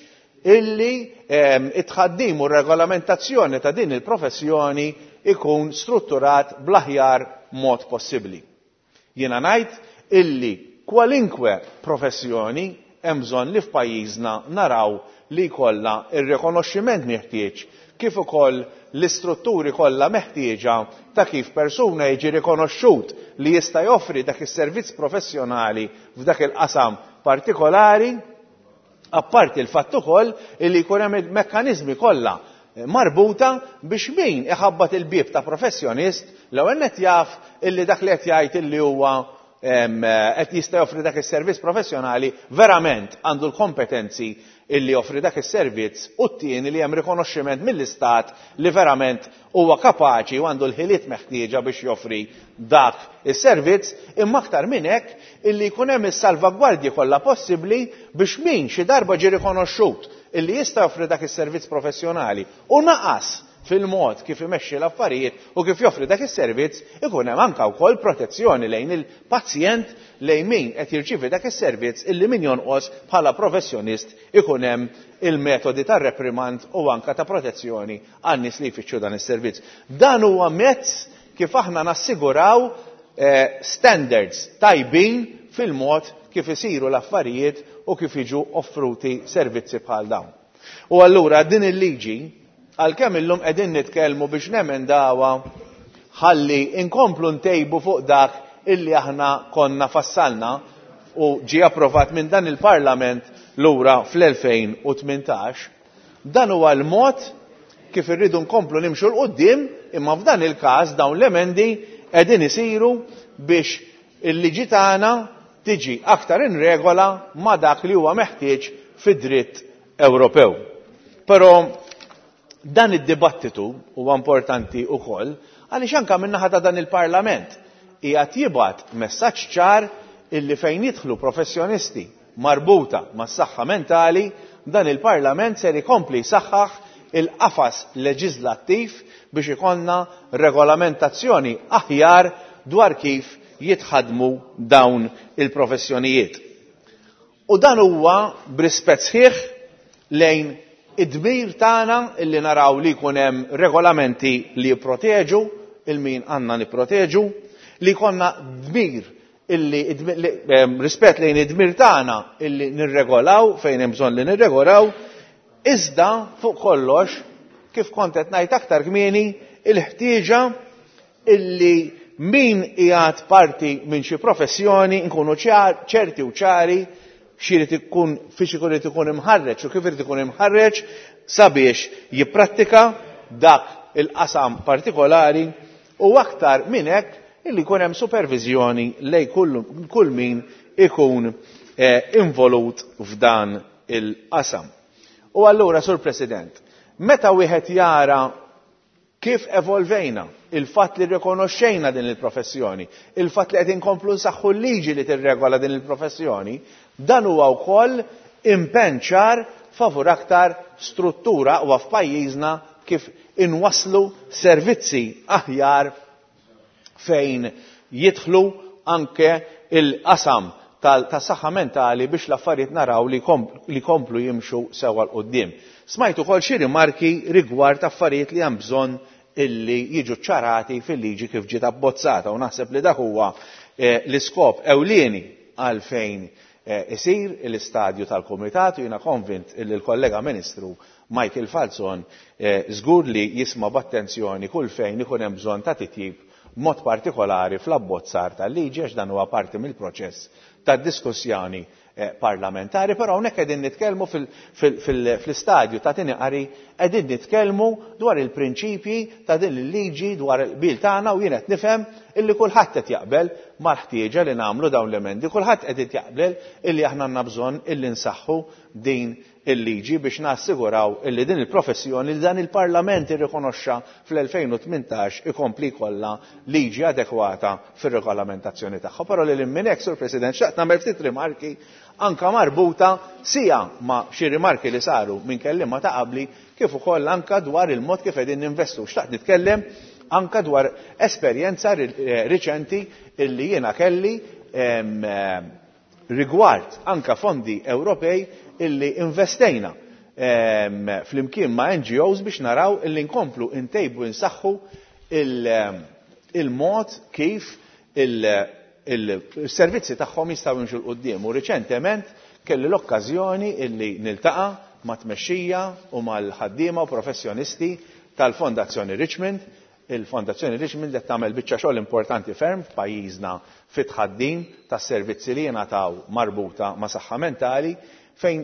illi it-tħaddim u r-regolamentazzjoni ta' din il-professjoni ikun strutturat bl-aħjar mod possibbli. Jiena ngħid illi kwalinkwe professjoni hemm bżonn li f'pajjiżna naraw li jkollha r-rikonoxximent meħtieġ kif ukoll l-istrutturi kollha meħtieġa ta' kif persuna jiġi rikonoxxut li jista' joffri dak is-servizz professjonali f'dak il-qasam partikolari, apparti l-fatt ukoll illi jkun hemm il-mekkaniżmi kollha marbuta biex min iħabbat il-bieb ta' professjonist l-ewwel nett jaf illi dak li qed jgħid illi huwa qed jista' joffri dak is-servizz professjonali verament għandu l-kompetenzi illi joffri dak is-servizz u t-tieni li hemm rikonoxximent mill-Istat li verament huwa kapaċi u għandu l-ħiliet meħtieġa biex joffri dak is-servizz, imma aktar minn hekk illi jkun hemm is-salvagwardji kollha possibbli biex min xi darba ġie rikonoxxut illi jista' joffri dak is-servizz professjonali u naqas fil-mod kif imexxi l-affarijiet u kif joffri dak is-servizz, ikun hemm anke wkoll protezzjoni lejn il-pazjent, lejn min qed jirċievi dak is-servizz illi min jonqos bħala professjonist ikun hemm il-metodi ta' reprimand u anke ta' protezzjoni għan-nies li jfittxu dan is-servizz. Dan huwa mezz kif aħna nassiguraw standards tajbin fil-mod kif isiru l-affarijiet u kif jiġu offruti servizzi bħal dawn. U allura din il-liġi, għalkemm illum qegħdin nitkellmu biex nemendawha ħalli inkomplu ntejbu fuq dak illi aħna konna fassalna u ġie approvat minn dan il-Parlament lura fl-2018. Dan huwa l-mod kif irridu nkomplu nimxu 'l quddiem, imma f'dan il-każ dawn l-emendi qegħdin isiru biex il-liġi tagħna tiġi aktar in regola ma' dak li huwa meħtieġ fid-dritt Ewropew. Però dan id-dibattitu huwa importanti wkoll għaliex anke min-naħa ta' dan il-Parlament qiegħed jibgħat messaġġ ċar illi fejn jidħlu professjonisti marbuta mas-saħħa mentali, dan il-Parlament ser ikompli jsaħħaħ il-qafas leġiżlattiv biex ikollna regolamentazzjoni aħjar dwar kif jitħaddmu dawn il-professjonijiet. U dan huwa b'rispett sħiħ lejn id-dmir tagħna illi naraw li jkun hemm regolamenti li jipproteġu il min għandna nipproteġu, li jkollna dmir illi rispett lejn id-dmir tagħna illi nirregolaw fejn hemm bżonn li nirregolaw, iżda fuq kollox, kif kont qed ngħid aktar kmieni, il-ħtieġa illi min qiegħed parti minn xi professjoni nkunu ċerti u ċari x'irid ikun fiex ikun irid ikun imħarreġ u kif irid ikun imħarreġ sabiex jipprattika dak il-qasam partikolari u aktar minn hekk illi jkun hemm superviżjoni lejn kull min ikun involut f'dan il-qasam. U allura, Sur President, meta wieħed jara kif evolvejna, il-fatt li rrikonoxxejna din il-professjoni, il-fatt li qed inkomplu nsaħħu l-liġi li tirregola din il-professjoni, dan huwa wkoll impenn ċar favur aktar struttura aqwa f'pajjiżna kif inwasslu servizzi aħjar fejn jidħlu anke il-qasam tas-saħħa mentali biex l-affarijiet naraw li jkomplu jimxu sewwa 'l quddiem. Smajt ukoll xi rimarki rigward affarijiet li hemm bżonn illi jiġu ċċarati fil-liġi kif ġiet abbozzata u naħseb li dak huwa l-iskop ewlieni għalfejn isir l-istadju tal-kumitat u jiena konvint illi l-kollega Ministru Michael Falzon żgur li jisma' b'attenzjoni kull fejn ikun hemm bżonn ta' titjib b'mod partikolari fl-abbozzar tal-liġi għax dan huwa parti mill-proċess tad-diskussjoni parlamentari, però hawnhekk qegħdin nitkellmu fl-istadju ta' tieni qari qegħdin nitkellmu dwar il-prinċipji ta' din il-liġi dwar il-qbil tagħna u jien qed nifhem illi kulħadd qed jaqbel mal-ħtieġa li nagħmlu dawn l-emendi, kulħadd qed jaqbel illi aħna għandna bżonn illi nsaħħu din il-liġi biex nassiguraw illi din il-professjoni li dan il-Parlament irrikonoxxa fl-2018 ikompli jkollha liġi adekwata fir-regolamentazzjoni tagħha. Però lil hinn minn hekk, Sur President, xtaqt nagħmel ftit rimarki anke marbuta sia ma' xi rimarki li saru minn kelliema ta' qabli kif ukoll anke dwar il-mod kif qegħdin ninvestu. Xtaqt nitkellem anke dwar esperjenza riċenti illi jiena kelli rigward anke fondi Ewropej illi investejna flimkien ma' NGOs biex naraw illi nkomplu ntejbu nsaħħu il-mod kif il-servizzi tagħhom jistgħu jimxu 'l quddiem. U riċentement kelli l-okkażjoni illi niltaqa' mat-tmexxija u mal-ħaddiema u professjonisti tal-Fondazzjoni Richmond Il-Fondazzjoni Richmond qed tagħmel biċċa xogħol importanti ferm f'pajjiżna fit-tħaddim tas-servizzi li jingħataw marbuta ma' saħħa mentali fejn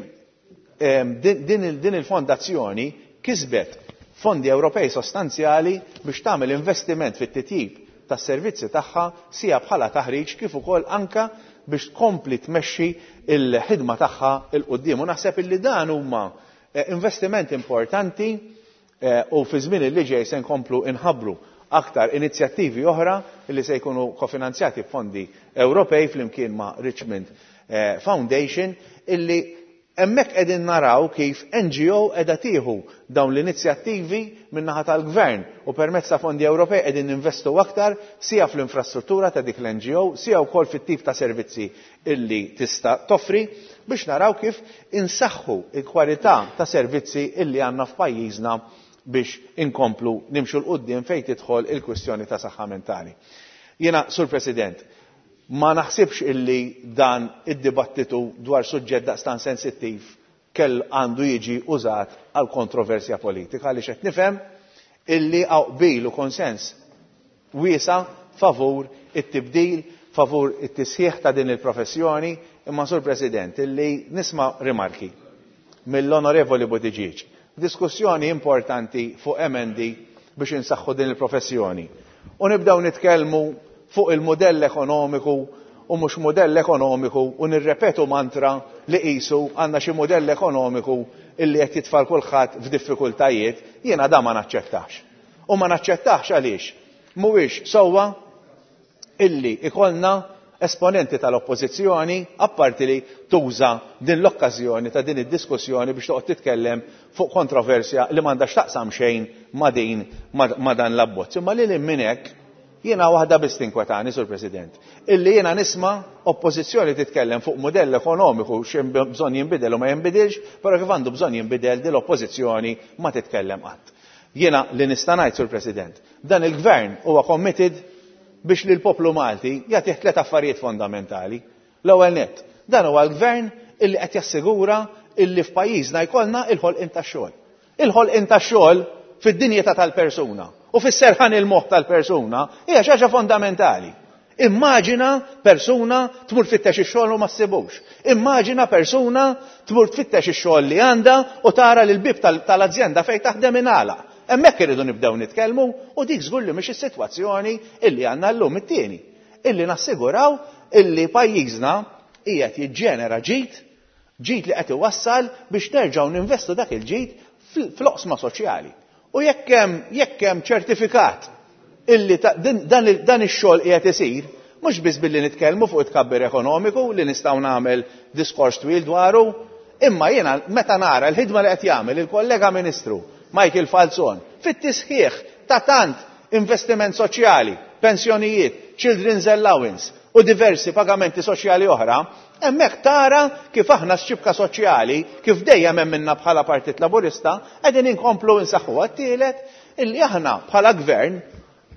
din il-fondazzjoni kisbet fondi Ewropej sostanzjali biex tagħmel investiment fit-titjib tas-servizzi tagħha sija bħala taħriġ kif ukoll anke biex tkompli tmexxi l-ħidma tagħha 'l quddiem. U naħseb illi dan huma investiment importanti U fi żmien li ġej se nkomplu nħabbru aktar inizjattivi oħra li se jkunu kofinanzjati b'fondi Ewropej flimkien ma' Richmond Foundation illi hemmhekk qegħdin naraw kif NGO qiegħda tieħu dawn l-inizjattivi min-naħa tal-Gvern u permezz ta' fondi Ewropej qegħdin ninvestu aktar sia fl-infrastruttura ta' dik l-NGO sia wkoll fit-tip ta' servizzi illi tista' toffri biex naraw kif insaħħu l-kwalità ta' servizzi illi għandna f'pajjiżna biex inkomplu nimxu 'l quddiem fejn tidħol il-kwistjoni ta' saħħa mentali. Jiena, Sur President, ma naħsibx illi dan id-dibattitu dwar suġġett daqstant sensittiv kell għandu jiġi użat għal kontroversja politika għaliex qed nifhem illi hawn qbil u konsens. wiesgħa favur it-tibdil, favur it-tisħiħ ta' din il-professjoni, imma Sur President, illi nisma' rimarki mill-Onorevoli Buttigieg. Diskussjoni importanti fuq emendi biex insaħħu din il-professjoni. U nibdew nitkellmu fuq il-mudell ekonomiku u mhux mudell ekonomiku u nirrepetu mantra li qisu għandna xi mudell ekonomiku illi qed jitfa' kulħadd f'diffikultajiet, jiena da ma naċċettax. U ma naċċettax għaliex mhuwiex sewwa illi ikollna esponenti tal-oppożizzjoni apparti li tuża din l-okkażjoni ta' din id-diskussjoni biex toqgħod titkellem fuq kontroversja li m'għandha x'taqsam xejn ma' din ma' dan l-abbozz. Imma lil minn hekk jiena waħda biss tinkwetani, Sur President, illi jiena nisma' oppożizzjoni titkellem fuq mudell ekonomiku x'hemm bżonn jinbidel u ma jinbidilx, però kif għandu bżonn jinbidel din l-oppożizzjoni ma titkellem qatt. Jiena li nista' ngħid, Sur President, dan il-Gvern huwa committed biex lill-poplu Malti jagħtih tliet affarijiet fondamentali. L-ewwel nett, dan huwa l-Gvern illi qed jassigura illi f'pajjiżna jkollna il-ħolqien tax-xogħol. Il-ħolqien tax-xogħol fid-dinjità tal-persuna u fis-serħan il-moħħ tal-persuna hija xi ħaġa fondamentali. Immaġina persuna tmur tfittex ix-xogħol u ma ssibux. Immaġina persuna tmur tfittex ix-xogħol li għandha u tara li l-bieb tal-azjenda fejn taħdem ingħalaq. Hemmhekk irridu nibdew nitkellmu u dik żgur li mhix is-sitwazzjoni illi għandna llum. It-tieni, illi nassiguraw illi pajjiżna qiegħed jiġġenera ġid, ġid li qed iwassal biex nerġgħu ninvestu dak il-ġid fl-oqsma soċjali. U jekk hemm jekk hemm ċertifikat illi dan dan ix-xogħol qiegħed isir, mhux biss billi nitkellmu fuq it-tkabbir ekonomiku li nistgħu nagħmel diskors twil dwaru, imma jiena meta nara l-ħidma li qed jagħmel il-kollega Ministru Michael Falzon fit-tisħiħ ta' tant investiment soċjali, pensjonijiet, children's allowance u diversi pagamenti soċjali oħra, hemmhekk tara kif aħna x-xibka soċjali, kif dejjem emminna bħala Partit Laburista, qegħdin inkomplu nsaħħuha. T-tielet, illi aħna bħala gvern,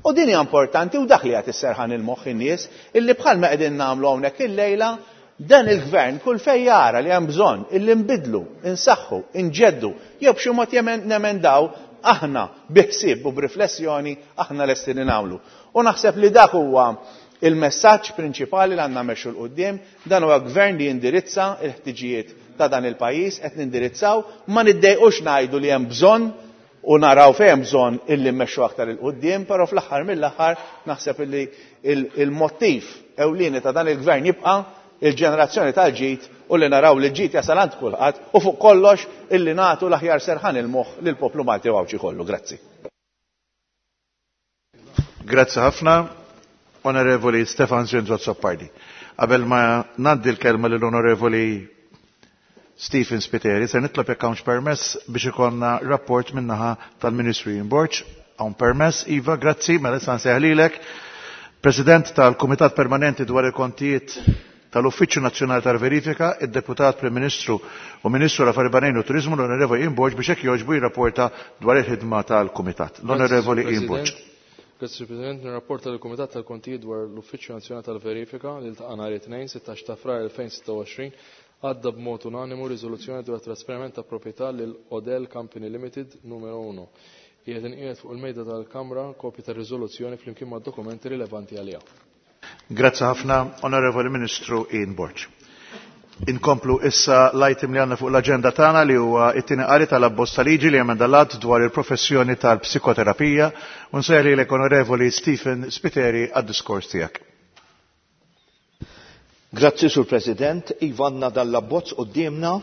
u din hija importanti u dak li qed isserħan il-moħħ in-nies, illi bħalma qegħdin nagħmlu hawnhekk illejla, dan il-gvern kull fejn jara li hemm bżonn illi nbiddlu, insaħħu, inġeddu, jew b'xi mod nemendaw, aħna bi ħsieb u b'riflessjoni aħna lesti li nagħmlu. U naħseb li dak huwa il-messaġġ prinċipali li għandna mmexxu 'l quddiem, dan huwa gvern li jindirizza l-ħtiġijiet ta' dan il-pajjiż, qed nindirizzaw, ma niddejqux ngħidu li hemm bżonn u naraw fejn hemm bżonn illi mmexxu aktar 'il quddiem, però fl-aħħar mill-aħħar naħseb illi il-mottiv ewlieni ta' dan il-gvern jibqa' il-ġenerazzjoni tal-ġid u li naraw li l-ġid jasal għand kulħadd u fuq kollox illi nagħtu l-aħjar serħan il-moħħ lill-poplu Malti u Għawdxi kollu. Grazzi. Grazzi ħafna, Onorevoli Stefan Zinzo Azzopardi. Qabel ma ngħaddi l-kelma lill-Onorevoli Stephen Spiteri, se nitlob jekk hawnx permess biex ikollna rapport min-naħa tal-Ministru Ian Borg. Hawn permess, Iva, grazzi, mela issa nsejjaħ lilek. President tal-Kumitat Permanenti dwar il-Kontijiet tal-Uffiċċju Nazzjonali tal-Verifika, id-Deputat Prim Ministru u Ministru l-Affarijiet Barranin u Turiżmu l-Onorevoli Ian Borg biex hekk jogħġbu jirrapporta dwar il-ħidma tal-Kumitat. L-Onorevoli Ian Borg. Grazzi President, nirrapporta lill-Kumitat tal-Kontijiet dwar l-Uffiċċju Nazzjonali tal-Verifika li ltaqa' nhar it-Tnejn 16 ta' Frar 2026 għadda b'mod unanimu riżoluzzjoni dwar trasferiment ta' proprjetà lil Odell Company Limited numero 1. Qiegħed inqiegħed fuq il-mejda tal-Kamra kopja tar-riżoluzzjoni flimkien mad-dokumenti rilevanti għaliha. Grazzi ħafna, Onorevoli Ministru Ian Borg. Inkomplu issa l-item li għandna fuq l-aġenda tagħna li huwa t-tieni qari tal-abbozz ta' liġi li jemenda l-att dwar il-professjoni tal-psikoterapija u nsejjaħ lilek Onorevoli Stephen Spiteri għad-diskors tiegħek. Grazzi Sur President, iva għandna dan l-abbozz quddiemna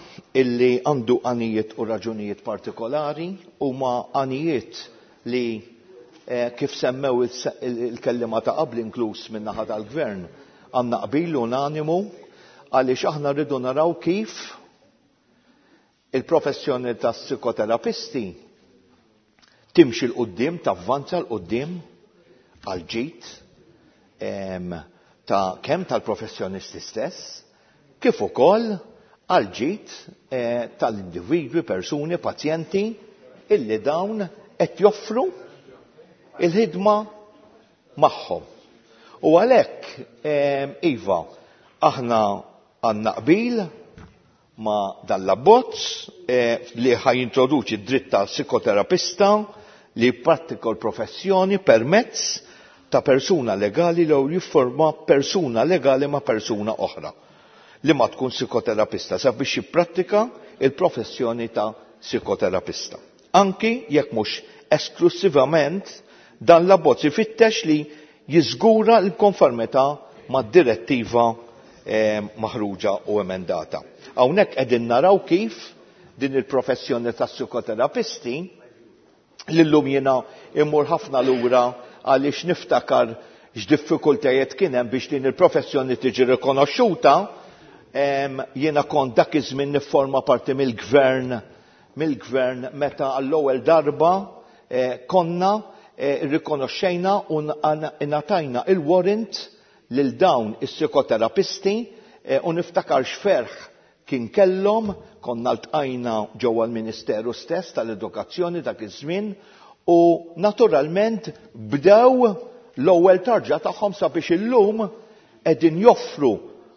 illi għandu għanijiet u raġunijiet partikolari huma għanijiet li kif semmew il-kelliema ta' qabli inkluż min-naħa tal-Gvern għandna qbil unanimu għaliex aħna rridu naraw kif il-professjoni tas-psikoterapisti timxi 'l quddiem, tavvanza 'l quddiem għall-ġid ta' kemm tal-professjonisti stess kif ukoll għall-ġid tal-individwi, persuni, pazjenti illi dawn qed joffru il-ħidma magħhom. U għalhekk iva, aħna għandna qbil ma' dan l-abbozz li ħa jintroduċi d-dritt tal-psikoterapista li jipprattika l-professjoni permezz ta' persuna legali jew jifforma persuna legali ma' persuna oħra li ma tkun psikoterapista sabiex jipprattika il-professjoni ta' psikoterapista. Anki jekk mhux esklusivament dan l-abbozz ifittex li jiżgura l-konformità mad-direttiva maħruġa u emendata. Hawnhekk qegħdin naraw kif din il-professjoni tas-psikoterapisti li llum jiena immur ħafna lura għaliex niftakar x'diffikultajiet kien hemm biex din il-professjoni tiġi rikonoxxuta, jiena kont dak iż-żmien nifforma parti mill-gvern mill-gvern meta għall-ewwel darba konna rikonoxxejna u ngħatajna il-warrant lil dawn is-psikoterapisti u niftakar x'ferħ kien kellhom, konna ltqajna ġewwa l-Ministeru stess tal-Edukazzjoni dak iż-żmien u naturalment bdew l-ewwel tarġa tagħhom sabiex illum qegħdin joffru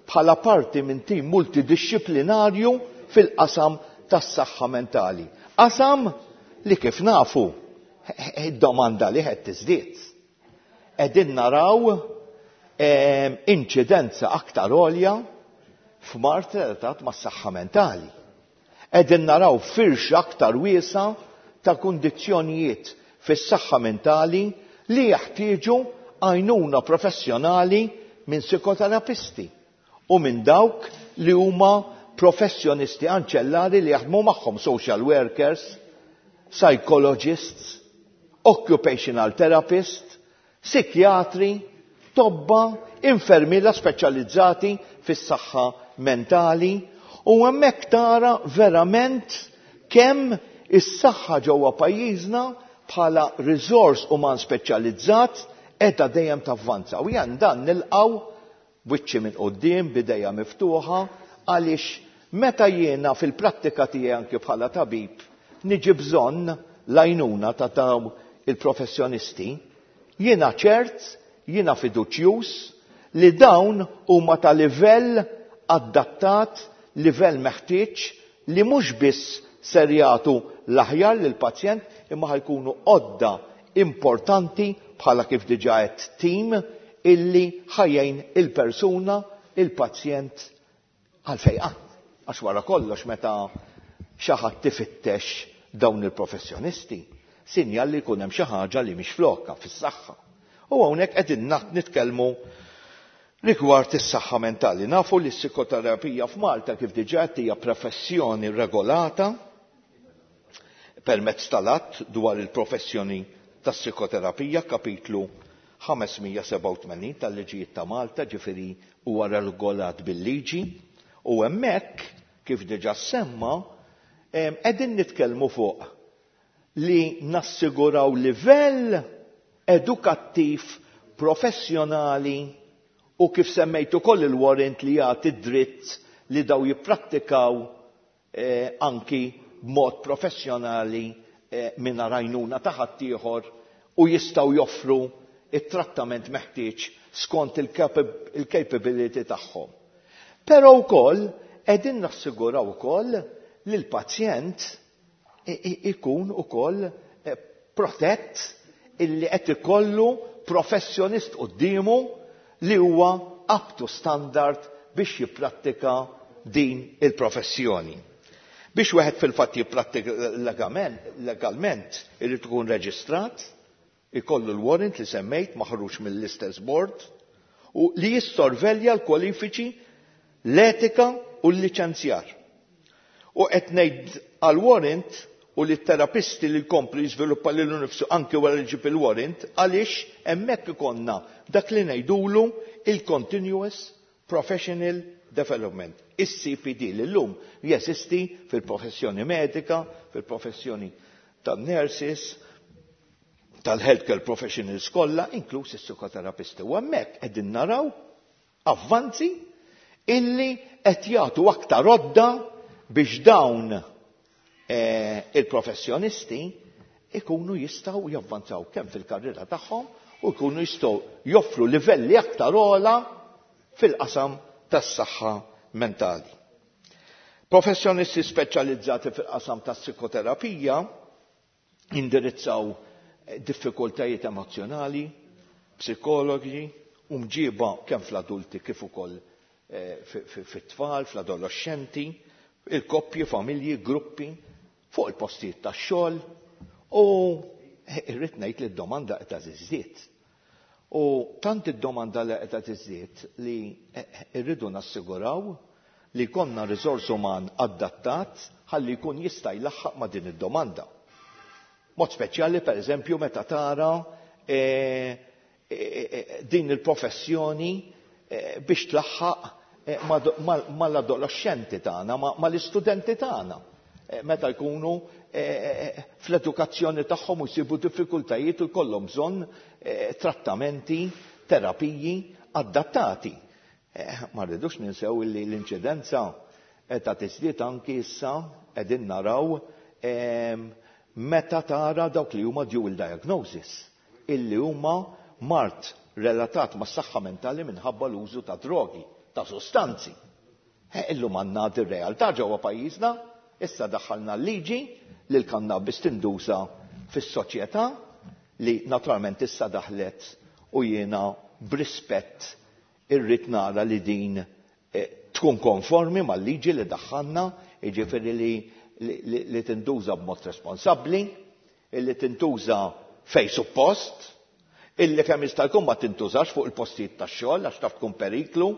bħala parti minn tim multidixxiplinarju fil-qasam tas-saħħa mentali. Qasam li kif nafu id-domanda li qed tiżdied. Qegħdin naraw inċidenza aktar għolja f'mard relatat mas-saħħa mentali. Qegħdin naraw firxa aktar wiesgħa ta' kundizzjonijiet fis-saħħa mentali li jeħtieġu għajnuna professjonali minn psikoterapisti u minn dawk li huma professjonisti anċellari li jaħdmu magħhom, social workers, psychologists, occupational therapists, psikjatri, tobba, infermiera speċjalizzati fis-saħħa mentali, u hemmhekk tara verament kemm is-saħħa ġewwa pajjiżna bħala riżors uman speċjalizzat qiegħda dejjem tavvanza. U jien dan nilqgħu b'wiċċi minn quddiem, b'idejja miftuħa, għaliex meta jiena fil-prattika tiegħi anki bħala tabib niġi bżonn l-għajnuna ta' dawn il-professjonisti, jiena ċert, jiena fiduċjuż li dawn huma ta' livell adattat, livell meħtieġ li mhux biss ser jagħtu l-aħjar lill-pazjent imma ħajkunu għodda importanti bħala kif diġà għedt tim illi ħajjin il-persuna, il-pazjent għal fejqan. Għax wara kollox meta xi ħadd tifittex dawn il-professjonisti, sinjal li jkun hemm xi ħaġa li mhix flokka fis-saħħa. U hawnhekk qegħdin nitkellmu rigward is-saħħa mentali. Nafu li s-psikoterapija f'Malta kif diġà qed hija professjoni regolata permezz tal-att dwar il-professjoni tas-psikoterapija, kapitlu 587 tal-liġijiet ta' Malta, ġifieri huwa regolat bil-liġi, u hemmhekk kif diġà semma qegħdin nitkellmu fuq li nassiguraw livell edukattiv professjonali u kif semmejt ukoll il-warrant li jagħti dritt li daw jipprattikaw anki b'mod professjonali mingħajr għajnuna ta' ħaddieħor u jistgħu joffru it-trattament meħtieġ skont il-capability tagħhom. Però wkoll qegħdin nassiguraw ukoll li l-pazjent ikun ukoll protett illi qed ikollu professjonist quddiemu li huwa up to standard biex jipprattika din il-professjoni. Biex wieħed fil-fatt jipprattika legalment irid ikun reġistrat, ikollu l-warrant li semmejt maħruġ mill-istess board u li jissorvelja l-kwalifiċi, l-etika u l-liċenzjar. U qed ngħid għal-warrant u li t-terapisti li jkomplu jiżviluppa lilu nnifsu anke wara li ġib il-warrant, għaliex hemmhekk ikollna dak li ngħidulu il-Continuous Professional Development, is-CPD li llum jeżisti fil-professjoni medika, fil-professjoni tan-nurses, tal-healthcare professionals kollha, inkluż is-psikoterapisti. U hemmhekk qegħdin naraw avvanzi illi qed jagħtu aktar għodda biex dawn il-professjonisti ikunu jistgħu javvanzaw kemm fil-karriera tagħhom u jkunu jistgħu joffru livelli aktar ogħla fil-qasam tas-saħħa mentali. Professjonisti speċjalizzati fil-qasam tas-psikoterapija indirizzaw diffikultajiet emozjonali, psikologi u mġiba kemm fl-adulti kif ukoll fit-tfal, fl-adolescenti, il-koppji, familji, gruppi, fuq il-postijiet tax-xogħol u irrid ngħid li d-domanda qed tiżdied. U tant id-domanda li qed tiżdied li rridu nassiguraw li jkollna riżors uman adattat ħalli jkun jista' jlaħħaq ma' din id-domanda. Mod speċjali pereżempju meta tara din il-professjoni biex tlaħħaq mal-adolescenti tagħna, mal-istudenti tagħna. Meta jkunu fl-edukazzjoni tagħhom u jsibu diffikultajiet u jkollhom bżonn trattamenti, terapiji adattati. Ma rridux ninsew li l-inċidenza ta' tiżdied anki issa qegħdin naraw meta tara dawk li huma dual diagnosis, illi huma mard relatat mas-saħħa mentali minħabba l-użu ta' drogi, ta' sostanzi. Illum għandna dir-realtà ġewwa pajjiżna, issa daħħalna l-liġi li l-kannabis tinduża fis-soċjetà li naturalment issa daħlet u jiena b'rispett irrid nara li din tkun konformi mal-liġi li daħħalna, jiġifieri li tintuża b'mod responsabbli, illi tintuża fej suppost, illi kemm jista' jkun ma tintużax fuq il-postijiet tax-xogħol għax taf tkun periklu,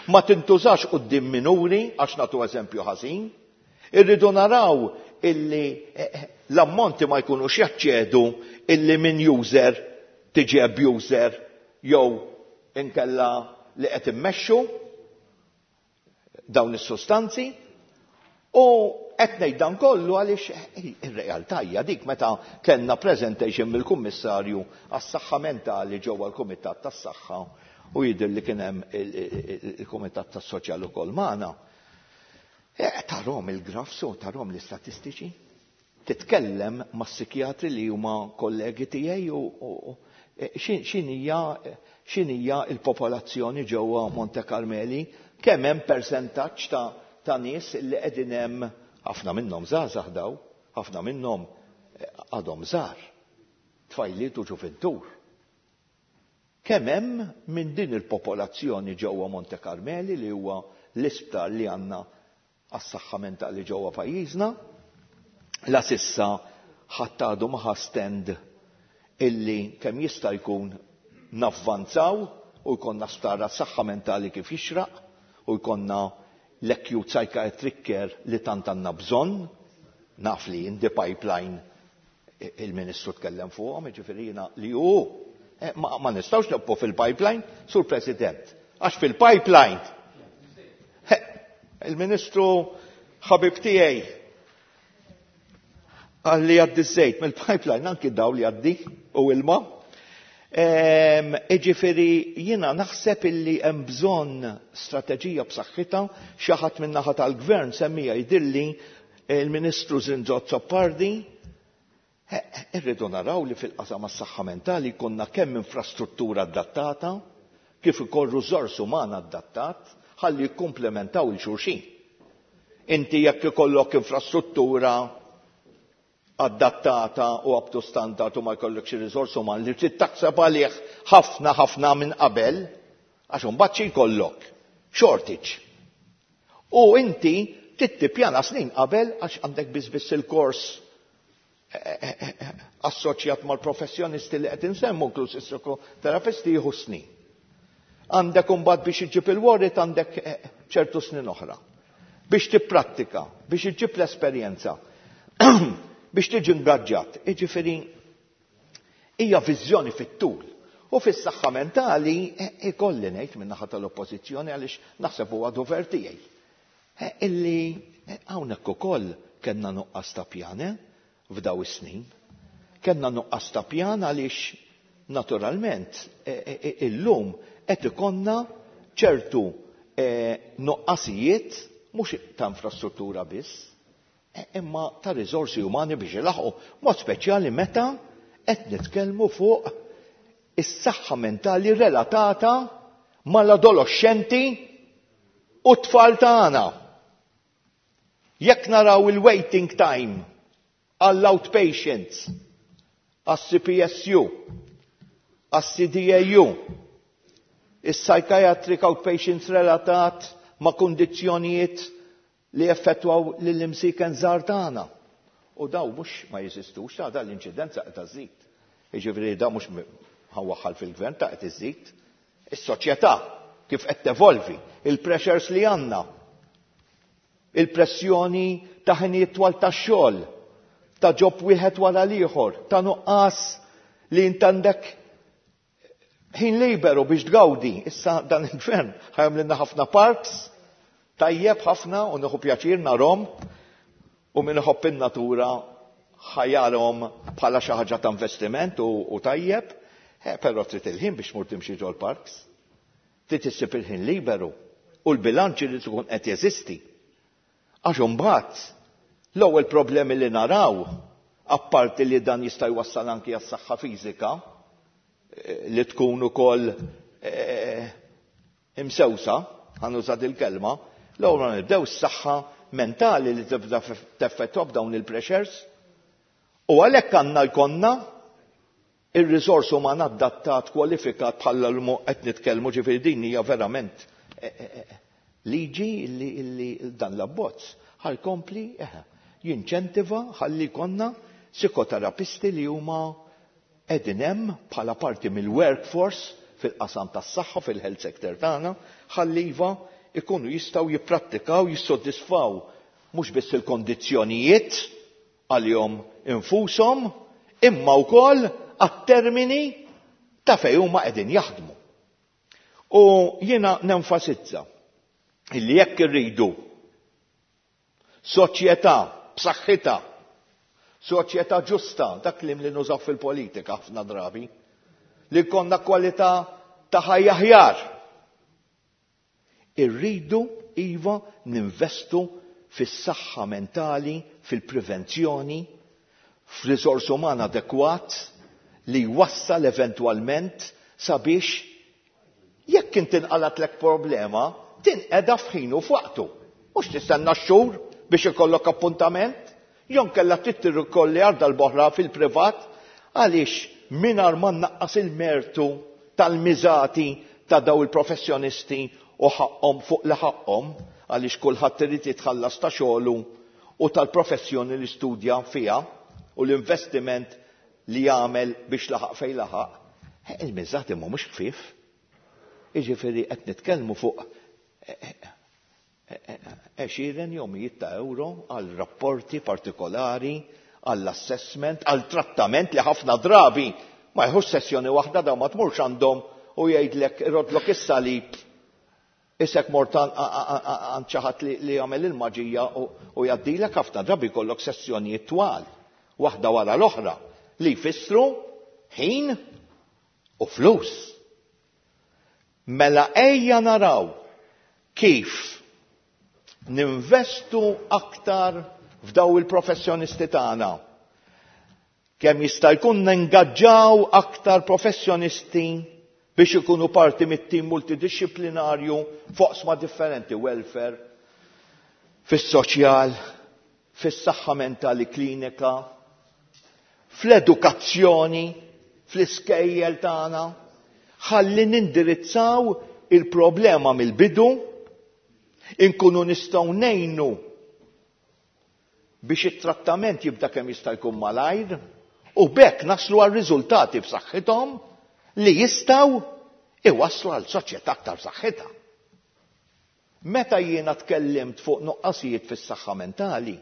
ma tintużax quddiem minuri għax nagħtu eżempju ħażin. Irridu naraw illi l-ammonti ma jkunux jaċċedu illi minn user tiġi abuser jew inkella li qed immexxu dawn is-sustanzi. U qed ngħid dan kollu għaliex ir-realtà hija dik meta kellna presentation mill-Kummissarju għas-Saħħa Mentali ġewwa l-Kumitat tas-Saħħa u jidher li kien hemm il-Kumitat tas-Soċjal ukoll magħna. Tarhom il-graphs u tarhom l-istatistiċi. Titkellem mas-psikjatri li huma kollegi tiegħi u x'inhija l-popolazzjoni ġewwa Monte Carmeli, kemm hemm persentaġġ ta' nies li qegħdin hemm, ħafna minnhom żgħażagħ daw, ħafna minnhom għadhom żgħar, tfajliet u ġuvintur. Kemm hemm minn din il-popolazzjoni ġewwa Monte Carmeli li huwa l-isptar li għandna għas-saħħa mentali ġewwa pajjiżna, la sissa ħadd għadu ma ħa stand illi kemm jista' jkun navvanzaw u jkollna sptar għas-saħħa mentali kif jixraq u jkollna l-acute psychiatric care li tant għandna bżonn. Naf li in the pipeline il-Ministru tkellem fuqhom, jiġifieri jiena li hu ma nistgħux nibqgħu fil-pipeline, Sur President, għax fil-pipeline il-Ministru ħabib tiegħi qal li jgħaddi ż-żejt mill-pipeline anki daw li jgħaddi u ilma. Jiġifieri jiena naħseb illi hemm bżonn strateġija b'saħħitha, xi ħadd min-naħa tal-Gvern semmija jidhirli il-Ministru Zrinzo Azzopardi. Irridu naraw li fil-qasam għas-saħħa mentali jkollna kemm infrastruttura adattata, kif ukoll riżors uman adattat, ħalli jikkumplementaw il-xulxin. Inti jekk ikollok infrastruttura adattata u up to standard u ma jkollokx ir-riżors uman li trid taħseb għalih ħafna ħafna minn qabel, għax imbagħad xi jkollok? Shortage. U inti trid tippjana snin qabel għax għandek biss biss il-kors assoċjat mal-professjonisti li qed insemmu, inkluż is-psikoterapisti, jieħu snin. Għandek imbagħad biex iġġib il-warrant għandek ċertu snin oħra. Biex tipprattika, biex iġġib l-esperjenza, biex tiġi ingaġġat. Jiġifieri hija viżjoni fit-tul. U fis-saħħa mentali ikolli ngħid min-naħa tal-Oppożizzjoni għaliex naħseb huwa dover tiegħi. Illi hawnhekk ukoll kellna nuqqas ta' pjan f'daw is-snin. Kellna nuqqas ta' pjan għaliex naturalment illum qed ikollna ċertu nuqqasijiet mhux ta' infrastruttura biss, imma ta' riżorsi umani biex ilaħqu, mod speċjali meta qed nitkellmu fuq is-saħħa mentali relatata mal-adolescenti u t-tfal tagħna. Jekk naraw il-waiting time għall-outpatients, għas-CPSU, għas-CDAU, is-psychiatric outpatients relatat ma' kundizzjonijiet li effettwaw lill-imsiken żgħar tagħna. U daw mhux ma jeżistux, ta' dan l-inċidenza qed iżżid. Jiġifieri da mhux ħawaħħal fil-gvern ta' qed iżżid. Is-soċjetà kif qed tevolvi, il-pressures li għandna, il-pressjoni ta' ħinijiet twal tax-xogħol, ta' ġob wieħed wara l-ieħor, ta' nuqqas li int għandek ħin liberu biex tgawdi. Issa dan il-gvern ħajamlilna ħafna parks, tajjeb ħafna u nieħu pjaċir narhom u min iħobb in-natura ħajarhom bħala xi ħaġa ta' investiment u tajjeb, però trid il-ħin biex tmur timxi ġol parks. Trid issib il-ħin liberu u l-bilanċ irid ikun qed jeżisti. Għax imbagħad l-ewwel problemi li naraw, apparti li dan jista' jwassal anki għas-saħħa fiżika, li tkun ukoll imsewsa, ħanuża il-kelma, l-ewwel nibdew s-saħħa mentali li tibda teffettwa b'dawn il-pressures. U għalhekk għandna jkollna ir-riżors uman adattat, kwalifikat bħala l qed nitkellmu, ġifieri din hija verament liġi li dan l-abbozz ħalkompli jinċentiva ħalli jkollna psikoterapisti li huma qegħdin hemm bħala parti mill-workforce fil-qasam tas-saħħa fil-health sector tagħna, ħalli iva ikunu jistgħu jipprattikaw, jissodisfaw mhux biss il-kondizzjonijiet għalihom infushom, imma wkoll għat-termini ta' fejn huma qegħdin jaħdmu. U jiena nenfasizza illi jekk irridu soċjetà b'saħħitha, soċjetà ġusta, dak li nużaw fil-politika ħafna drabi, li jkollna kwalità ta' ħajja aħjar. Irridu iva ninvestu fis-saħħa mentali, fil-prevenzjoni, f'riżors uman adekwat li jwassal eventwalment sabiex jekk inti inqalatlek problema, tinqeda f'ħin u f'waqtu. Mhux tistenna xhur biex ikollok appuntament, jew inkella trid tirrikorri għal darb'oħra fil-privat, għaliex mingħajr ma nnaqqas il-mertu tal-miżati ta' daw il-professjonisti u ħaqhom fuq li ħaqhom, għaliex kulħadd irid jitħallas ta' xogħlu u tal-professjoni li studja fiha u l-investiment li jagħmel biex laħaq fejn laħaq, il-miżati mhumiex ħfief. Jiġifieri qed nitkellmu fuq għexieren jew mijiet ta' euro għal rapporti partikolari, għall-assessment, għal trattament li ħafna drabi ma jħux sessjoni waħda, daw ma tmurx għandhom u jgħidlek irodlok is-salib isek mort għand xi ħadd li jagħmel il-maġija u jgħaddilek. Ħafna drabi jkollok sessjonijiet twal, waħda wara l-oħra, li jfissru ħin u flus. Mela ejja naraw kif ninvestu aktar f'daw il-professjonisti tagħna. Kemm jista' jkun nengaġġaw aktar professjonisti biex ikunu parti mit-tim multidixxiplinarju f'oqsma differenti, welfare, fis-soċjal, fis-saħħa mentali klinika, fl-edukazzjoni, fl-iskejjel tagħna, ħalli nindirizzaw il-problema mill-bidu, inkunu nistgħu ngħinu biex it-trattament jibda kemm jista' jkun malajr, u bekk naslu għal riżultati b'saħħithom li jistgħu iwasslu għal soċjetà aktar b'saħħitha. Meta jiena tkellimt fuq nuqqasijiet fis-saħħa mentali,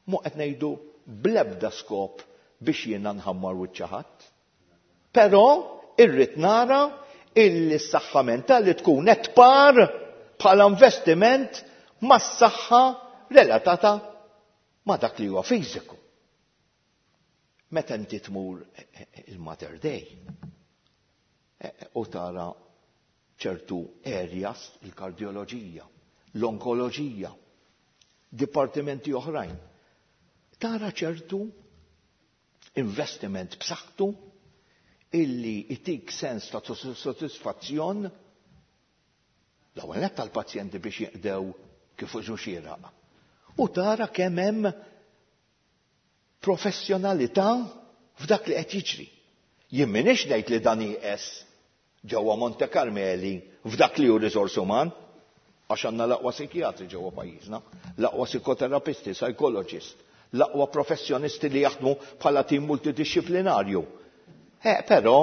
mhu qed ngħidu bl-ebda skop biex jiena nħammar wiċċ ħadd. Però irrid nara illi s-saħħa mentali tkun qed par bħala investiment mas-saħħa relatata ma' dak li huwa fiżiku. Meta inti tmur il-Mater Dei u tara ċertu areas, il-kardioloġija, l-onkoloġija, dipartimenti oħrajn, tara ċertu investiment b'saħħtu illi itik sens ta' soddisfazzjon l-ewwel nett tal-pazjenti biex jinqdew kif użu xieraq. U tara kemm hemm professjonalità f'dak li qed jiġri. Jien m'iniex ngħid li dan nieqes ġewwa Monte Carmeli f'dak li hu riżors uman, għax għandna l-aqwa psikjatri ġewwa pajjiżna, l-aqwa psikoterapisti, psychologist, l-aqwa professjonisti li jaħdmu bħala tim multidixxiplinarju. Eh, però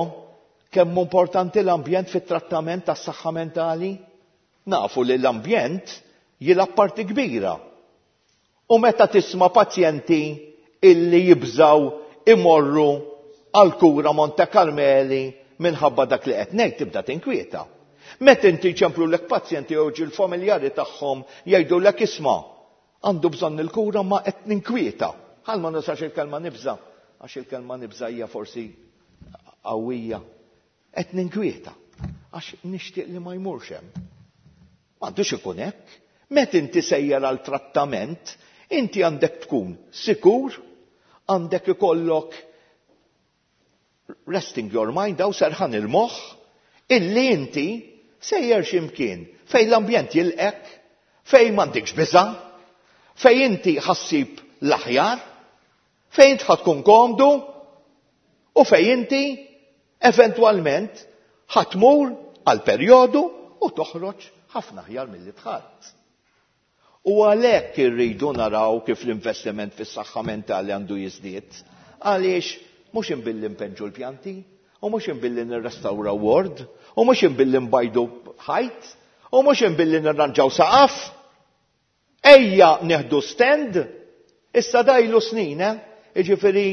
kemm hu importanti l-ambjent fit-trattament tas-saħħa mentali? Nafu li l-ambjent jilgħab parti kbira. U meta tisma' pazjenti illi jibżgħu imorru għal kura Monte Carmeli minħabba dak li qed ngħid tibda tinkwieta. Meta inti jċemplulek pazjenti jew ġi l-familjari tagħhom jgħidulek isma' għandu bżonn il-kura ma qed ninkwieta. Ħal ma nużax il-kelma nibża' għax il-kelma nibża' hija forsi qawwija. Qed ninkwieta għax nixtieq li ma jmurx hemm. M'għandux ikun hekk. Meta inti sejjer għal trattament, inti għandek tkun sikur, għandek ikollok resting your mind daw serħan il-moħħ illi inti sejjer x'imkien fejn l-ambjent jilqek, fejn m'għandikx biża', fejn inti ħassib l-aħjar, fejn int ħa tkun komdu u fejn inti eventwalment ħa tmur għal perjodu u toħroġ ħafna aħjar milli dħalt. U għalhekk irridu naraw kif l-investiment fis-saħħa mentali għandu jiżdied. Għaliex mhux imbilli npenġu l-pjanti, u mhux imbilli nirrestawraw ward, u mhux imbilli nbajdu ħajt, u mhux imbilli nirranġaw saqaf. Ejja nieħdu stand, issa dajlu snin, eh? Jiġifieri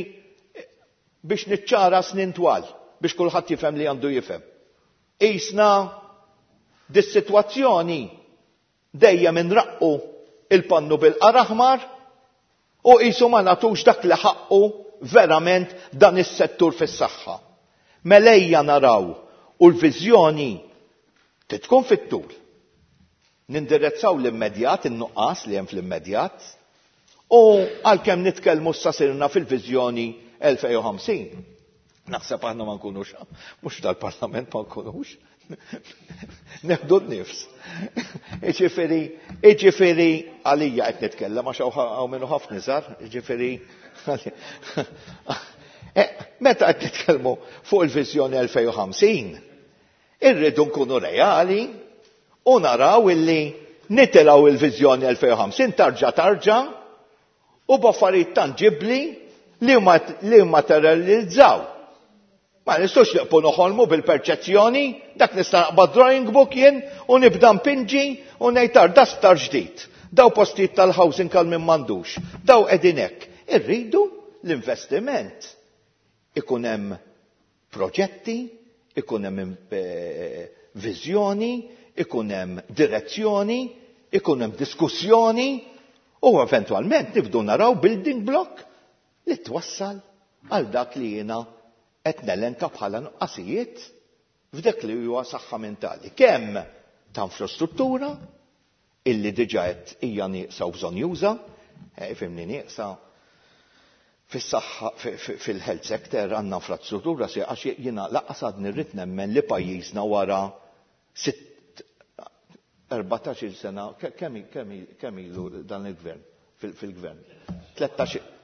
biex niċċara snin twal, biex kulħadd jifhem li għandu jifhem. Qisna dis-sitwazzjoni dejjem inraqqu il-pannu bil-qar aħmar u qisu ma nagħtux dak li ħaqqu verament dan is-settur fis-saħħa. Mela ejja naraw u l-viżjoni trid tkun fit-tul. Nindirezzaw l-immedjat, in-nuqqas li hemm fl-immedjat, u għalkemm nitkellmu issa sirna fil-viżjoni 2050. Naħseb aħna ma nkunux, mhux dal-parlament ma nkunux, neħdu n-nifs. Iġifieri, iġifieri għalija qed nitkellem għax hawn minnu ħafna iżgħar, iġifieri eh, meta qed nitkellmu fuq il-viżjoni 2050, Irridu nkunu reali u naraw illi nitilgħu il-viżjoni 2050 tarġa' tarġa' u b'affarijiet tanġibbli li li materializzaw. Ma nistgħux nieqfu noħolmu bil-perċezzjoni, dak nista' naqbad drawing book jien u nibda npinġi u ngħid ar da sptar ġdid. Daw postijiet tal-housing għal min m'għandux. Daw qegħdin hekk. Irridu l-investiment ikun hemm proġetti, ikun hemm viżjoni, ikun hemm direzzjoni, ikun hemm diskussjoni u eventwalment nibdu naraw building block li twassal għal dak li jiena qed nelenka bħala nuqqasijiet f'dak li huwa saħħa mentali. Kemm ta' infrastruttura illi diġà qed hija nieqsa u bżonnjuża, ifhimni nieqsa, fis-saħħa fil-health sector għandna infrastruttura sieqa għax jiena lanqas għadni rrid nemmen li pajjiżna wara sitt 14-il sena kemm kemm ilu dan il-gvern fil-gvern? 13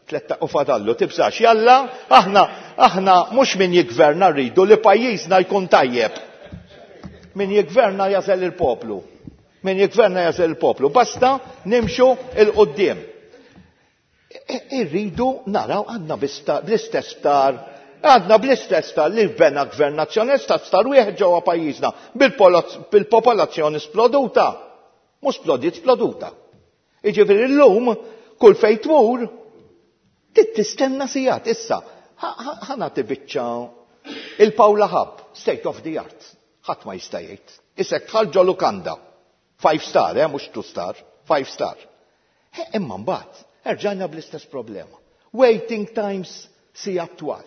u fadallu tibżax jalla aħna aħna mhux min jiggverna rridu li pajjiżna jkun tajjeb. Min jiggverna jażel il-poplu. Min jiggverna jażel il-poplu. Basta nimxu il-qudiem. Irridu naraw għandna bl-istess sptar, għandna bl-istess sptar li bena gvern nazzjonalista sptar wieħed ġewwa pajjiżna bil-popolazzjoni sploduta. Mhux splodiet sploduta. Jiġifieri llum kull fejn tmur trid tistenna sigħat. Issa, ħa nagħti biċċa il-Paula Hub, state of the art. Ħadd ma jista' jgħid. Isek dħalt ġo lukanda. Five star, eh, mhux two star, five star. Imma mbagħad erġajna bl-istess problema. Waiting times sigħat twal.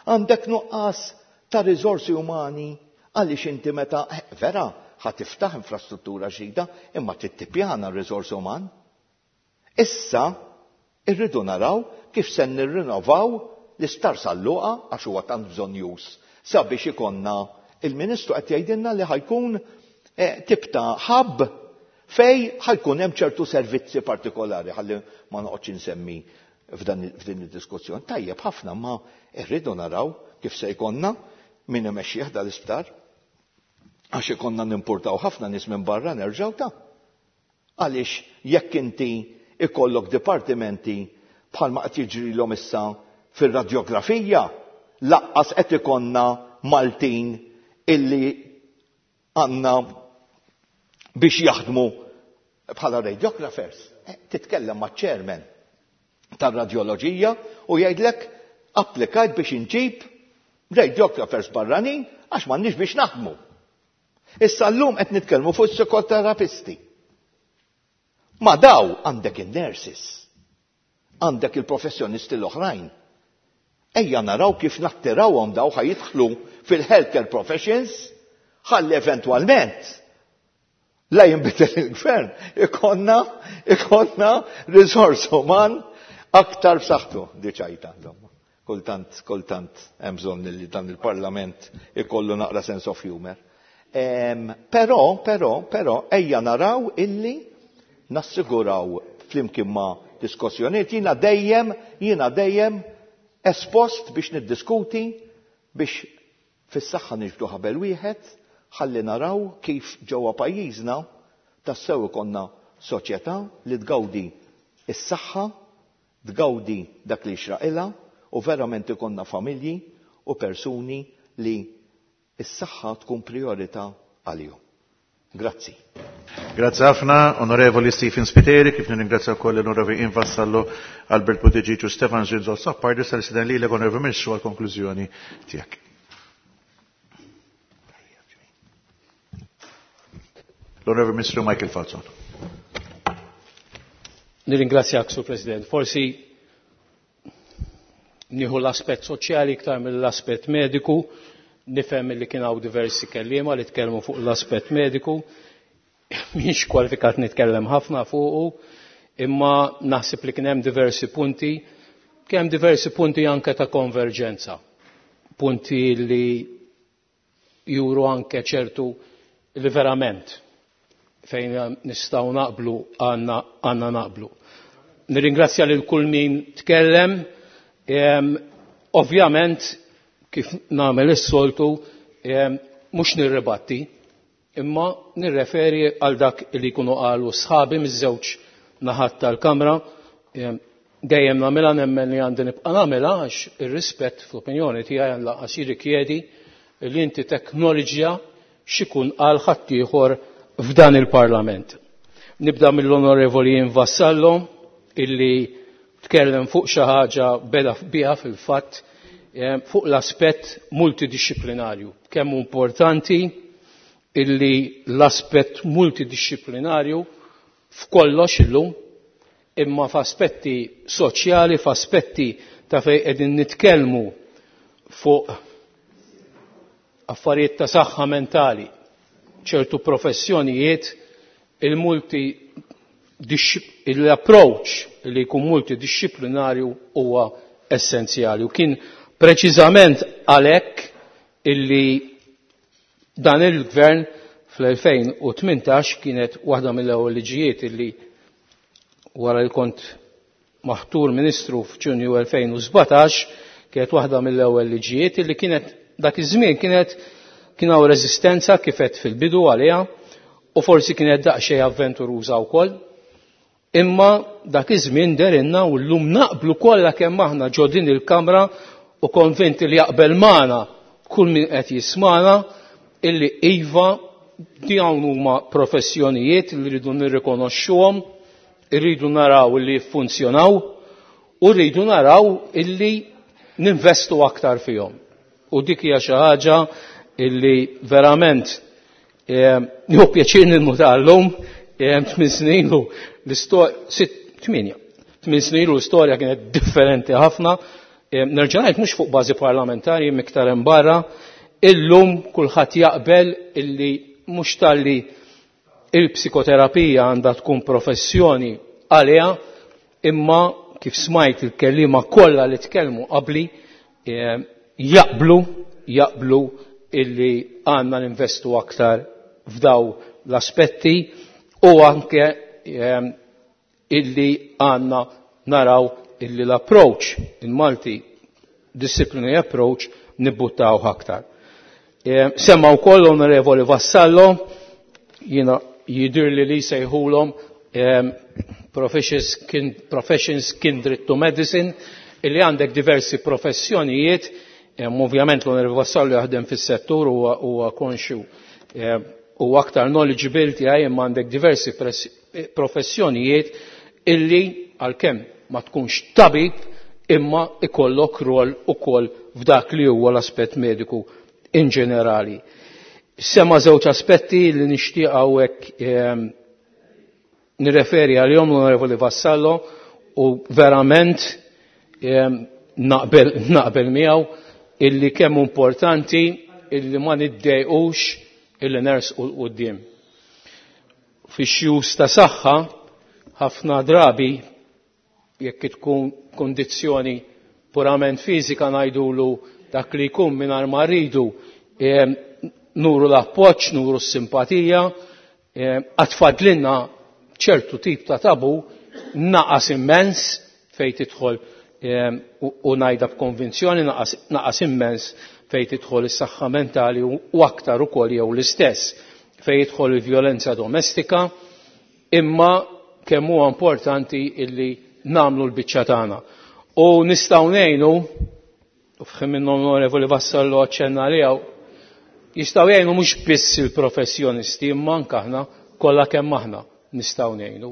Għandek nuqqas ta' riżorsi umani għaliex inti meta eh, vera ħa tiftaħ infrastruttura ġdida imma trid tippjana r-riżors uman. Issa irridu naraw kif se nirrinnovaw l-Isptar San Luqa għax huwa tant bżonnjuż sabiex ikollna il-Ministru qed jgħidilna li ħa jkun eh, tip ta' hub fej ħa jkun hemm ċertu servizzi partikolari ħalli ma noqgħodx insemmi f'din id-diskussjoni. Tajjeb ħafna ma rridu naraw kif kif se jkollna min imexxih dal-isptar. Għax ikonna nimportaw ħafna nies minn barra nerġgħu ta'. Għaliex jekk inti ikollok dipartimenti bħalma qed jiġrilhom issa fir-radjografija, laqqas qed ikollna Maltin illi għandna biex jaħdmu bħala radiographers. Titkellem ma' chairman tar-radjoloġija u jgħidlek applikajt biex inġib radiographers barranin għax m'għandniex biex naħdmu. Issa llum qed nitkellmu fuq psikoterapisti. Ma daw għandek in-nurses, għandek il-professjonisti l-oħrajn. Ejja naraw kif nattirawhom daw ħa jidħlu fil-healthcare professions ħalli eventwalment la jinbidel il-gvern ikonna ikonna riżors uman aktar b'saħħtu diċajta insomma. Kultant kultant hemm bżonn li dan il-Parlament ikollu naqra sense of humor. Però, però, però, ejja naraw illi nassiguraw flimkien ma' diskussjonijiet jiena dejjem jiena dejjem espost biex niddiskuti biex fis-saħħa niġbdu ħabel wieħed ħalli naraw kif ġewwa pajjiżna tassew ikollna soċjetà li tgawdi s-saħħa, tgawdi dak li jixraqilha u verament ikollna familji u persuni li s-saħħa tkun prijorità għalihom. Grazzi. Grazzi ħafna, Onorevoli Stephen Spiteri, kif nirringrazzja wkoll l-Onorevoli Ian Vassallo, Albert Buttigieg u Stefan Zrinzo Sappardi, sal-isteden lilek Onorevoli Ministru għall-konklużjoni tiegħek. L-Onorevoli Ministru Michael Falzon. Nirringrazzjak, Sur President. Forsi nieħu l-aspett soċjali iktar mill-aspett mediku, nifhem li kien hawn diversi kelliema li tkellmu fuq l-aspett mediku, mhix kwalifikat nitkellem ħafna fuqu, imma naħseb li kien hemm diversi punti, kien hemm diversi punti anke ta' konverġenza, punti li juru anke ċertu li verament fejn nistgħu naqblu għandna naqblu. Nirringrazzja lil kull min tkellem, ovvjament kif nagħmel is-soltu mhux nirribatti, imma nirreferi għal dak li jkunu qalu sħabi miż-żewġ naħat tal-Kamra. Dejjem nagħmilha nemmen li għandi nibqa' nagħmilha għax ir-rispett fl-opinjoni tiegħi lanqas jirrikjedi li inti teknoloġija x'ikun qal ħaddieħor f'dan il-Parlament. Nibda mill-Onorevoli Vassallo illi tkellem fuq xi ħaġa beda biha fil-fatt fuq l-aspett multidixxiplinarju. Kemm hu importanti illi l-aspett multidixxiplinarju f'kollox illum, imma f'aspetti soċjali, f'aspetti ta' fejn qegħdin nitkellmu fuq affarijiet ta' saħħa mentali, ċertu professjonijiet, il-multi l-approach li jkun multidixxiplinarju huwa essenzjali. U kien preċiżament għalhekk illi dan il-gvern fl-2018 kienet waħda mill-ewwel liġijiet illi wara li kont maħtur ministru f'Ġunju 2017 kienet waħda mill-ewwel liġijiet illi kienet dak iż-żmien kienet kien hawn reżistenza kif għedt fil-bidu għaliha u forsi kienet daqsxejn avventuruża wkoll. Imma dak iż-żmien derinna u llum naqblu kollha kemm aħna ġo din il-Kamra u konvinti li jaqbel magħna kull min qed jismagħna illi iva dawn huma professjonijiet li rridu nirrikonoxxuhom, irridu naraw illi jiffunzjonaw u rridu naraw illi ninvestu aktar fihom. U dik hija xi ħaġa illi verament nieħu pjaċir ninnuta llum 8 snin ilu l-istorja, 8 snin ilu l-istorja kienet differenti ħafna. Nerġa' ngħid mhux fuq bażi parlamentari iktar hemm barra, illum kulħadd jaqbel illi mhux talli il-psikoterapija għandha tkun professjoni għaliha, imma kif smajt il-kelliema kollha li tkellmu qabli jaqblu illi għandna ninvestu aktar f'daw l-aspetti u anke illi għandna naraw illi l-approach, il-multi disciplinary approach, nibbuttaw aktar. Semma wkoll l-Onorevoli Vassallo, jiena jidhirli li sejħulhom professions kindred to medicine, illi għandek diversi professjonijiet, ovvjament l-Onorevoli Vassallo jaħdem fis-settur huwa konxju u aktar knowledgeable tiegħi, imma għandek diversi professjonijiet illi għalkemm ma tkunx tabib imma ikollok rol ukoll f'dak li huwa l-aspett mediku in ġenerali. Sema żewġ aspetti li nixtieq hawnhekk nirreferi għalihom l-Onorevoli Vassallo u verament naqbel miegħu illi kemm importanti illi ma niddejqux illi nersqu 'l quddiem. Fix-xjus ta' saħħa ħafna drabi jekk tkun kondizzjoni purament fiżika ngħidulu dak li jkun mingħajr ma rridu nuru l-appoġġ, nuru s-simpatija, għad ċertu tip ta' tabu naqas immens fejn tidħol u ngħidha b'konvinzjoni naqas immens fejn tidħol is-saħħa mentali u aktar ukoll jew l-istess fejn jidħol il-vjolenza domestika, imma kemm huwa importanti illi nagħmlu l-biċċa tagħna. U nistgħu ngħinu, u f'ħin minnhom l-Onorevoli Vassallo aċċenna għaliha, jistgħu jgħinu mhux biss il-professjonisti imma anke aħna kollha kemm aħna nistgħu ngħinu.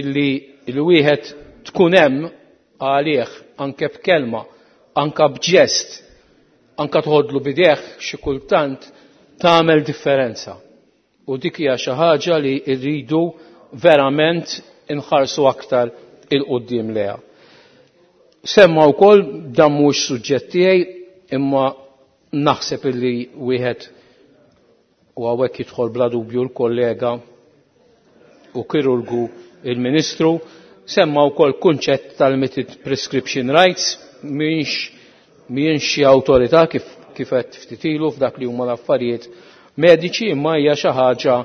Illi l-wieħed tkun hemm għalih anke b'kelma, anke b'ġest, anke tħodlu bideh xi kultant tagħmel differenza. U dik hija xi ħaġa li rridu verament inħarsu aktar il-qudiem leha. Semma wkoll dan mhux suġġett tiegħi imma naħseb illi wieħed u hawnhekk jidħol bla dubju l-kollega u kirurgu il-Ministru, semma wkoll kunċett tal-limited prescription rights, mhijiex xi awtorità kif qed ftit ilu f'dak li huma l-affarijiet mediċi, imma hija xi ħaġa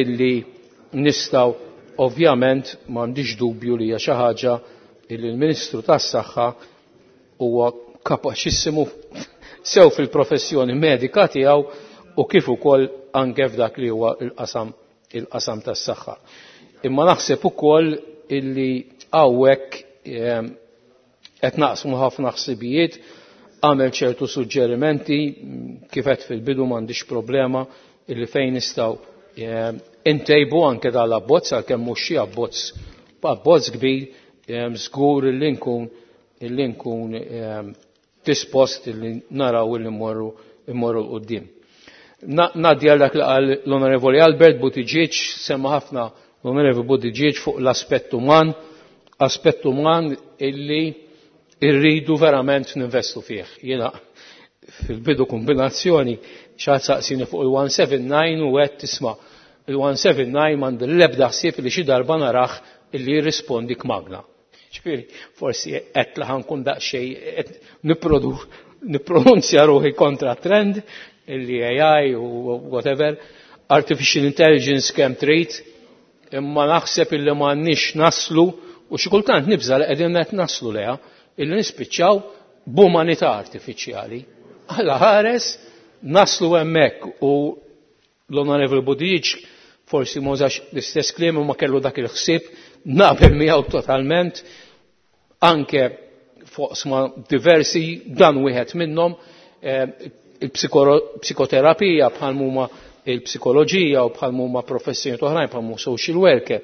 illi nistgħu ovvjament m'għandix dubju li hija xi ħaġa illi l-Ministru tas-Saħħa huwa kapaċissimu sew fil-professjoni medika tiegħu u kif ukoll anke f'dak li huwa il-qasam tas-saħħa. Imma naħseb ukoll illi hawnhekk qed naqsmu ħafna ħsibijiet, għamel ċertu suġġerimenti, kif qed fil-bidu m'għandix problema illi fejn nistgħu intejbu anke dal-abbozz, għalkemm mhux xi abbozz kbir, żgur illi nkun dispost illi naraw illi mmorru l-qudiem. Ngħaddi għal dak li qal l-Onorevoli Albert Buttigieg, semma ħafna l-Onorevoli Buttigieg fuq l-aspett uman, aspett uman illi irridu verament ninvestu fih. Jiena fil-bidu kombinazzjoni xi saqsini fuq il-179 u qed tisma' il-179 m'għandi l-ebda ħsieb li xi darba narah illi jirrispondi kmagna. Ġifieri, forsi qed li ħankun daqsxejn qed nippronunzja ruħi kontra trend illi AI u whatever, artificial intelligence kemm trid, imma naħseb illi m'għandniex naslu u xi kultant nibża' li qegħdin qed naslu leha illi nispiċċaw b'umanità artifiċjali. Alla ħares naslu hemmhekk u l-Onorevoli Buttigieg forsi ma użax l-istess kliem imma kellu dak il-ħsieb, naqbel miegħu totalment, anke fuq diversi, dan wieħed minnhom, il-psikoterapija bħal huma il-psikoloġija u bħal huma professjoni oħrajn bħal huma social worker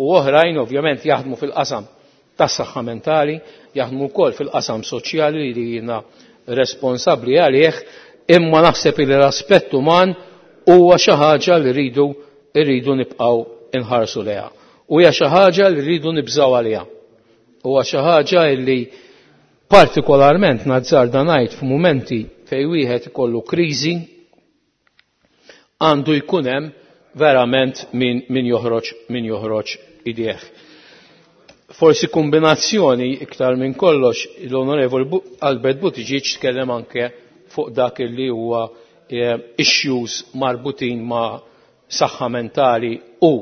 u oħrajn ovvjament jaħdmu fil-qasam tas-saħħa mentali, jaħdmu wkoll fil-qasam soċjali li jiena responsabbli għalih, imma naħseb li l-aspett uman huwa xi ħaġa li rridu nibqgħu inħarsu lejha. U hija xi ħaġa li rridu nibżgħu għaliha. Huwa xi ħaġa li partikolarment nazzarda ngħid f'mumenti fejn wieħed ikollu kriżi għandu jkun hemm verament min joħroġ idejh. Forsi kombinazzjoni iktar minn kollox l-Onorevoli Albert Buttigieg tkellem anke fuq dak li huwa issues marbutin ma' saħħa mentali u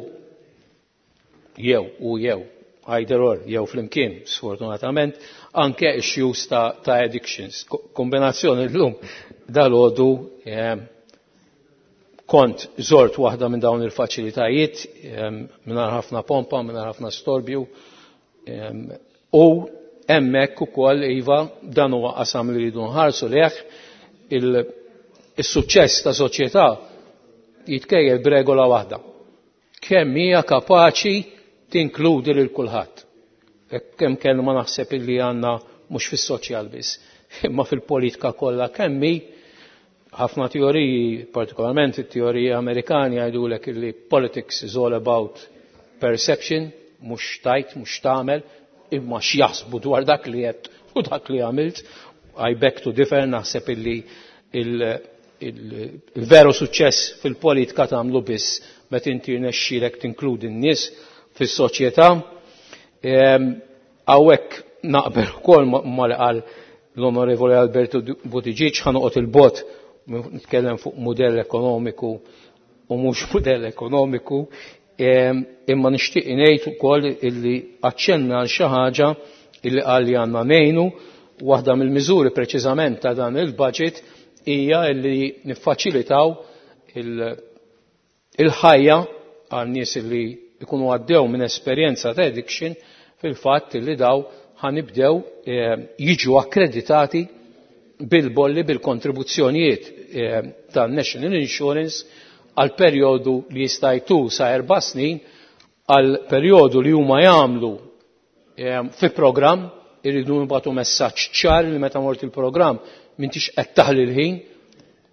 jew either or jew flimkien sfortunatament anke issues ta' addictions. Kombinazzjoni llum dalgħodu kont żort waħda minn dawn il-faċilitajiet mingħajr ħafna pompa, mingħajr ħafna storbju u hemmhekk ukoll iva dan huwa qasam li rridu nħarsu lejh. Il-suċċess ta' soċjetà jitkejjel b'regola waħda. Kemm hija kapaċi tinkludi lil kulħadd. Kemm kelma naħseb illi għandna mhux fis-soċjal biss, imma fil-politika kollha kemm hi ħafna teoriji, partikolarment it-teoriji Amerikani jgħidulek illi politics is all about perception, mhux tajt, mhux tagħmel, imma x'jaħsbu dwar dak li qed u dak li għamilt. I beg to differ, naħseb illi il-veru suċċess fil-politika tagħmlu biss meta inti rnexxielek tinkludi n-nies fis-soċjetà. Hawnhekk naqbel ukoll ma li qal l-Onorevoli Alberto Buttigieg, ħa noqgħod il-bot nitkellem fuq mudell ekonomiku u mhux mudell ekonomiku, imma nixtieq ngħid ukoll illi aċċenna għal xi ħaġa illi qal li għandna ngħinu. Waħda mill-miżuri preċiżament ta' dan il-budget hija illi niffaċilitaw il-ħajja għal nies illi ikunu għaddew minn esperjenza ta' addiction, fil-fatt illi daw ħanibdew jiġu akkreditati bil-bolli bil-kontribuzzjonijiet tan-National Insurance għal perjodu li jista' jtul sa 4 snin, għal perjodu li huma jagħmlu fi programm. Irridu nibgħatu messaġġ ċar li meta mort il-programm m'intix qed taħli l-ħin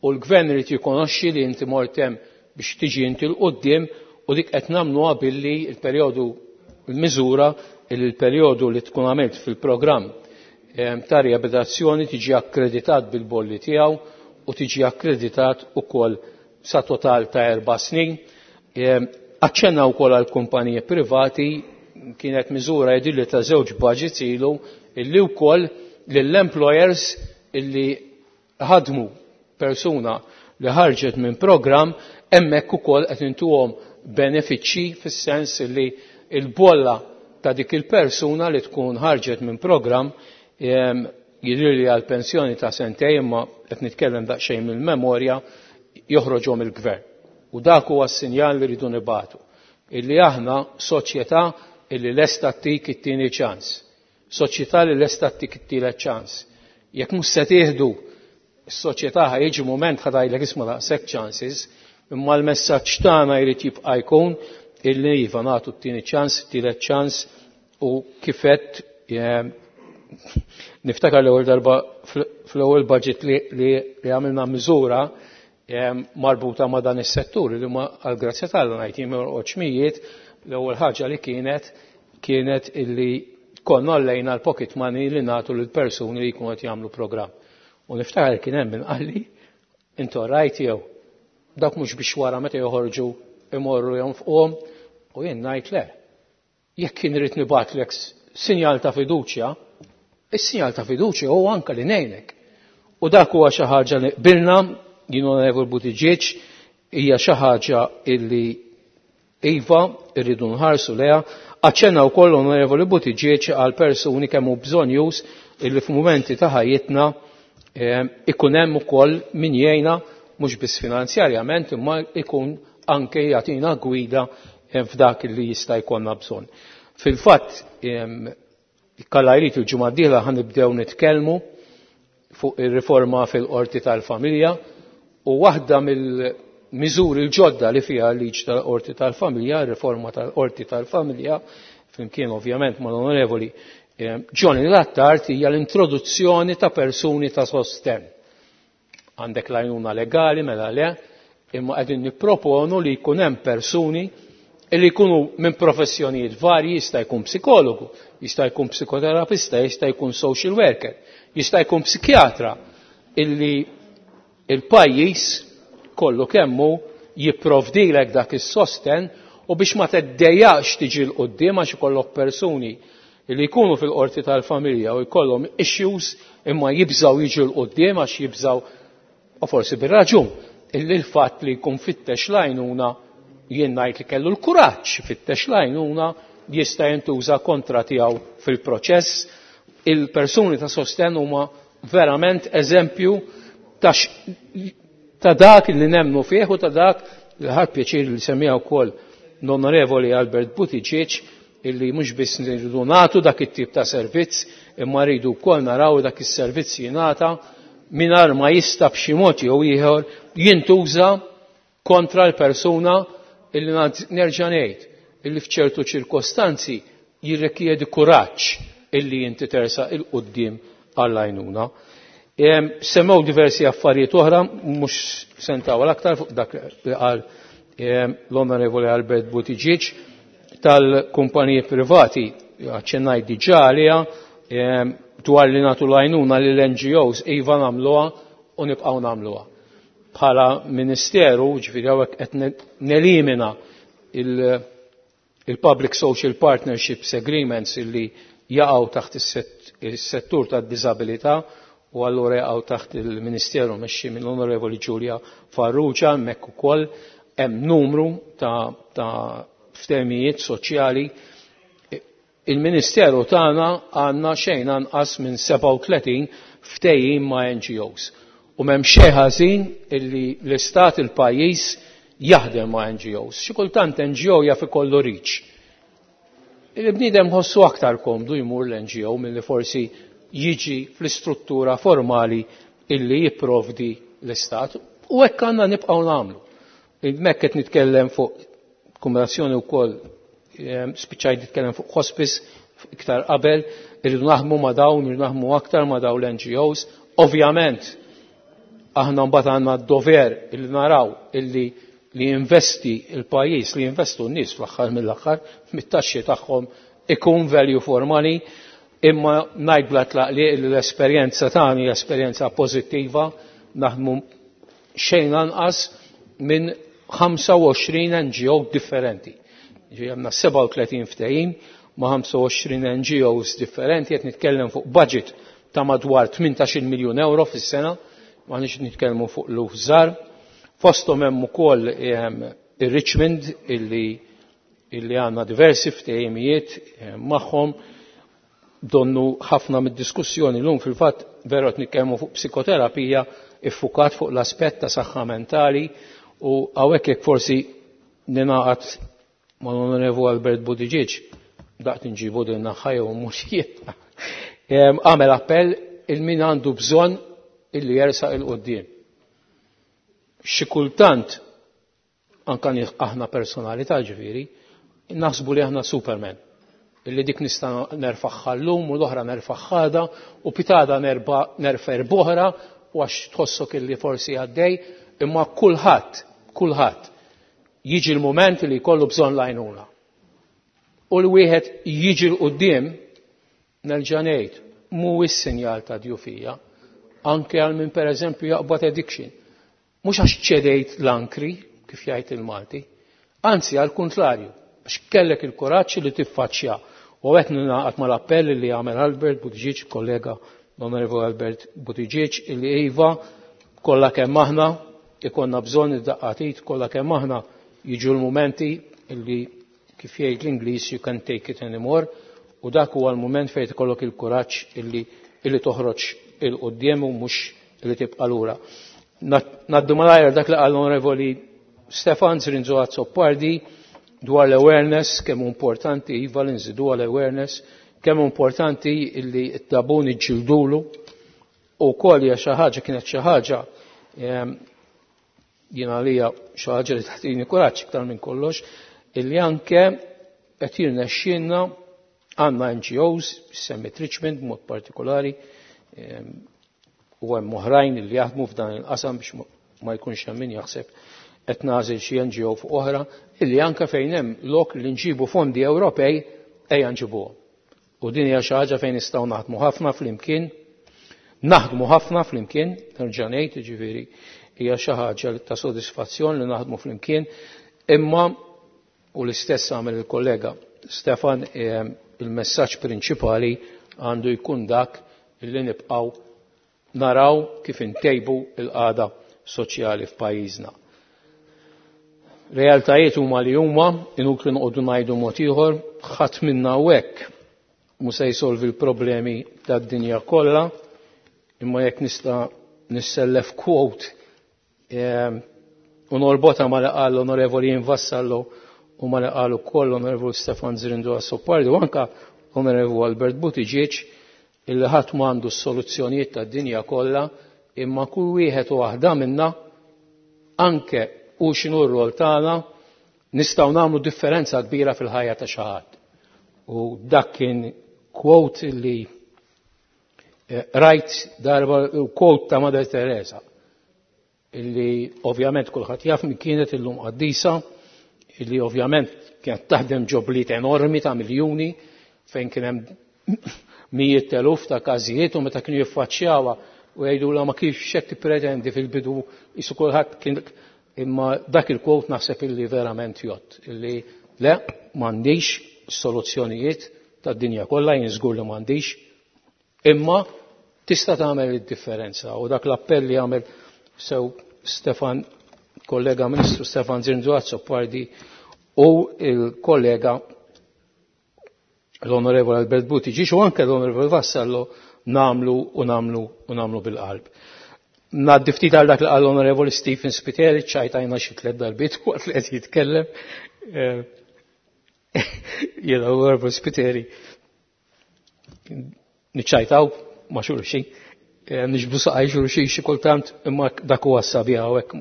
u l-gvern irid jikonoxxi li inti mort hemm biex tiġi inti l quddiem, u dik qed nagħmluha billi l-perjodu l-miżura li l-perjodu li tkun għamilt fil-programm ta' riabilitazzjoni tiġi akkreditat bil-bolli tiegħu u tiġi akkreditat ukoll sa total ta' 4 snin. Aċċenna wkoll għal kumpaniji privati, kienet miżura jidhirli ta' 2 budgets ilu illi wkoll lill-employers illi ħadmu persuna li ħarġet minn programm hemmhekk ukoll qed intuhom benefiċċji fis-sens li l-bolla ta' dik il-persuna li tkun ħarġet minn programm jidhirli għal pensjoni ta' sentejn, imma qed nitkellem daqsxejn mill-memorja, joħroġhom il-gvern. U dak huwa s-sinjal li rridu nibatu. Illi aħna soċjetà illi lesta ttik it-tieni ċans. Soċjetà li lesta ttik it-tielet ċans. Jekk mhux se tieħdu s-soċjetà ħa jiġi mument ħa tgħidlek isma' daqshekk chances, imma l-messaġġ tagħna jrid jibqa' jkun illi iva nagħtu t-tieni ċans, it-tielet ċans, u kifet niftakar l-ewwel darba fl-ewwel budget li għamilna miżura marbuta ma' dan is-settur li ma għall-grazzja t'Alla ngħid jien ma jorqodx mijiet, l-ewwel ħaġa li kienet illi konna għallejna l-pocket money li nagħtu lil persuni li jkunu qed jagħmlu programm. U niftakar kien hemm min qalli intu rajt jew dak mhux biex wara meta joħorġu imorru jonfquhom, u jien ngħid le. Jekk kien irid nibgħatlek sinjal ta' fiduċja, is-sinjal ta' fiduċja huwa anke li ngħinek. U dak huwa xi ħaġa li qbilna, jien Onorevoli Buttigieg, hija xi ħaġa illi iva rridu nħarsu leha. Aċċenna wkoll Onorevoli Buttigieg għal persuni kemm hu bżonn illi f'mumenti ta' ħajjitna ikun hemm ukoll min jgħinna mhux biss finanzjarjament imma ikun anke jagħtina gwida f'dak li jista' jkollna bżonn. Fil-fatt, kalla jrid il-ġimgħa d-dieħla ħa nibdew nitkellmu fuq ir-riforma fil-qorti tal-familja, u waħda mill-miżuri l-ġodda li fiha l-liġi tal-qorti tal-familja, ir-riforma tal-qorti tal-familja, flimkien ovvjament mal-Onorevoli Johnny Attard, hija l-introduzzjoni ta' persuni ta' sostenn. Għandek l-għajnuna legali, mela le, imma qegħdin nipproponu li jkun hemm persuni li jkunu minn professjonijiet varji, jista' jkun psikologu, jista' jkun psikoterapista, jista' jkun social worker, jista' jkun psikjatra, illi il-pajjiż kollu kemmu jipprovdilek dak is-sosten, u biex ma teddejjax tiġi l quddiem għax ikollok persuni li jkunu fil-qorti tal-familja u jkollhom issues imma jibżaw jiġu l quddiem għax jibżaw, u forsi bir-raġun, illi l-fatt li jkun fittex l-għajnuna, jien ngħid li kellu l-kuraġġ fittex l-għajnuna, jista' jintuża kontra tiegħu fil-proċess. Il-persuni ta' sostenn huma verament eżempju ta' dak li nemnu fih u ta' dak li ħadd pjaċir li semmiha wkoll l-Onorevoli Albert Buttigieg, illi mhux biss nridu nagħtu dak it-tip ta' servizz, imma rridu wkoll naraw dak is-servizz jingħata mingħajr ma jista' b'xi mod jew ieħor jintuża kontra l-persuna illi nerġa' ngħid illi f'ċertu ċirkostanzi jirrikjedi kuraġġ illi inti tersaq 'il quddiem għall-għajnuna. Semmew diversi affarijiet oħra, mhux se ntawwal aktar fuq dak li qal l-Onorevoli Albert Buttigieg tal-kumpaniji privati, aċċennajt diġà għaliha, dwar li nagħtu l-għajnuna lill-NGOs, iva nagħmluha u nibqgħu nagħmluha. Bħala Ministeru, ġifieri hawnhekk qed nelimina il-Public Social Partnerships Agreements illi jaqgħu taħt is-settur tad-diżabilità u allura jaqgħu taħt il-Ministeru mexxi mill-Onorevoli Giulia Farrugia, hemmhekk ukoll hemm numru ta' ftehimijiet soċjali. Il-Ministeru tagħna għandna xejn anqas minn 37 ftehim ma' NGOs. U m'hemm xejn ħażin illi l-Istat il-pajjiż jaħdem ma' NGOs. Xi kultant NGO jaf ikollu reach. Il-bniedem ħossu aktar komdu jmur l-NGO milli forsi jiġi fl-istruttura formali illi jipprovdi l-Istat. U hekk għandna nibqgħu nagħmlu. Hemmhekk qed nitkellem fuq kombinazzjoni wkoll, spiċċajt nitkellem fuq hospice iktar qabel, irridu naħdmu ma' dawn, irridu naħdmu aktar ma' dawn l-NGOs. Ovvjament, aħna mbagħad għandna d-dover illi naraw illi li jinvesti il-pajjiż, li jinvestu n-nies fl-aħħar mill-aħħar, mit-taxxi tagħhom ikun value for money, imma ngħid bla tlaqliq li l-esperjenza tagħna hija esperjenza pożittiva, naħdmu xejn anqas minn 25 NGO differenti. Ġi għandna 37 ftehim ma' 25 NGOs differenti, qed nitkellem fuq budget ta' madwar 18 miljun euro fis-sena, ma nix nitkellmu fuq luf żgħar. Fosthom hemm ukoll ir-Richmond illi għandna diversi ftehimijiet magħhom. Donnu ħafna mid-diskussjoni llum fil-fatt veru qed nitkellmu fuq psikoterapija iffukat fuq l-aspett ta' saħħa mentali, u hawnhekk jekk forsi ninaqat mal-Onorevu Albert Buttigieg, daqt nġibu din naħħa jew mhux jien. Għamel appell il min għandu bżonn illi jersaq il quddiem. Xi kultant anka aħna personalità ġifieri, naħsbu li aħna Superman. Illi dik nista' nerfaħħa llum u l-oħra nerfaħħa għada u pitada nerfa' erboħra u għax tħossok illi forsi għaddej, imma kulħadd jiġi l-mument li jkollu bżonn l-għajnuna. U l-wieħed jiġi 'l quddiem, nerġa' ngħid, mhuwiex sinjal ta' djufija, anke għal min pereżempju jaqbad addiction. Mhux għax ċedejt l-ankri, kif jgħid il-Malti, anzi għal kontrarju, għax kellek il-kuraġġ li tiffaċċja. U qed ningħaqad mal-appell li għamel Albert Buttigieg, kollega l-Onorevoli Albert Buttigieg, illi iva kollha kemm aħna ikonna bżonn id-daqqatit, kollha kemm aħna jiġu l-mumenti illi kif jgħid l-Ingliż you can't take it anymore, u dak huwa l-mument fejn ikollok il-kuraġġ illi toħroġ il quddiem u mhux illi tibqa' lura. Naddu malajr dak li qal l-Onorevoli Stefan Zrinzo Azzopardi dwar l-awareness, kemm importanti iva li nżidu l-awareness, kemm importanti illi t-tabun iġġildulu, u wkoll hija xi ħaġa, kienet xi ħaġa, jien għalija xi ħaġa li tagħtini kuraġġ iktar minn kollox, illi anke qed jirnexxielna għandna NGOs, semmit Richmond b'mod partikolari, u hemm oħrajn li jaħdmu f'dan il-qasam biex ma jkunx hemm min jaħseb qed nagħżel xi NGO fuq oħra, illi anke fejn hemm lok li nġibu fondi Ewropej ejja nġibuhom. U din hija xi ħaġa fejn nistgħu naħdmu ħafna flimkien, naħdmu ħafna flimkien, nerġa' ngħid, jiġifieri hija xi ħaġa ta' sodisfazzjon li naħdmu flimkien, imma u l-istess għamel il-kollega Stefan, il-messaġġ prinċipali għandu jkun dak illi nibqgħu naraw kif intejbu il-qagħda soċjali f'pajjiżna. Realtajiet huma li huma, inutli noqogħdu ngħidu mod ieħor, ħadd minna hawnhekk mhu se jsolvi l-problemi tad-dinja kollha, imma jekk nista' nissellef quote u norbotha ma li qal l-Onorevoli Vassallo u ma li qal ukoll l-Onorevoli Stefan Zrinzo Azzopardi u anka l-Onorevoli Albert Buttigieg, illi ħadd m'għandu s-soluzzjonijiet tad-dinja kollha, imma kull wieħed u waħda minna, anke u x'inhu r-rol tagħna, nistgħu nagħmlu differenza kbira fil-ħajja ta' xi ħadd. U dak kien quote li rajt darba, quote ta' Mother Teresa, illi ovvjament kulħadd jaf min kienet illum qaddisa, illi ovvjament kienet taħdem ġobliet enormi ta' miljuni fejn kien hemm mijiet teluf ta' każijiet, u meta kienu jiffaċċjawha u jgħidulha ma kif x'qed tippretendi fil-bidu jisu kulħadd kien, imma dak il-quote naħseb illi verament jgħodd, illi le m'għandix soluzzjonijiet tad-dinja kollha, jien żgur li m'għandix, imma tista' tagħmel id-differenza. U dak l-appell li għamel sew Stefan, kollega Ministru Stefan Zrinzo Azzopardi u il-kollega l-Onorevole Albert Buttigieg u anke l-Onorevole Vassallo, namlu u namlu u namlu bil-qalb. Ngħaddi ftit għal dak li qal l-Onorevoli Stephen Spiteri, ċajtajna xi tliet darbiet waqt li qed jitkellem. Jiena l-Onorevoli Spiteri niċċajtaw ma' xulxin, nixbdu saqaj xulxin xi kultant, imma dak huwa s-sabiħ hawnhekk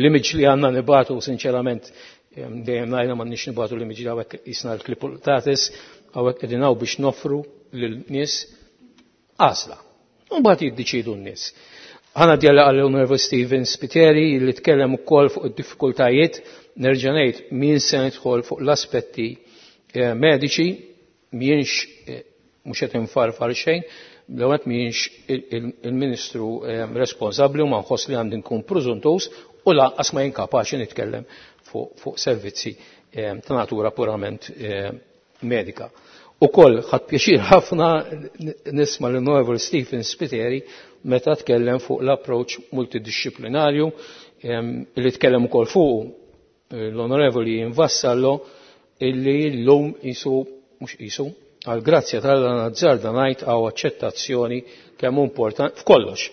l-image li għandna nibatu, sinċerament, dejjem ngħidha m'għandniex nibatu l-image li hawnhekk jisna l-klipultatis, hawnhekk qegħdin hawn biex noffru lil-nies għażla. U mbagħad jiddeċiedu n-nies. Ħana djalla għal l-Onorevoli Stephen Spiteri li tkellem ukoll fuq id-diffikultajiet, nerġa' ngħid min se nidħol fuq l-aspetti mediċi, mienx mhux qed infarfar xejn, l-ewwel mienx il-Ministru responsabbli u ma nħoss li għandi nkun preżuntus u lanqas ma jien kapaċi nitkellem fuq servizzi ta' natura purament medika. Ukoll ħadd pjaċir ħafna nisma' l-Onorevoli Stephen Spiteri meta tkellem fuq l-approach multidisciplinarju li tkellem ukoll fuq l-Onorevoli Vassallo, illi llum isu mhux isu għal grazzja tal-nazzarda ngħid għaw aċċettazzjoni kemm importanti f'kollox.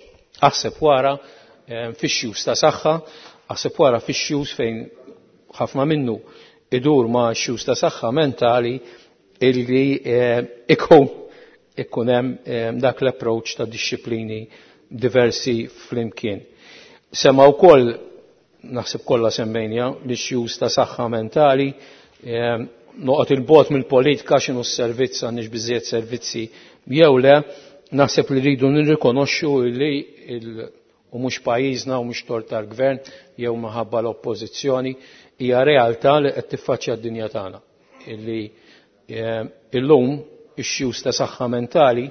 Aħseb wara fix-xjus ta' saħħa, aħseb wara fix-xjus fejn ħafna minnu idur ma' xjus ta' saħħa mentali illi ikun hemm dak l-approach ta' disċiplini diversi flimkien. Sema wkoll, naħseb kollha semmejnija, l-issues ta' saħħa mentali, noqgħod il-bogħod mill-politika x'inhu s-servizz, għandniex biżżejjed servizzi jew le, naħseb li rridu nirrikonoxxu li u mhux pajjiżna u mhux tort tal-gvern jew minħabba l-oppożizzjoni, hija realtà li qed tiffaċċja d-dinja tagħna. Illi illum ix-xjus ta' saħħa mentali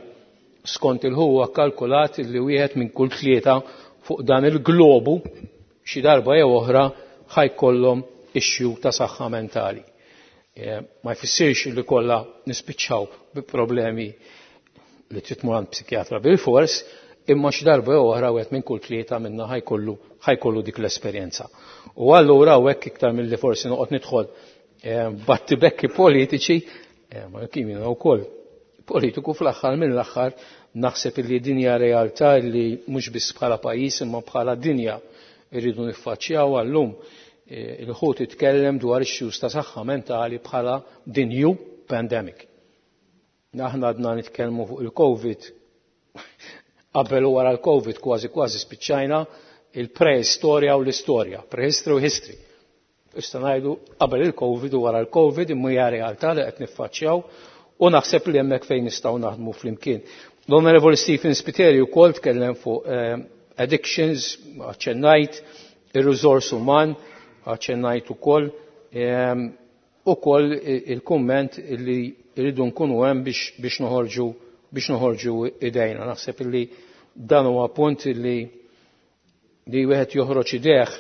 skont il-ħuwa kalkulat li wieħed minn kull tlieta fuq dan il-globu xi darba jew oħra ħajkollhom issue ta' saħħa mentali. Ma jfissirx li kollha nispiċċaw bi problemi li trid tmur għand psikjatra bil-fors, imma xi darba jew oħra wieħed minn kull tlieta minna ħajkollu dik l-esperjenza. U allura hawnhekk iktar milli forsi noqgħod nidħol battibekki politiċi, ma kien jiena wkoll politiku fl-aħħar mill-aħħar, naħseb li dinja realtà li mhux biss bħala pajjiż imma bħala dinja irridu niffaċċjaw għallum. Il-ħut itkellem dwar issues ta' saħħa mentali bħala the new pandemic. Aħna għadna nitkellmu fuq il-COVID, qabel u wara l-COVID kważi kważi spiċċajna il-preistorja u l-istorja, prehistory u history. Issa ngħidu qabel il-COVID u wara l-COVID imma hija realtà li qed niffaċċjaw u naħseb li hemmhekk fejn nistgħu naħdmu flimkien. L-Onorevoli Stephen Spiteri wkoll tkellem fuq addictions, aċċennajt, ir-riżors uman, aċċennajt ukoll il-kumment li rridu nkunu hemm biex noħorġu idejna. Naħseb li dan huwa punt li wieħed joħroġ idejh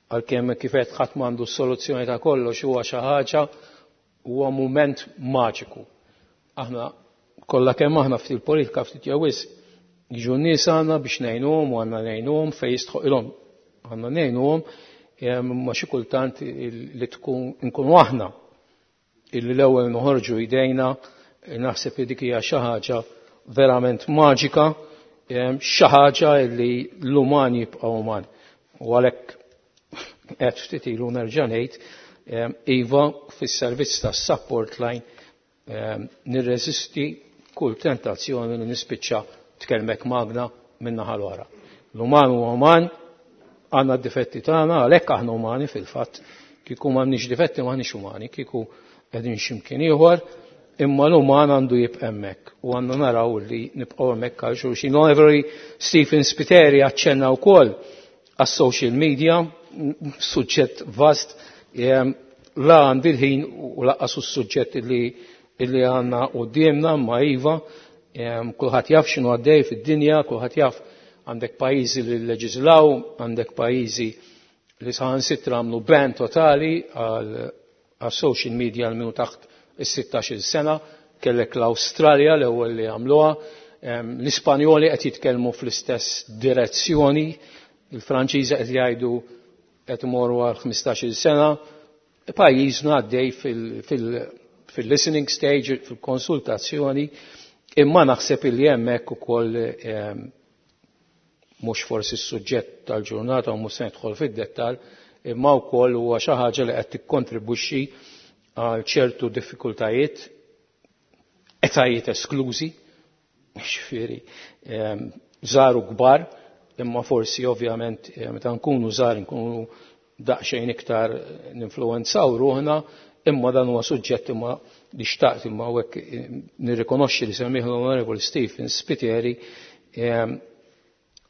għalkemm kif qed ħadd m'għandu s-soluzzjoni ta' kollox, huwa xi ħaġa, huwa mument maġiku. Aħna kollha kemm aħna ftit politika ftit jew wisq jiġu n-nies għandna biex ngħinuhom u għandna ngħinuhom fejn jistħoqilhom. Għandna ngħinuhom, Ma xi kultant li tkun nkunu aħna illi l-ewwel noħorġu jdejna, naħseb li dik hija xi ħaġa verament maġika, xi ħaġa li l-uman jibqa' uman. U għalhekk qed ftit ilu nerġa' ngħid, iva fis-servizz tas-support line nirreżisti kull tentazzjoni li nispiċċa tkellmek magna min-naħa l-oħra. L-uman huwa uman, għandna d-difetti tagħna, għalhekk aħna umani fil-fatt, kieku m'għandniex difetti m'aħniex umani, kieku qegħdin x'imkien ieħor, imma l-uman għandu jibqa' hemmhekk u għandna naraw li nibqgħu hemmhekk għal xulxin. L-Onorevoli Stephen Spiteri aċċenna wkoll għas-social media, suġġett vast, la għandi l-ħin u laqqas is-suġġett illi għandna quddiemna, ma iva, kulħadd jaf x'inhu għaddej fid-dinja, kulħadd jaf għandek pajjiżi li leġislaw, għandek pajjiżi li saħansitra għamlu ban totali għal social media għal minu taħt is-16-il sena, kellek l-Awstralja l-ewwel li għamluha, l-Ispanjoli qed jitkellmu fl-istess direzzjoni, il-Franċiżi qed jgħidu qed imorru għal 15-il sena, pajjiżna għaddej fil-listening stage, fil-konsultazzjoni, imma naħseb illi hemmhekk ukoll mhux forsi s-suġġett tal-ġurnata u mhux se nidħol fid-dettall, imma wkoll huwa xi ħaġa li qed tikkontribwixxi għal ċertu diffikultajiet, etajiet esklużi, ġifieri żgħar u kbar, imma forsi ovvjament meta nkunu żgħar nkunu daqsxejn iktar ninfluwenzaw ruħna, imma dan huwa suġġett imma li xtaqt imma hawnhekk nirrikonoxxi li semmih l-Onorevoli Stephen Spiteri,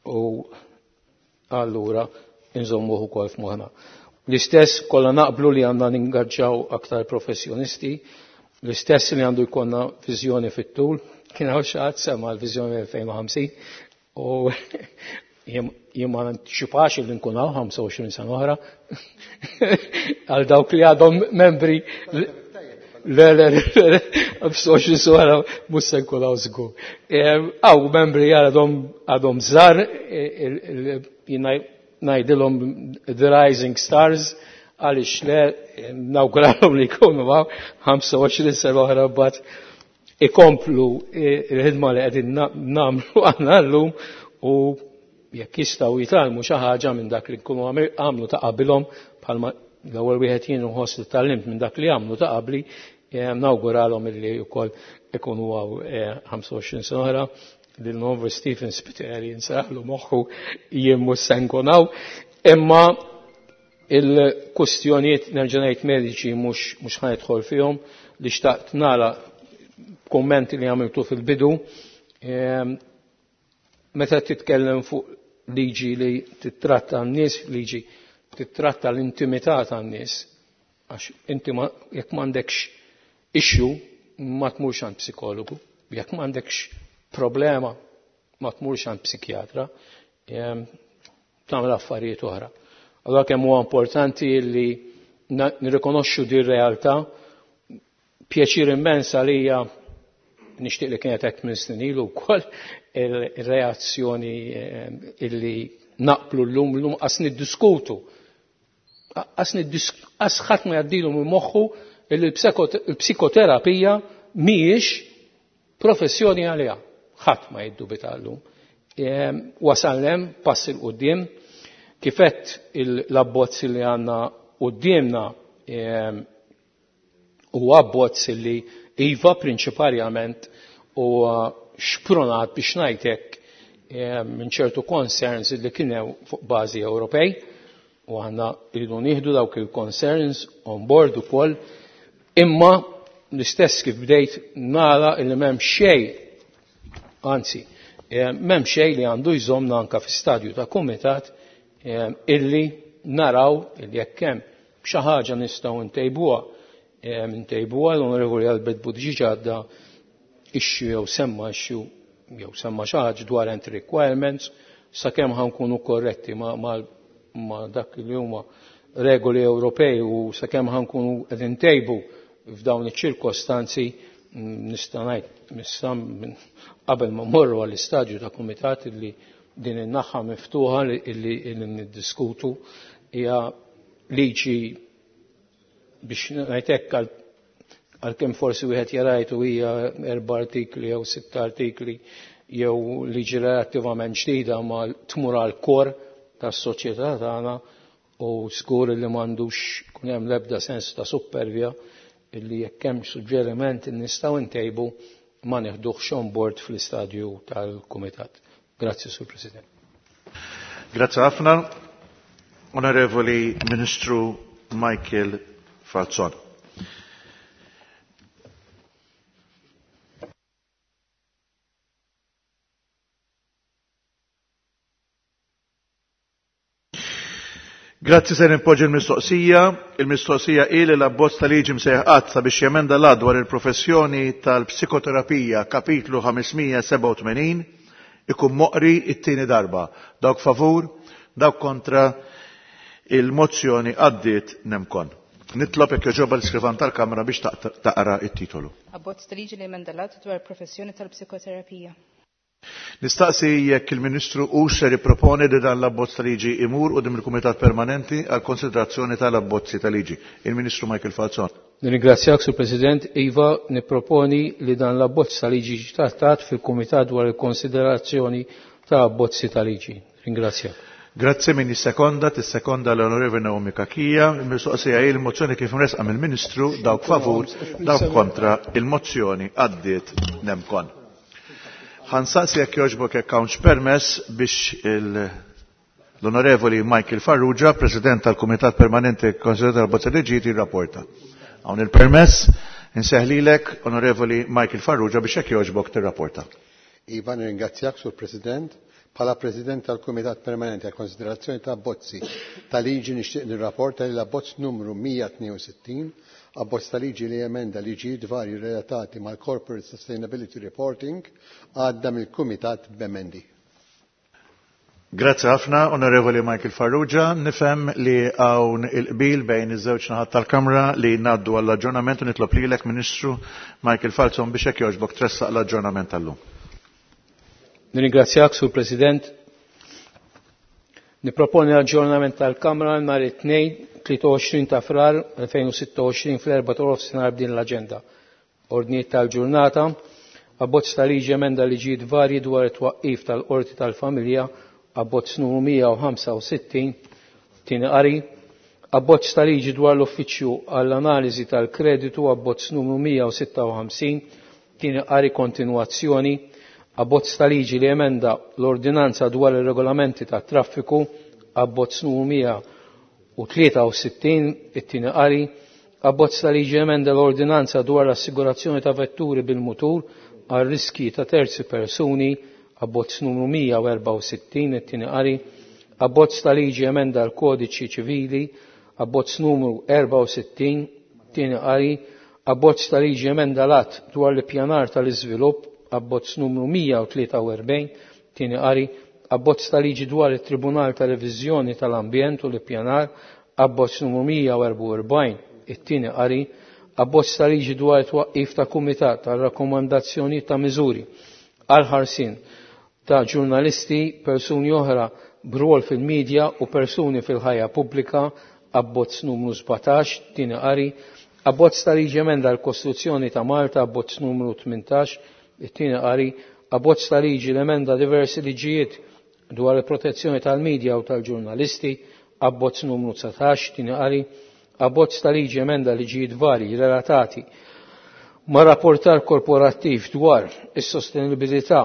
u allura nżommuh ukoll f'moħħna. L-istess kollha naqblu li għandna ningaġġaw aktar professjonisti, l-istess li għandu jkollna viżjoni fit-tul, kien hawn xi ħadd sema l-viżjoni 2050 u jien ma nanticipax li nkun hawn 25 sena oħra għal dawk li għadhom membri. Le, le, le, 25 sena oħra mhux se nkun hawn żgur. Hawn membri għadhom żgħar, jien ngħidilhom the rising stars, għaliex le, nawguralhom li jkunu hawn 25 sena oħra mbagħad ikomplu il-ħidma li qegħdin nagħmlu aħna llum, u jekk jistgħu jitgħallmu xi ħaġa minn dak li nkunu għamlu ta' qabilhom, bħalma l-ewwel wieħed jien nħoss li tgħallimt minn dak li għamlu ta' qabli, nawguralhom illi wkoll ikunu hawn 25 sena oħra. Lil Novu Stephen Spiteri nsaħlu moħħu jien mhux se nkun hawn, imma il-kustjonijiet nerġa' ngħid mediċi mhux ħa nidħol fihom, li xtaqt nagħlaq kummenti li għamiltu fil-bidu. Meta titkellem fuq liġi li titratta n-nies, liġi titratta l-intimità tan-nies, għax inti jekk m'għandekx issue ma tmurx għand psikologu, jekk m'għandekx problema ma tmurx għand psikjatra, tagħmel affarijiet oħra. Allora kemm huwa importanti li nirrikonoxxu din realtà. Pjaċir immens għalija, nixtieq li kienet hekk minn snin ilu wkoll, il-reazzjoni illi naqblu llum, llum qas niddiskutu. Qas ħadd ma jgħaddilu minn moħħu illi l-psikoterapija mhijiex professjoni għaliha. Ħadd ma jiddubita llum. Wasal hemm pass il quddiem, kifett l-abbozz li għandna quddiemna huwa abbozz li iva prinċiparjament huwa xprunat biex ngħidlek minn ċertu concerns li kien hemm fuq bażi Ewropej, u aħna rridu nieħdu dawk il-concerns on board ukoll, imma l-istess kif bdejt nara li m'hemm xejn, anzi, m'hemm xejn li għandu jżommna anke fi stadju ta' kumitat illi naraw illi jekk hemm xi ħaġa nistgħu ntejbuha. L-Onorevoli Albert Buttigieg għadda issue jew semma issue jew semma xi ħaġa dwar entry requirements, sakemm ħankunu korretti ma dak li huma regoli Ewropej u sakemm ħankunu qed intejbu f'dawn iċ-ċirkostanzi, nista' ngħid nista' qabel ma mmorru għall-istadju ta' kumitat illi din in-naħa miftuħa illi niddiskutu hija liġi biex ngħid għalkemm forsi wieħed jarajtu hija erba' artikli jew sitt artikli jew liġi relattivament ġdida ma tmur għal kor tas-soċjetà tagħna u żgur li m'għandux kun hemm l-ebda sens ta' supervja illi jekk hemm suġġeriment nistgħu ntejbu ma neħduhx on board fl-istadju tal-Kumitat. Grazzi, Sur President. Grazzi ħafna. Onorevoli Ministru Michael Falzon. Grazzi ser impoġġi l-mistoqsija. Il-mistoqsija hi li l-abbozz ta' liġi msejjaħ qatt sabiex jemenda l dwar il-professjoni tal-psikoterapija kapitlu 587 ikun moqri it-tieni darba. Dawk favur, dawk kontra il-mozzjoni għaddiet nemkon. Nitlob jekk jogħġobha l-iskrivan tal-Kamra biex taqra it-titolu. Abbozz ta' liġi li jemenda l-att dwar il-professjoni tal-psikoterapija. Nistaqsi jekk il-Ministru u ser jipproponi li dan l-abbozz ta' liġi imur quddiem il-Kumitat Permanenti għal konsiderazzjoni tal-abbozzi ta' liġi. Il-Ministru Michael Falzon. Nirringrazzjak, Sur President. Iva, nipproponi li dan l-abbozz ta' liġi jiġi trattat fil-Kumitat dwar il-konsiderazzjoni ta' abbozzi ta' liġi. Ringrazzjak. Grazzi min jissekonda, tissekonda l-Onorevoli Naomi Kakija. Il-mistoqsija hi l-mozzjoni kif mresqa mill-Ministru, dawk favur, dawk kontra, il-mozzjoni għaddiet nemkon. Ħansaqsi jekk jogħġbok jekk hawnx permess biex l-Onorevoli Michael Farrugia, President tal-Kumitat Permanenti Konsiderat tal-Bozza Liġijiet, jirrapporta. Hawn il-permess, inseħlilek, Onorevoli Michael Farrugia, biex jekk jogħġbok tirrapporta. Iva, nirringrazzjak, Sur President. Bħala President tal-Kumitat Permanenti għal Konsiderazzjoni ta' Abbozzi ta' Liġi nixtieq nirrapporta li l-abbozz numru 162, abbozz ta' liġi li jemenda liġijiet varji relatati mal-Corporate Sustainability Reporting, għadda mill-Kumitat b'emendi. Grazzi ħafna, Onorevoli Michael Farrugia. Nifhem li hawn il-qbil bejn iż-żewġ naħat tal-Kamra li ngħaddu għall-aġġornament u nitlob lilek, Ministru Michael Falzon, biex hekk jogħġbok tressaq l-aġġornament tal-lum. Nirringrazzjak, Sur President. Niproponi l-aġġornament tal-Kamra nhar it-Tnejn 23 ta' Frar 2026 fl-4 ta' nofsinhar b'din l-aġenda. Ordnijiet tal-ġurnata, abbozz ta' liġi emenda liġijiet varji dwar it-twaqqif tal-Qorti tal-Familja, abbozz numru 165, tieni qari, abbozz ta' liġi dwar l-Uffiċċju għall-Analiżi tal-Kreditu, abbozz numru 156, tieni qari kontinwazzjoni, abbozz ta' liġi li emenda l-Ordinanza dwar ir-Regolamenti tat-Traffiku, abbozz numru 163, it-tieni qari, abbozz ta' liġi emenda l-Ordinanza dwar l-assigurazzjoni ta' vetturi bil-mutur għal riski ta' terzi persuni, abbozz numru 164, it-tieni qari, abbozz ta' liġi emenda l-Kodiċi Ċivili, abbozz numru 64, tieni qari, abbozz ta' liġi emenda l-att dwar l-ippjanar tal-iżvilupp, abbozz numru 143, tieni qari, abbozz ta' liġi dwar it-Tribunal ta' Reviżjoni tal-Ambjent u l-Ippjanar, abbozz numru 144, it-tieni qari, abbozz ta' liġi dwar it-twaqqif ta' kumitat tal rakkomandazzjoni ta' miżuri għal ħarsien ta' ġurnalisti, persuni oħra b'rwol fil-medja u persuni fil-ħajja pubblika, abbozz numru 17, tieni qari, abbozz ta' liġi emenda l-Kostituzzjoni ta' Malta, abbozz numru 18, it-tieni qari, abbozz ta' liġi l-emenda diversi liġijiet dwar il-protezzjoni tal-medja u tal-ġurnalisti, abbozz numru 19, tieni qari, abbozz ta' liġi emenda liġijiet varji relatati ma' rapportar korporattiv dwar is-sostenibilità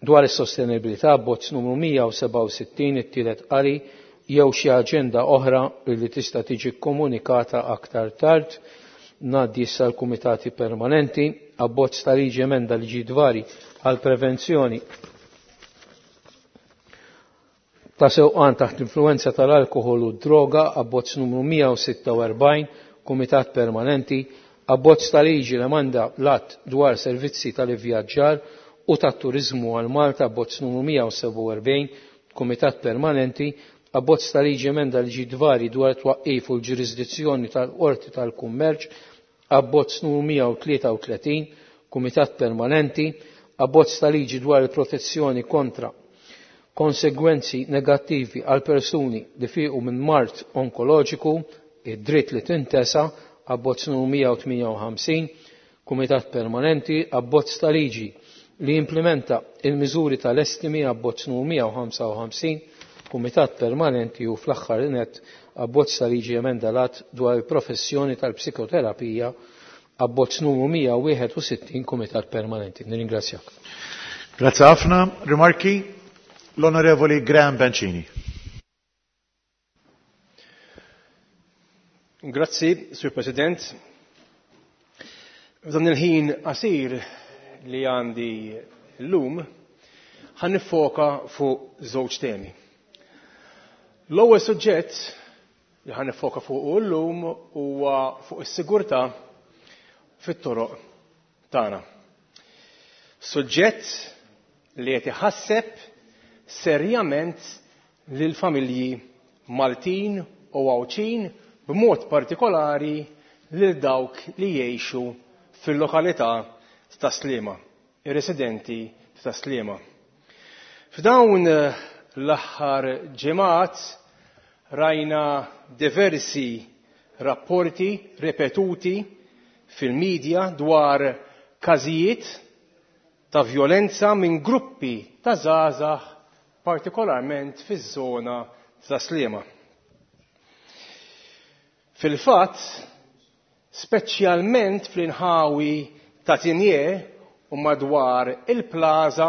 dwar is-sostenibilità abbozz numru 167 it-tielet qari jew xi aġenda oħra li tista' tiġi komunikata aktar tard. Ngħaddi issa l-kumitati permanenti, abbozz ta' liġi emenda liġijiet varji għal prevenzjoni ta' sewqan taħt influenza tal-alkohol u droga, abbozz numru 146, kumitat permanenti, abbozz ta' liġi l-emenda l-att dwar servizzi tal-ivvjaġġar u tat-turizmu għal Malta, abbozz numru 147, kumitat permanenti, abbozz ta' liġi emenda liġijiet varji dwar twaqqif u l-ġurisdizzjoni tal-Qorti tal-Kummerċ, abbozz numru 133, kumitat permanenti, abbozz ta' liġi dwar il-protezzjoni kontra Konsegwenzi negattivi għal persuni li fiqu minn mard onkoloġiku, id-dritt li tintesa, abbozz numru 158, Kumitat Permanenti, abbozz ta' liġi li jimplementa il-miżuri tal-estimi, abbozz numru 155, Kumitat Permanenti u fl-aħħar nett abbozz ta' liġi emenda l-att dwar il-professjoni tal-psikoterapija, abbozz numru 161, Kumitat Permanenti. Nirringrazzjak. Grazie ħafna. Rimarki? L-Onorevoli Graham Bencini. Grazzi, Sur President. F'dan il-ħin qasir li għandi llum, ħa niffoka fuq żewġ temi. L-ewwel suġġett li ħa niffoka fuq llum huwa fuq is-sigurtà fit-toroq tagħna. Suġġett li qed iħasseb serjament lill-familji Maltin u Għawdxin, b'mod partikolari lil dawk li jgħixu fil-lokalità ta' Sliema, ir-residenti ta' Sliema. F'dawn l-aħħar ġimgħat rajna diversi rapporti ripetuti fil-medja dwar każijiet ta' vjolenza minn gruppi ta' żgħażagħ partikolarment fiż-żona ta' Sliema. Fil-fatt, speċjalment fl-inħawi ta' Tinje u madwar il-plaza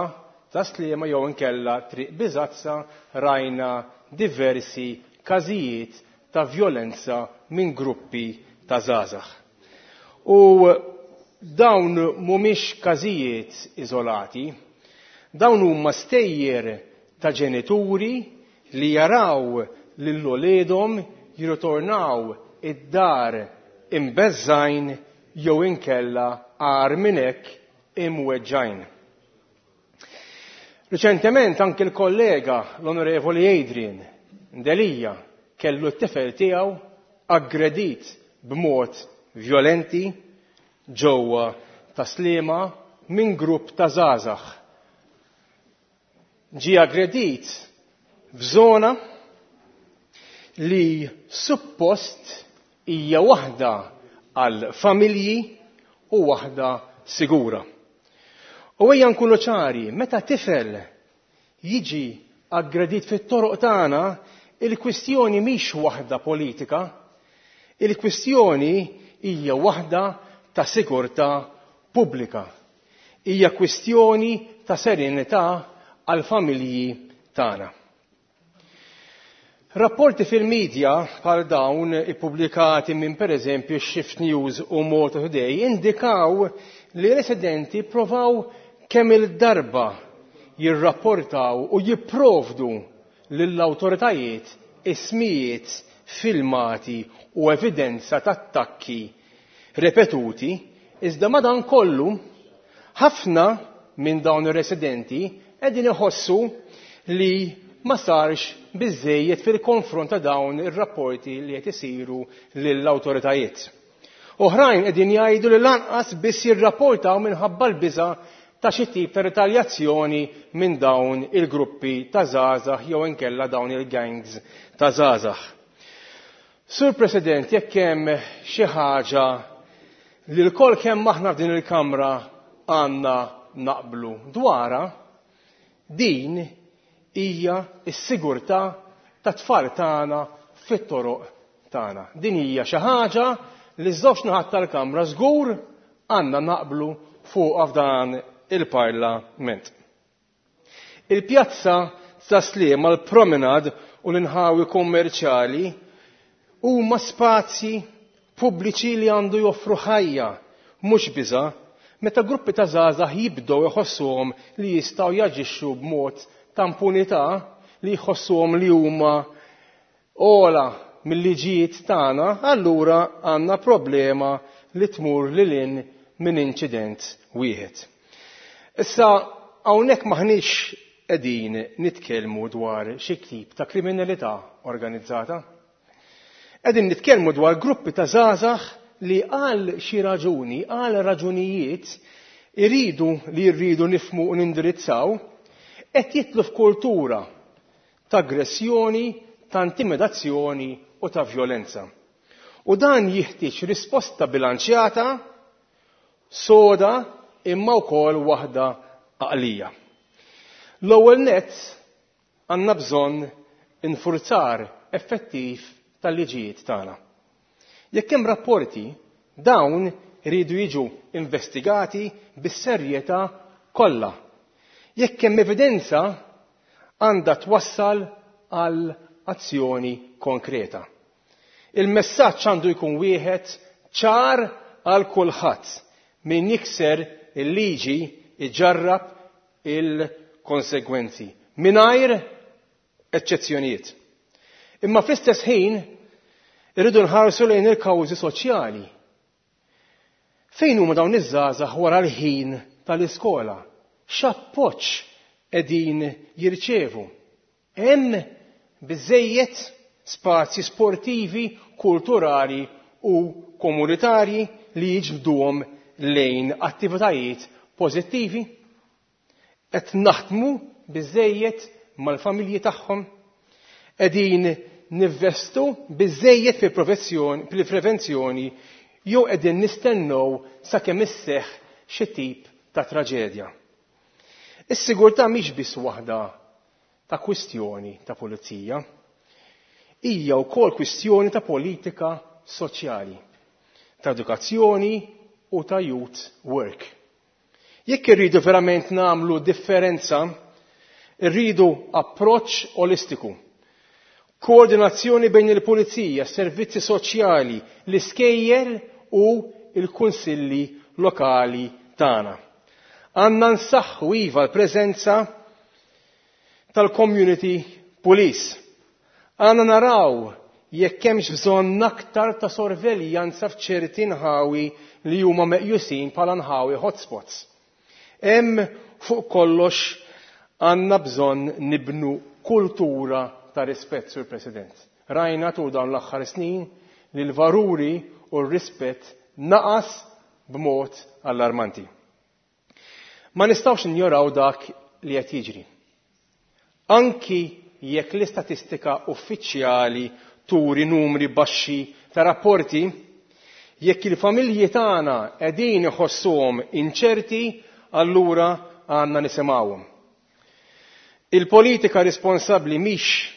ta' Sliema jew inkella Triq Biżazza rajna diversi każijiet ta' vjolenza minn gruppi ta' żgħażagħ. U dawn mhumiex każijiet iżolati, dawn huma stejjer ta' ġenituri li jaraw lil uliedhom jirritornaw id-dar imbeżżgħin jew inkella agħar minn hekk imweġġgħin. Riċentement anki l-kollega l-Onorevoli Adrian Delia kellu t-tifel tiegħu aggredit b'mod vjolenti ġewwa ta' Sliema minn grupp ta' żgħażagħ. Ġie aggredit f'żona li suppost hija waħda għal familji u waħda sigura. U ejja nkunu ċari, meta tifel jiġi aggredit fit-toroq tagħna, il-kwistjoni mhix waħda politika, il-kwistjoni hija waħda ta' sigurtà pubblika. Hija kwistjoni ta' serenità għal familji tagħna. Rapporti fil-medja bħal dawn ippubblikati minn pereżempju Shift News u Malta Today indikaw li residenti provaw kemm il-darba jirrapportaw u jipprovdu lill-awtoritajiet ismijiet, filmati u evidenza ta' attakki repetuti, iżda madankollu ħafna minn dawn ir-residenti qegħdin iħossu li ma sarx biżżejjed fil-konfront ta' dawn ir-rapporti li qed isiru lill-awtoritajiet. Oħrajn qegħdin jgħidu li lanqas biss jirrapportaw minħabba l-biża' ta' xi tip ta' ritaljazzjoni minn dawn il-gruppi ta' żgħażagħ jew inkella dawn il-gangs ta' żgħażagħ. Sur President, jekk hemm xi ħaġa li lkoll kemm aħna f'din il-Kamra għandna naqblu dwarha, din hija s-sigurtà tat-tfal tagħna fit-toroq tagħna. Din hija xi ħaġa li ż-żewġ naħat tal-Kamra żgur għandna naqblu fuqha f'dan il-Parlament. Il-pjazza ta' Sliema, l-promenade u l-inħawi kummerċjali huma spazji pubbliċi li għandu joffru ħajja, mhux biża', meta gruppi ta' żgħażagħ jibdew iħossuhom li jistgħu jaġixxu b'mod ta' impunità, li jħossuhom li huma ogħla mill-liġijiet tagħna, allura għandna problema li tmur lil hinn minn inċident wieħed. Issa hawnhekk m'aħniex qegħdin nitkellmu dwar xi tip ta' kriminalità organizzata. Qegħdin nitkellmu dwar gruppi ta' żgħażagħ li għal xi raġuni, għal raġunijiet iridu li rridu nifhmu u nindirizzaw, qed jitlu f'kultura ta' aggressjoni, ta' intimidazzjoni u ta' vjolenza. U dan jiħtieġ risposta bilanċjata, soda, imma wkoll waħda għaqlija. L-ewwel nett għandna bżonn infurzar effettiv tal-liġijiet tagħna. Jekk hemm rapporti, dawn iridu jiġu investigati bis-serjetà kollha. Jekk hemm evidenza, għandha twassal għal azzjoni konkreta. Il-messaġġ għandu jkun wieħed ċar għal kulħadd. Min jikser il-liġi iġarrab il-konsegwenzi mingħajr eċċezzjonijiet. Imma fl-istess ħin irridu nħarsu lejn il-kawżi soċjali. Fejn huma dawn iż-żgħażagħ wara l-ħin tal-iskola? X'appoġġ qegħdin jirċievu? Hemm biżżejjed spazji sportivi, kulturali u komunitarji li jiġbduhom lejn attivitajiet pożittivi? Qed naħdmu biżżejjed mal-familji tagħhom? Qegħdin nivvestu biżżejjed fil-prevenzjoni jew qegħdin nistennew sakemm isseħħ xi tip ta' traġedja? Is-sigurtà mhix biss waħda ta' kwistjoni ta' pulizija. Hija wkoll kwistjoni ta' politika soċjali, ta' edukazzjoni u ta' youth work. Jekk irridu verament nagħmlu differenza, irridu approċċ olistiku. Koordinazzjoni bejn il-pulizija, servizzi soċjali, l-iskejjel u l-kunsilli lokali tagħna. Għandna nsaħħu iva l-preżenza tal-community police. Għandna naraw jekk hemmx bżonn aktar ta' sorveljanza f'ċerti nħawi li huma meqjusin bħala nħawi hotspots. Hemm fuq kollox għandna bżonn nibnu kultura ta' rispett, Sur President. Rajna tul dawn l-aħħar snin li l-valuri u r-rispett naqas b'mod allarmanti. Ma nistgħux ninjoraw dak li qed jiġri. Anki jekk l-istatistika uffiċjali turi numri baxxi ta' rapporti, jekk il-familji tagħna qegħdin iħossuhom inċerti, allura għandna nisimgħuhom. Il-politika responsabbli mhix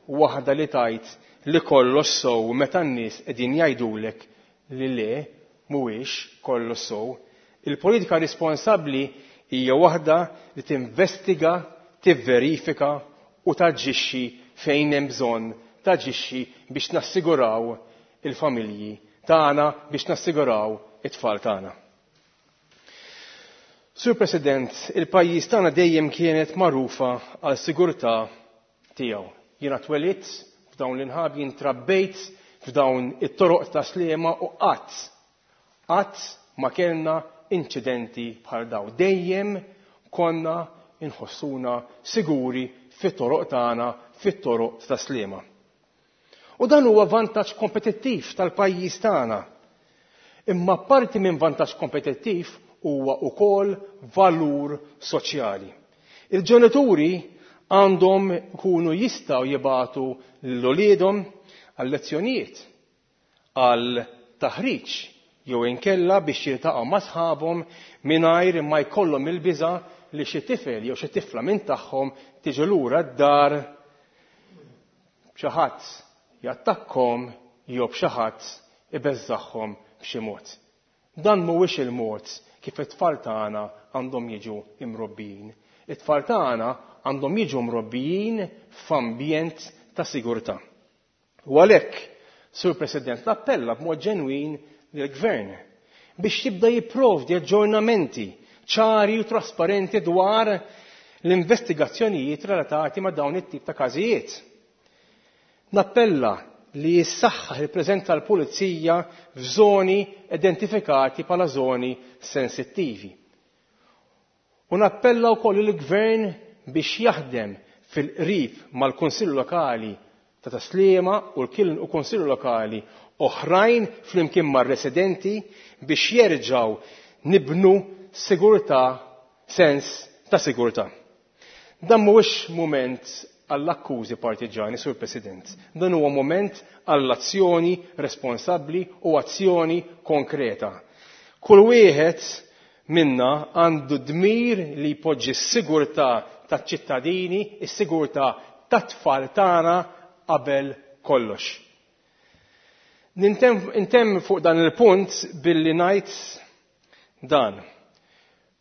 waħda li tgħid li kollox sew meta n-nies qegħdin jgħidulek li le mhuwiex kollox sew. Il-politika responsabbli hija waħda li tinvestiga, tivverifika u taġixxi fejn hemm bżonn taġixxi biex nassiguraw il-familji tagħna, biex nassiguraw it-tfal tagħna. Sur President, il-pajjiż tagħna dejjem kienet magħrufa għal sigurtà tiegħu. Jiena twelidt f'dawn l-inħab, jien trabbejt f'dawn it-toroq ta' Sliema u qatt qatt ma kellna inċidenti bħal dawn. Dejjem konna inħossuna siguri fit-toroq tagħna, fit-toroq ta' Sliema. U dan huwa vantaġġ kompetittiv tal-pajjiż tagħna. Imma parti minn vantaġġ kompetittiv huwa wkoll valur soċjali. Il-ġenituri għandhom ikunu jistgħu jibagħtu lil uliedhom għal lezzjonijiet, għal taħriġ jew inkella biex jiltaqgħu ma' sħabhom mingħajr ma jkollhom il-biża' li xi tifel jew xi tifla minn tagħhom tiġi lura d-dar b'xi ħadd jattakkhom jew b'xi ħadd ibeżżagħhom b'xi mod. Dan mhuwiex il-mod kif it-tfal tagħna għandhom jiġu imrobbijin. It-tfal tagħna għandhom jiġu mrobbijin f'ambjent ta' sigurtà. U għalhekk, Sur President, nappella b'mod ġenwin lill-Gvern biex jibda jipprovdi aġġornamenti ċari u trasparenti dwar l-investigazzjonijiet relatati ma' dawn it-tip ta' każijiet. Nappella li jissaħħaħ il-preżenza tal-pulizija f'żoni identifikati bħala żoni sensittivi. U nappella wkoll il-Gvern biex jaħdem fil-qrib mal-Kunsill Lokali ta' Tas-Sliema u l-Kunsill Lokali oħrajn flimkien mar-residenti biex jerġgħu nibnu sigurtà, sens ta' sigurtà. Dan mhuwiex mument għall-akkużi partiġani, Sur President. Dan huwa mument għall-azzjoni responsabbli u azzjoni konkreta. Kull wieħed minna għandu dmir li jpoġġi s-sigurtà taċ-ċittadini, is-sigurtà tat-tfal tagħna qabel kollox. Nintemm fuq dan il-punt billi ngħid dan.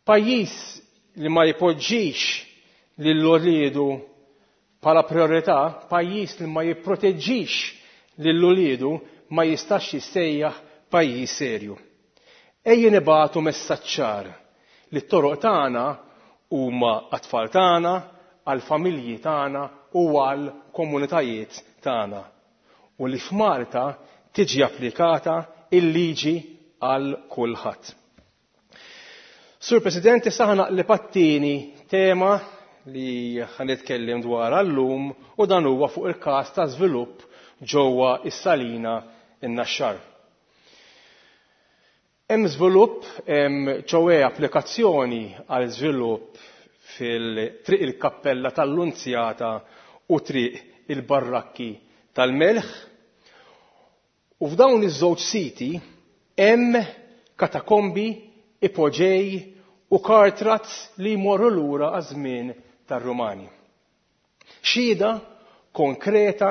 Pajjiż li ma jpoġġix lil uliedu bħala priorità, pajjiż li ma jipproteġġix lil uliedu ma jistax jissejjaħ pajjiż serju. Ejja nibagħtu messaġġ ċar li t-toroq tagħna huma għat-tfal tagħna, għall-familji tagħna u għall-komunitajiet tagħna u li f'Malta tiġi applikata il-liġi għal kulħadd. Sur President, issa ħa naqleb għat-tieni tema li ħa nitkellem dwarha llum u dan huwa fuq il-każ ta' żvilupp ġewwa is-Salina in-Naxxar. Hemm żvilupp, hemm ċoe applikazzjoni għal żvilupp fil-Triq il-Kappella tal-Lunzjata u Triq il-Barrakki tal-Melħ. U f'dawn iż-żewġ siti hemm katakombi, ipoġej u kartrazz li jmorru lura għaż-żmien tar-Rumani. Xhieda konkreta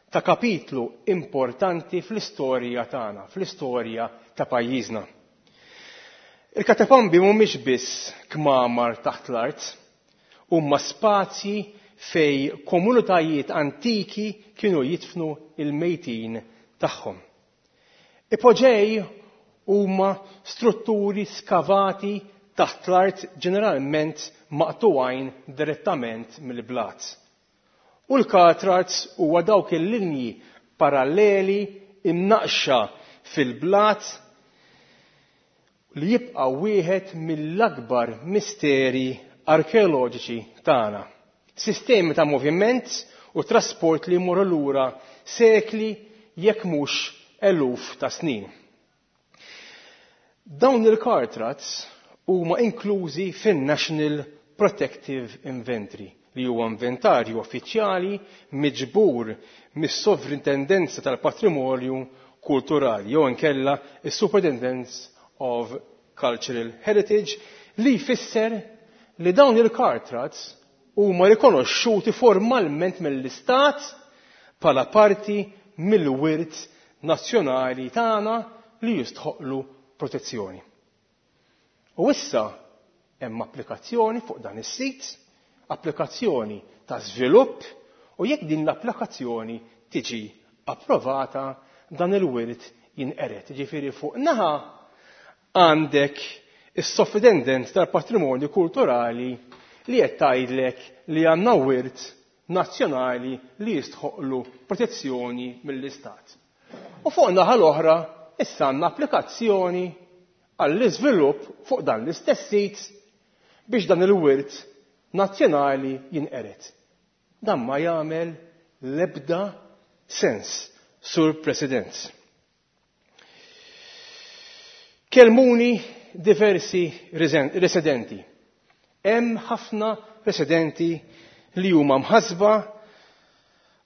ta' kapitlu importanti fl-istorja tagħna, fl-istorja ta' pajjiżna. Il-katakombi mhumiex biss kmamar taħt l-art, huma spazji fej komunitajiet antiki kienu jidfnu il-mejtin tagħhom. Ipoġej huma strutturi skavati taħt l-art ġeneralment maqtugħin direttament mill-blat. U l-katrats huwa dawk il-linji paralleli imnaqxa fil-blat li jibqa' wieħed mill-akbar misteri arkeoloġiċi tagħna. Sistemi ta' moviment u trasport li jmorru lura sekli jekk mhux eluf ta' snin. Dawn il-kartrats huma inklużi fin-National Protective Inventory li huwa inventarju uffiċjali miġbur mis-Sovrintendenza tal-Patrimonju Kulturali jew inkella is-Superintendence of Cultural Heritage li jfisser li dawn il-kartrats huma rikonoxxuti formalment mill-Istat bħala parti mill-wirt nazzjonali tagħna li jistħoqlu protezzjoni. U issa hemm applikazzjoni fuq dan is-sit, applikazzjoni ta' żvilupp, u jekk din l-applikazzjoni tiġi approvata dan il-wirt jinqered. Ġifieri fuq naħa għandek is-Sovrintendent tal-Patrimonju Kulturali li qed tgħidlek li għandna wirt nazzjonali li jistħoqlu protezzjoni mill-Istat. U fuq naħa l-oħra issa għandna applikazzjoni għall-iżvilupp fuq dan l-istess sit biex dan il-wirt nazzjonali jinqered. Dan ma jagħmel l-ebda sens, Sur President. Kelmuni diversi residenti. Hemm ħafna residenti li huma mħassba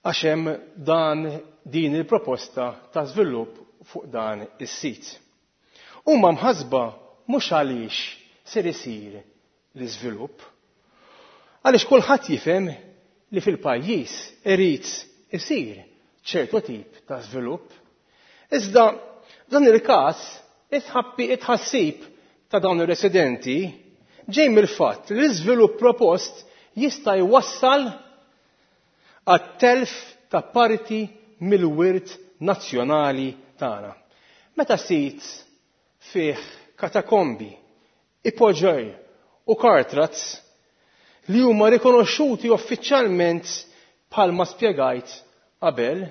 għax hemm dan din il-proposta ta' żvilupp fuq dan is-sit. Huma mħassba mhux għaliex ser isir l-iżvilupp, għaliex kulħadd jifhem li fil-pajjiż irid isir ċertu tip ta' żvilupp. Iżda dan il-każ it-tħassib ta' dawn ir-residenti ġej mill-fatt li l-iżvilupp propost jista' jwassal għat-telf ta' parti mill-wirt nazzjonali tagħna. Meta sit fih katakombi, ipoġej u kartrats li huma rikonoxxuti uffiċjalment bħalma spjegajt qabel,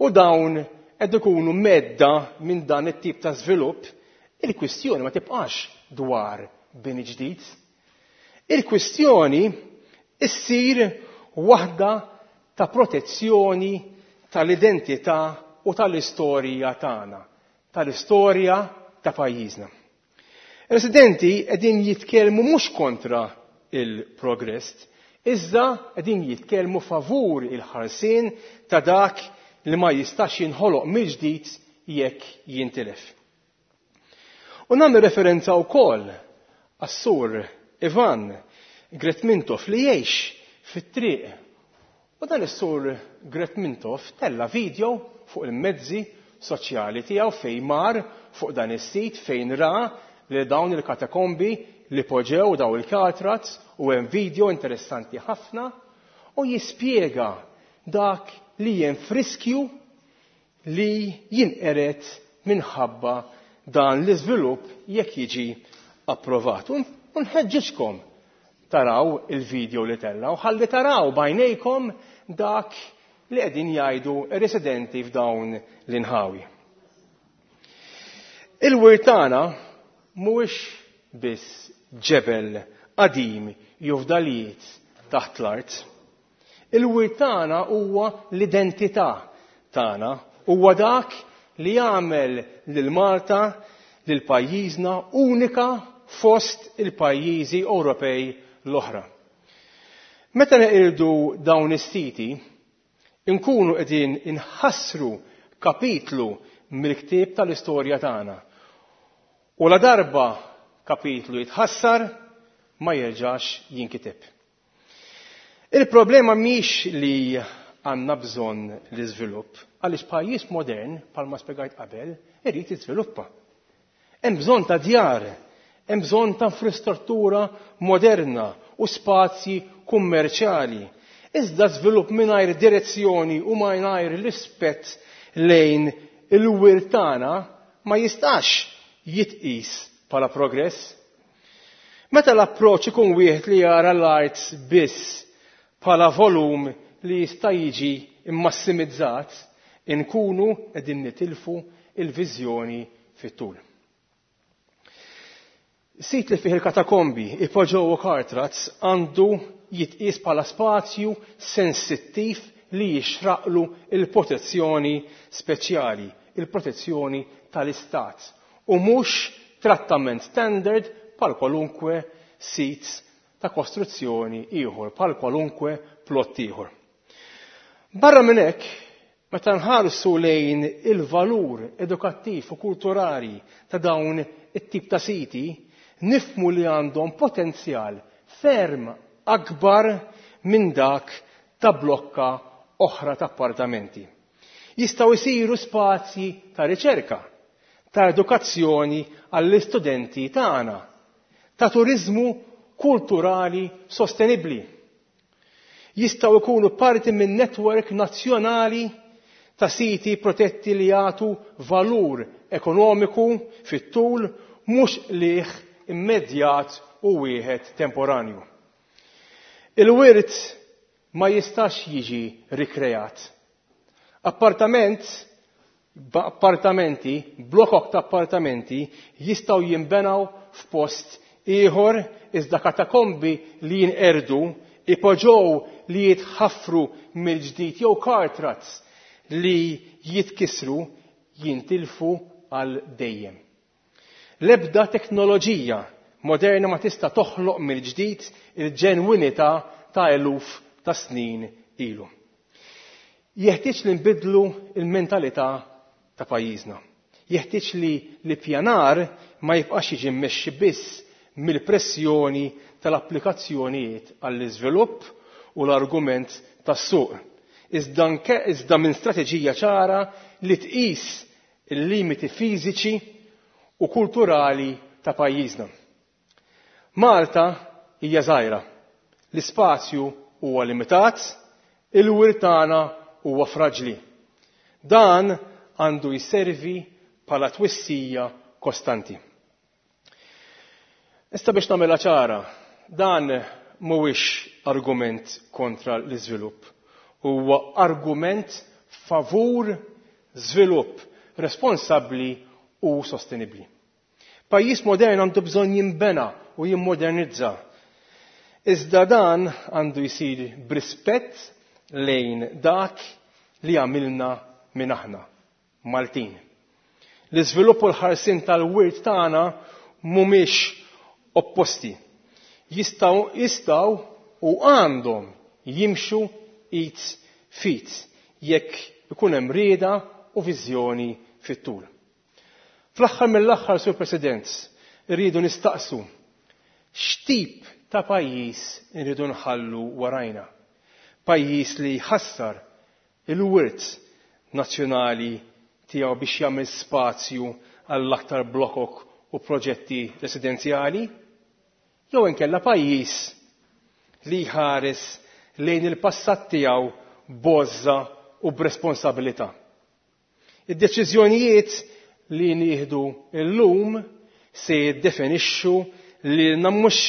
u dawn qed ikunu medda minn dan it-tip ta' żvilupp, il-kwistjoni ma tibqax dwar bini ġdid. Il-kwistjoni issir waħda ta' protezzjoni tal-identità u tal-istorja tagħna, tal-istorja ta' pajjiżna. Residenti qegħdin jitkellmu mhux kontra il-progress, Iżda qegħdin jitkellmu favur il-ħarsien ta' dak li ma jistax jinħoloq mill-ġdid jekk jintilef. U nagħmel referenza wkoll għas-sur Ivan Gretmintov li jgħix fit-triq. U dan is-sur Gretmintov tella' video fuq il-mezzi soċjali tiegħu fejn mar fuq dan is-sit fejn ra li dawn il-katakombi li poġew daw il-katrats u hemm video interessanti ħafna u jispjega dak li hemm friskju li jinqered minħabba dan l-iżvilupp jekk jiġi approvat. U nħeġġiġkom taraw il-video li tella u ħalli taraw bajnejkom dak li qegħdin jgħidu residenti f'dawn l-inħawi. Il-wirt tagħna mhuwiex biss ġebel qadim jew fdalijiet taħt l-art. Il-wirt tagħna huwa l-identità tagħna, huwa dak li jagħmel lil Malta lil pajjiżna unika fost il-pajjiżi Ewropej l-oħra. Meta neqirdu dawn is-siti, inkunu qegħdin inħassru kapitlu mill-ktieb tal-istorja tagħna. U la darba kapitlu jitħassar, ma jerġax jinkiteb. Il-problema mhix li għandna bżonn l-iżvilupp, għaliex pajjiż modern, bħalma spjegajt qabel, irid jiżviluppa. Hemm bżonn ta' djar, hemm bżonn ta' infrastruttura moderna u spazji kummerċjali. Iżda żvilupp mingħajr direzzjoni u mingħajr rispett lejn il-wirt tagħna ma jistax jitqis bħala progress. Meta l-approċċ ikun wieħed li jara l-art biss bħala volum li jista' jiġi immassimizzat, inkunu qegħdin nitilfu il-viżjoni fit-tul. Sit li fih il-katakombi, ipoġġew u kartrats għandu jitqies bħala spazju sensittiv li jixraqlu il-protezzjoni speċjali, il-protezzjoni tal-istat, u mhux trattament standard bħal kwalunkwe sit ta' kostruzzjoni ieħor, bħal kwalunkwe plott ieħor. Barra minn hekk, meta nħarsu lejn il-valur edukattiv u kulturali ta' dawn it-tip ta' siti, nifhmu li għandhom potenzjal ferm akbar minn dak ta' blokka oħra ta' appartamenti. Jistgħu jsiru spazji ta' riċerka, ta' edukazzjoni għall-istudenti tagħna, ta' turiżmu kulturali sostenibbli. Jistgħu jkunu parti minn netwerk nazzjonali ta' siti protetti li jagħtu valur ekonomiku fit-tul mhux qligħ immedjat u wieħed temporanju. Il-wirt ma jistax jiġi rikreat. Appartament, appartamenti, blokok ta' appartamenti jistgħu jinbenaw f'post ieħor iżda katakombi li jinqerdu, ipoġġow li jitħaffru mill-ġdid jew kartrats li jitkissru jintilfu għal dejjem. L-ebda teknoloġija moderna ma tista' toħloq mill-ġdid il-ġenwinità ta' eluf ta' snin ilu. Jeħtieġ li nbiddlu l-mentalità ta' pajjiżna. Jeħtieġ li l-ippjanar ma jibqax jiġi mmexxi biss mill-pressjoni tal-applikazzjonijiet għall-iżvilupp u l-argument tas-suq, iżda minn strateġija ċara li tqis il-limiti fiżiċi u kulturali ta' pajjiżna. Malta hija żgħira. L-ispazju huwa limitat, il-wirt tagħna huwa fraġli. Dan għandu jservi bħala twissija kostanti. Issa biex nagħmilha ċara, dan mhuwiex argument kontra l-iżvilupp. Huwa argument favur żvilupp responsabbli u sostenibbli. Pajjiż modern għandu bżonn jinbena u jimmodernizza. Iżda dan għandu jsir b'rispett lejn dak li għamilna minn aħna, Maltin. L-iżvilupp u l-ħarsien tal-wirt tagħna mhumiex opposti. Jistgħu jistgħu u għandhom jimxu id f'id jekk ikun hemm rieda u viżjoni fit-tul. Fl-aħħar mill-aħħar, Sur President, irridu nistaqsu x'tip ta' pajjiż irridu nħallu warajna. Pajjiż li jħassar il-wirt nazzjonali tiegħu biex jagħmel spazju għall-aktar blokok u proġetti residenzjali, jew inkella pajjiż li jħares lejn il-passat tiegħu b'għożża u b'responsabilità. Id-deċiżjonijiet li nieħdu llum se jiddefinixxu lilna mhux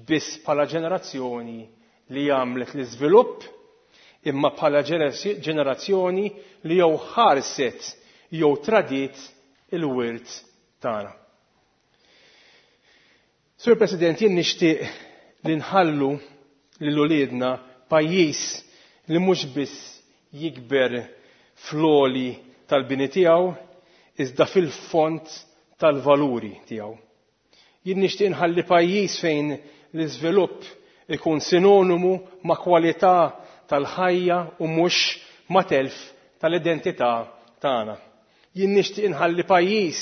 biss bħala ġenerazzjoni li għamlet l-iżvilupp imma bħala ġenerazzjoni li jew ħarset jew tradiet il-wirt tagħna. Sur President, jien nixtieq li nħallu lil uliedna pajjiż li mhux biss jikber fl-għoli tal-bini tiegħu iżda fil-fond tal-valuri tiegħu. Jien nixtieq nħalli pajjiż fejn l-iżvilupp ikun sinonimu ma' kwalità tal-ħajja u mhux ma' telf tal-identità tagħna. Jien nixtieq inħalli pajjiż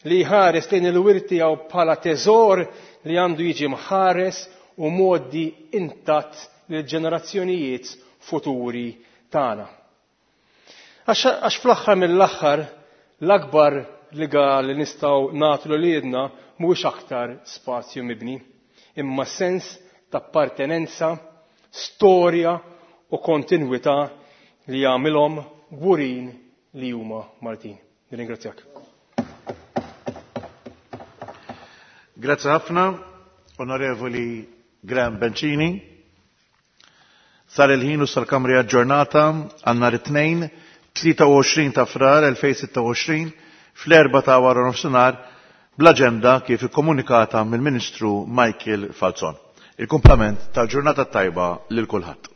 li jħares lejn il-wirt tiegħu bħala teżor li għandu jiġi mħares u mgħoddi intatt lill-ġenerazzjonijiet futuri tagħna. Għax fl-aħħar mill-aħħar l-akbar rigal li nistgħu nagħtu lil uliedna mhuwiex aktar spazju mibni, imma sens ta' appartenenza, storja u kontinwità li jagħmilhom kburin li huma Maltin. Nirringrazzjak. Grazzi ħafna, Onorevoli Graham Bencini. Sar il-ħin u sal-Kamri aġġornata għal nhar it-Tnejn, 23 ta' Frar 2026 fl-erbgħa ta' wara nofsinhar bl-aġenda kif ikkomunikata mill-Ministru Michael Falzon. Il-kumplament tal-ġurnata tajba lil kulħadd.